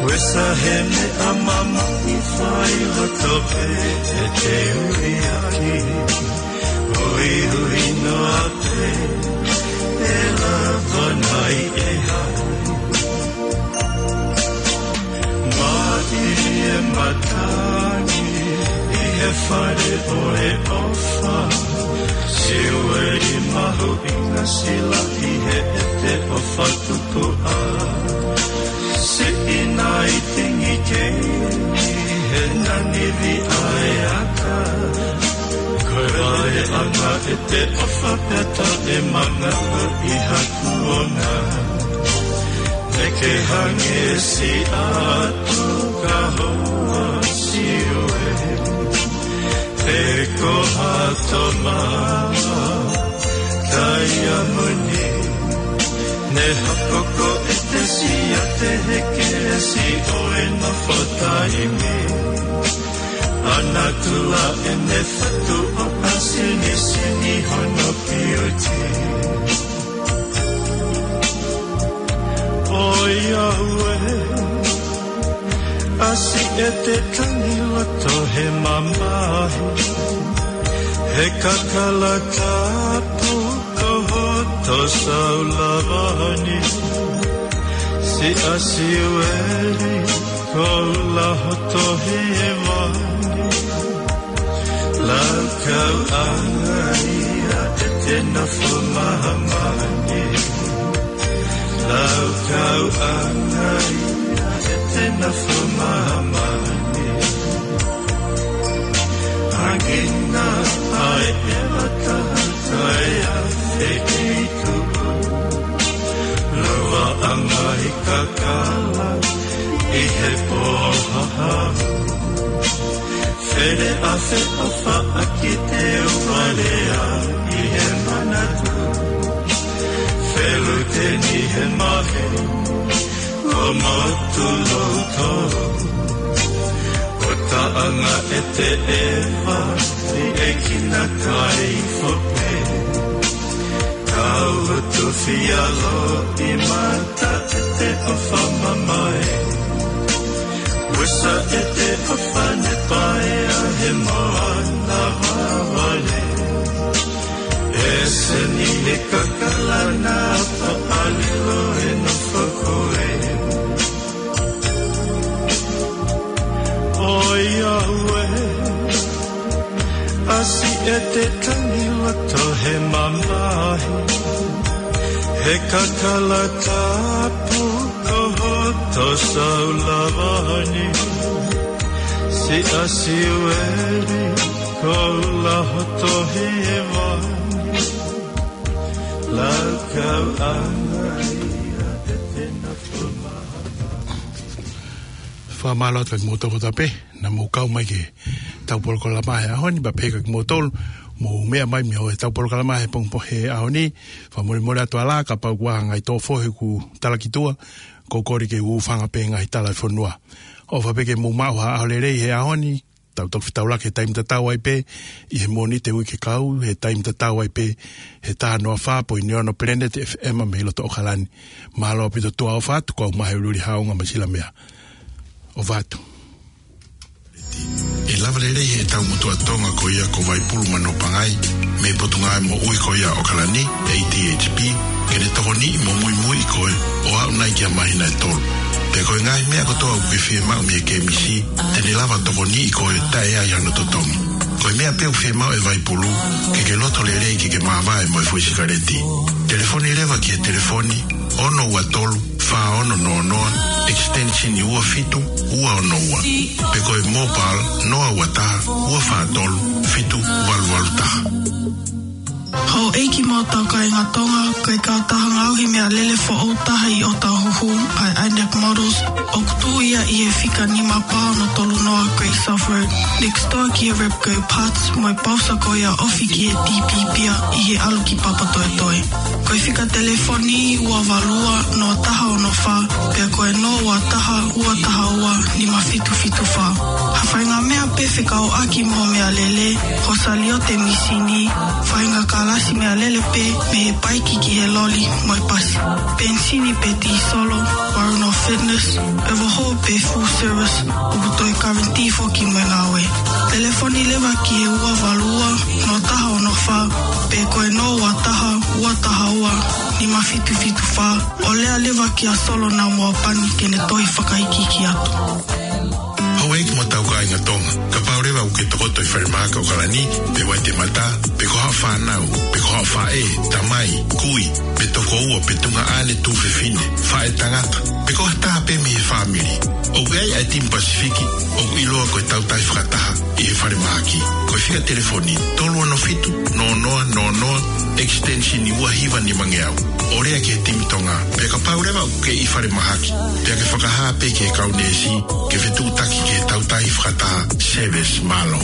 Uesa he meʻa mamahi fai loto pē ʻe te ui ʻaki. Uiui noa pē ʻe lava nai ʻe hai. Maʻi e matangi ʻi he fale ʻo e ʻofa. Siueli mahuʻinga silaʻi he ʻete ʻofa tukuʻa. Siʻi nai tingi kei he nanivi ʻa e aka. Ko e valeʻanga ʻete ʻofa pea taʻemanga ʻi ha kuonga. Te ke hangē siʻa tukahoa Siueli. Pe ko ha tomaha Taiamoni. Ne hoko ko ʻete siate he kelesi ʻo e nofo taimi. ʻA natula ʻene fatu ʻo ʻasi ni sini hono piuti. ʻOiauē, ʻasi ʻete tangi loto he mamahi, he kakala tapu ko hoto saulava ni. Siʻa Siueli, ko ʻula hoto hēvani. Laukauʻanga ia ʻete nofo mahamani. Laukauʻanga ia ʻete nofo mahamani. Hangina ai e mata kai a fekei tuku. Lava angai kakala ʻi he pō hahau. Fele a fe a faʻa ki te uvalea ʻi he manatu. Feluteni he mahe, ko motu loutou. Ko taʻanga ʻete ʻeva, ʻi ʻekina kai fope. Kau hoto fialo ʻi mata ʻete ʻofa mamae. Uesa ʻete ʻofa ne paea he moana vavale. ʻEseni he kakala na paʻalilo e nofo ko ē. ʻOiauē, ʻasi ʻete tangi loto he mamahi, he kakala tapu ko hoto saulava ni. Siʻa Siueli, ko ʻula hoto hēvani. Laukauʻanga ia ʻete nofo mahamani. Fakamālō atu kiate kimoutolu kotoa pē naʻa mou kau mai ki heʻetau polokalama he ʻaho ni, pea pehē kiate kimoutolu mou meʻa mai mei he tau polokalama he pongipongi he ʻaho ni. Fakamolemole atu ā lā, kapau ʻoku ʻi ai ha ngaahi tō fohe kuo talaki tuʻa, ko e kole ke u hūfanga pē he ngaahi tala ʻa e fonua. ʻOfa pē ke mou maʻu ha ʻaho lelei he ʻaho ni, tau toki fetaulaki he taimi tatau ai pē, ʻi he Mōnite uike kau, he taimi tatau ai pē, he taha noa fā poini ono Planet F M mei loto ʻAokalani. Mālō ʻaupito tuʻa, ʻofa atu, ko au Mahe Ululihaonga Masilamea. ʻOfa atu. ʻE lava lelei he tau motuʻa Tonga ko ia ko Vaipulu Manopangai, mei he Potungāue Moʻui ko ia ʻo ʻAokalani, A T H P, ke ne tokoniʻi mo muimui koe ʻo aʻu nai ki ha māhina ʻe tolu. Pea ko e ngaahi meʻa kotoa ʻoku ke fiemaʻu mei he K M C, te ne lava tokoniʻi koe taʻe ʻi ai hano totongi. Ko e meʻa pē ʻoku fiemaʻu ʻe Vaipulu, ke ke loto lelei ke ke māvae mo e foʻi sikaleti. Telefoni leva ki he telefoni, ono ua tolu, fā ono noa noa, extension ua fitu ua ono ua. Pe ko e mobile, noa ua taha, ua fā tolu, fitu valu valu taha. Houʻeiki mo e tau kāinga Tonga, ko e kautaha ngaohi meʻalele foʻou taha ʻi ʻOtahuhu, ʻa e Inec Models, ʻoku tuʻu ia ʻi he fika nima pā ono tolu noa Great South Road, next door ki he Repco Parts, mo e pausa ko ia ofi ki he T P Pia ʻi he ʻalu ki Papatoetoe. Ko e fika telefoni ua valu ua noa taha ono fā, pea ko e noa ua taha ua taha ua nima fitu fitu fā. Ha faʻahinga meʻa pē fekauʻaki mo e meʻalele, ho saliote mīsini, faʻahinga kalasi meʻalele pē mei he paiki ki he loli mo e pasi. Penisini pe tīsolo, Warren Fitness, ʻevo ho pe full service, ʻoku toe guarantee foki mo e ngāue. Telefoni leva ki he ua valu ua noa taha ono fā, pe ko e noa ua taha ua taha ua nima fitu fitu fā, ʻo lea leva kia Solo Namoapani ke ne toe fakaikiiki atu. Houʻeiki mo e tau kāinga Tonga, kapau leva ʻoku ke tokoto ʻi falemahaki ʻAokalani, pe Waitemata, pe ko haʻo fānau, pe ko haʻo faʻē, tamai, kui, pe tokoua, pe tuongaʻane, tuofefine, faʻētangata, pe ko ha taha pē mei he fāmili, ʻoku ʻi ai ʻa e Timi Pasifiki ʻoku ʻiloa ko e Tautahi Fakataha ʻi he falemahaki. Ko e fika telefoni, tolu ono fitu, noa noa noa noa, extension ua hiva nima ngeau. ʻO lea ki he Timi Tonga, pea kapau leva ʻoku ke ʻi falemahaki, pea ke fakahā pē ki he kau neesi, ke fetuʻutaki ki he Tautahi Fakataha. Service, mālō.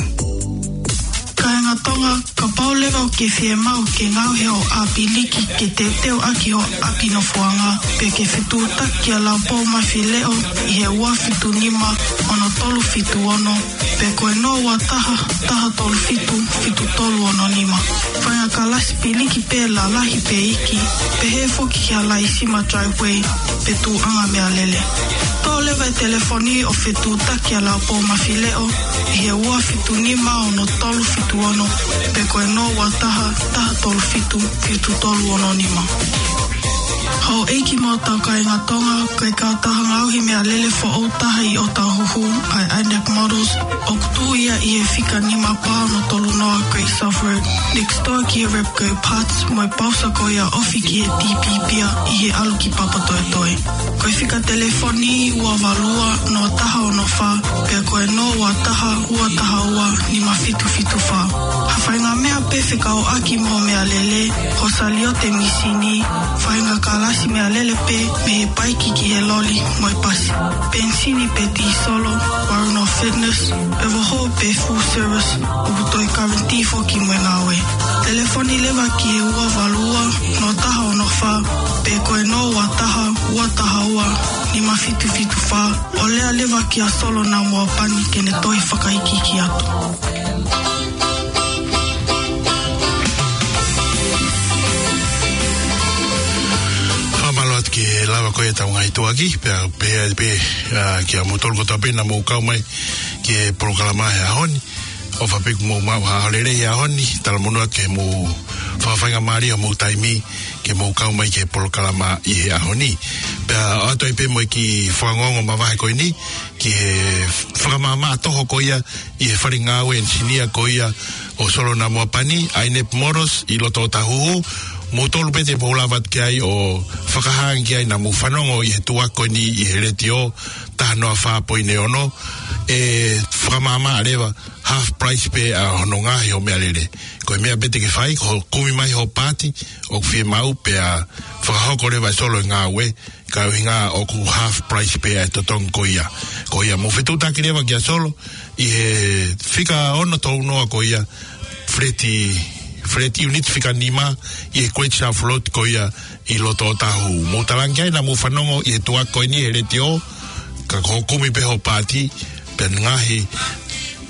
Kāinga Tonga, kapau leva ʻoku ke fiemaʻu ke ngaohi hoʻo ʻapi liki ke teuteu ʻaki hoʻo ʻapi nofoʻanga, pe ke fetuʻutaki kia Laupōmafileʻo ʻi he ua fitu nima ono tolu fitu ono, pe ko e noa ua taha taha tolu fitu fitu tolu ono nima. Faʻahinga kalasi piliki pē lalahi pe iiki, pehē foki kia Laisima Driveway, pe tuʻuʻanga meʻalele. Toʻo leva e telefoni ʻo fetuʻutaki kia Laupōmafileʻo ʻi he ua fitu nima ono tolu fitu ono, pe ko e noa ua taha taha tolu fitu fitu tolu ono nima. Houʻeiki mo e tau kāinga Tonga, ko e kautaha ngaohi meʻalele foʻou taha ʻi ʻOtahuhu, ʻa e Inec Models, ʻoku tuʻu ia ʻi he fika nima pā ono tolu noa Great South Road, next door ki he Repco Parts, mo e pausa ko ia ofi ki he T P Pia ʻi he ʻalu ki Papatoetoe. Ko e fika telefoni ua valu ua noa taha ono fā, pea ko e noa ua taha ua taha ua nima fitu fitu fā. Ha faʻahinga meʻa pē fekauʻaki mo e meʻalele, ho saliote mīsini, faʻahinga kalasi meʻalele pē mei he paiki ki he loli mo e pasi. Penisini pe tīsolo, Warren Fitness, ʻevo ho pe full service, ʻoku toe guarantee foki mo e ngāue. Telefoni leva ki he ua valu ua noa taha ono fā, pe ko e noa ua taha ua taha ua nima fitu fitu fā, ʻo lea leva kia Solo Namoapani ke ne toe fakaikiiki atu. Fakamālō atu ki he lava ko ia ʻetau ngaahi tuʻuaki, pea pehē pē, ā, kia moutolu kotoa pē naʻa mou kau mai ki he polokalama he ʻaho ni. ʻOfa pē kuo mou maʻu ha ʻaho lelei he ʻaho ni, talamonū atu ke mou fakafaingamālie homou taimi ke mou kau mai ki he polokalama ʻi he ʻaho ni. Pea ʻoatu ai pē mo e kiʻi fakaongoongo mavahe ko eni, ki he fakamaʻamaʻa toho ko ia ʻi he fale ngāue ʻenisinia ko ia ʻo Solo Namoapani, ʻa e Inep Motors ʻi loto ʻOtahuhu. Moutolu pē te mou lava atu ki ai ʻo fakahā ange ki ai naʻa mou fanongo ʻi he tuʻuaki ko eni ʻi he letiō, taha noa fā poini ono, ʻe fakamaʻamaʻa leva, half price pē ʻa hono ngaohi hoʻo meʻalele. Ko e meʻa pē te ke fai, ko hoʻo kumi mai hoʻo paati ʻoku fiemaʻu pea fakahoko leva ʻe Solo e ngāue, ka ʻuhinga ʻoku half price pē ʻa e totongi ko ia. Ko ia mou fetuʻutaki leva kia Solo ʻi he fika ono tolu noa ko ia, Feleti, Feleti unit fika nima ʻi he Great South Road ko ia ʻi loto Otahuhu. Mou talaange ai naʻa mou fanongo ʻi he tuʻa ko eni he letiō, ka ko hoʻo kumi pē hoʻo paati, pea ngaahi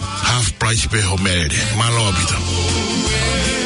half price pē hoʻo meʻalele. Mālō ʻaupito.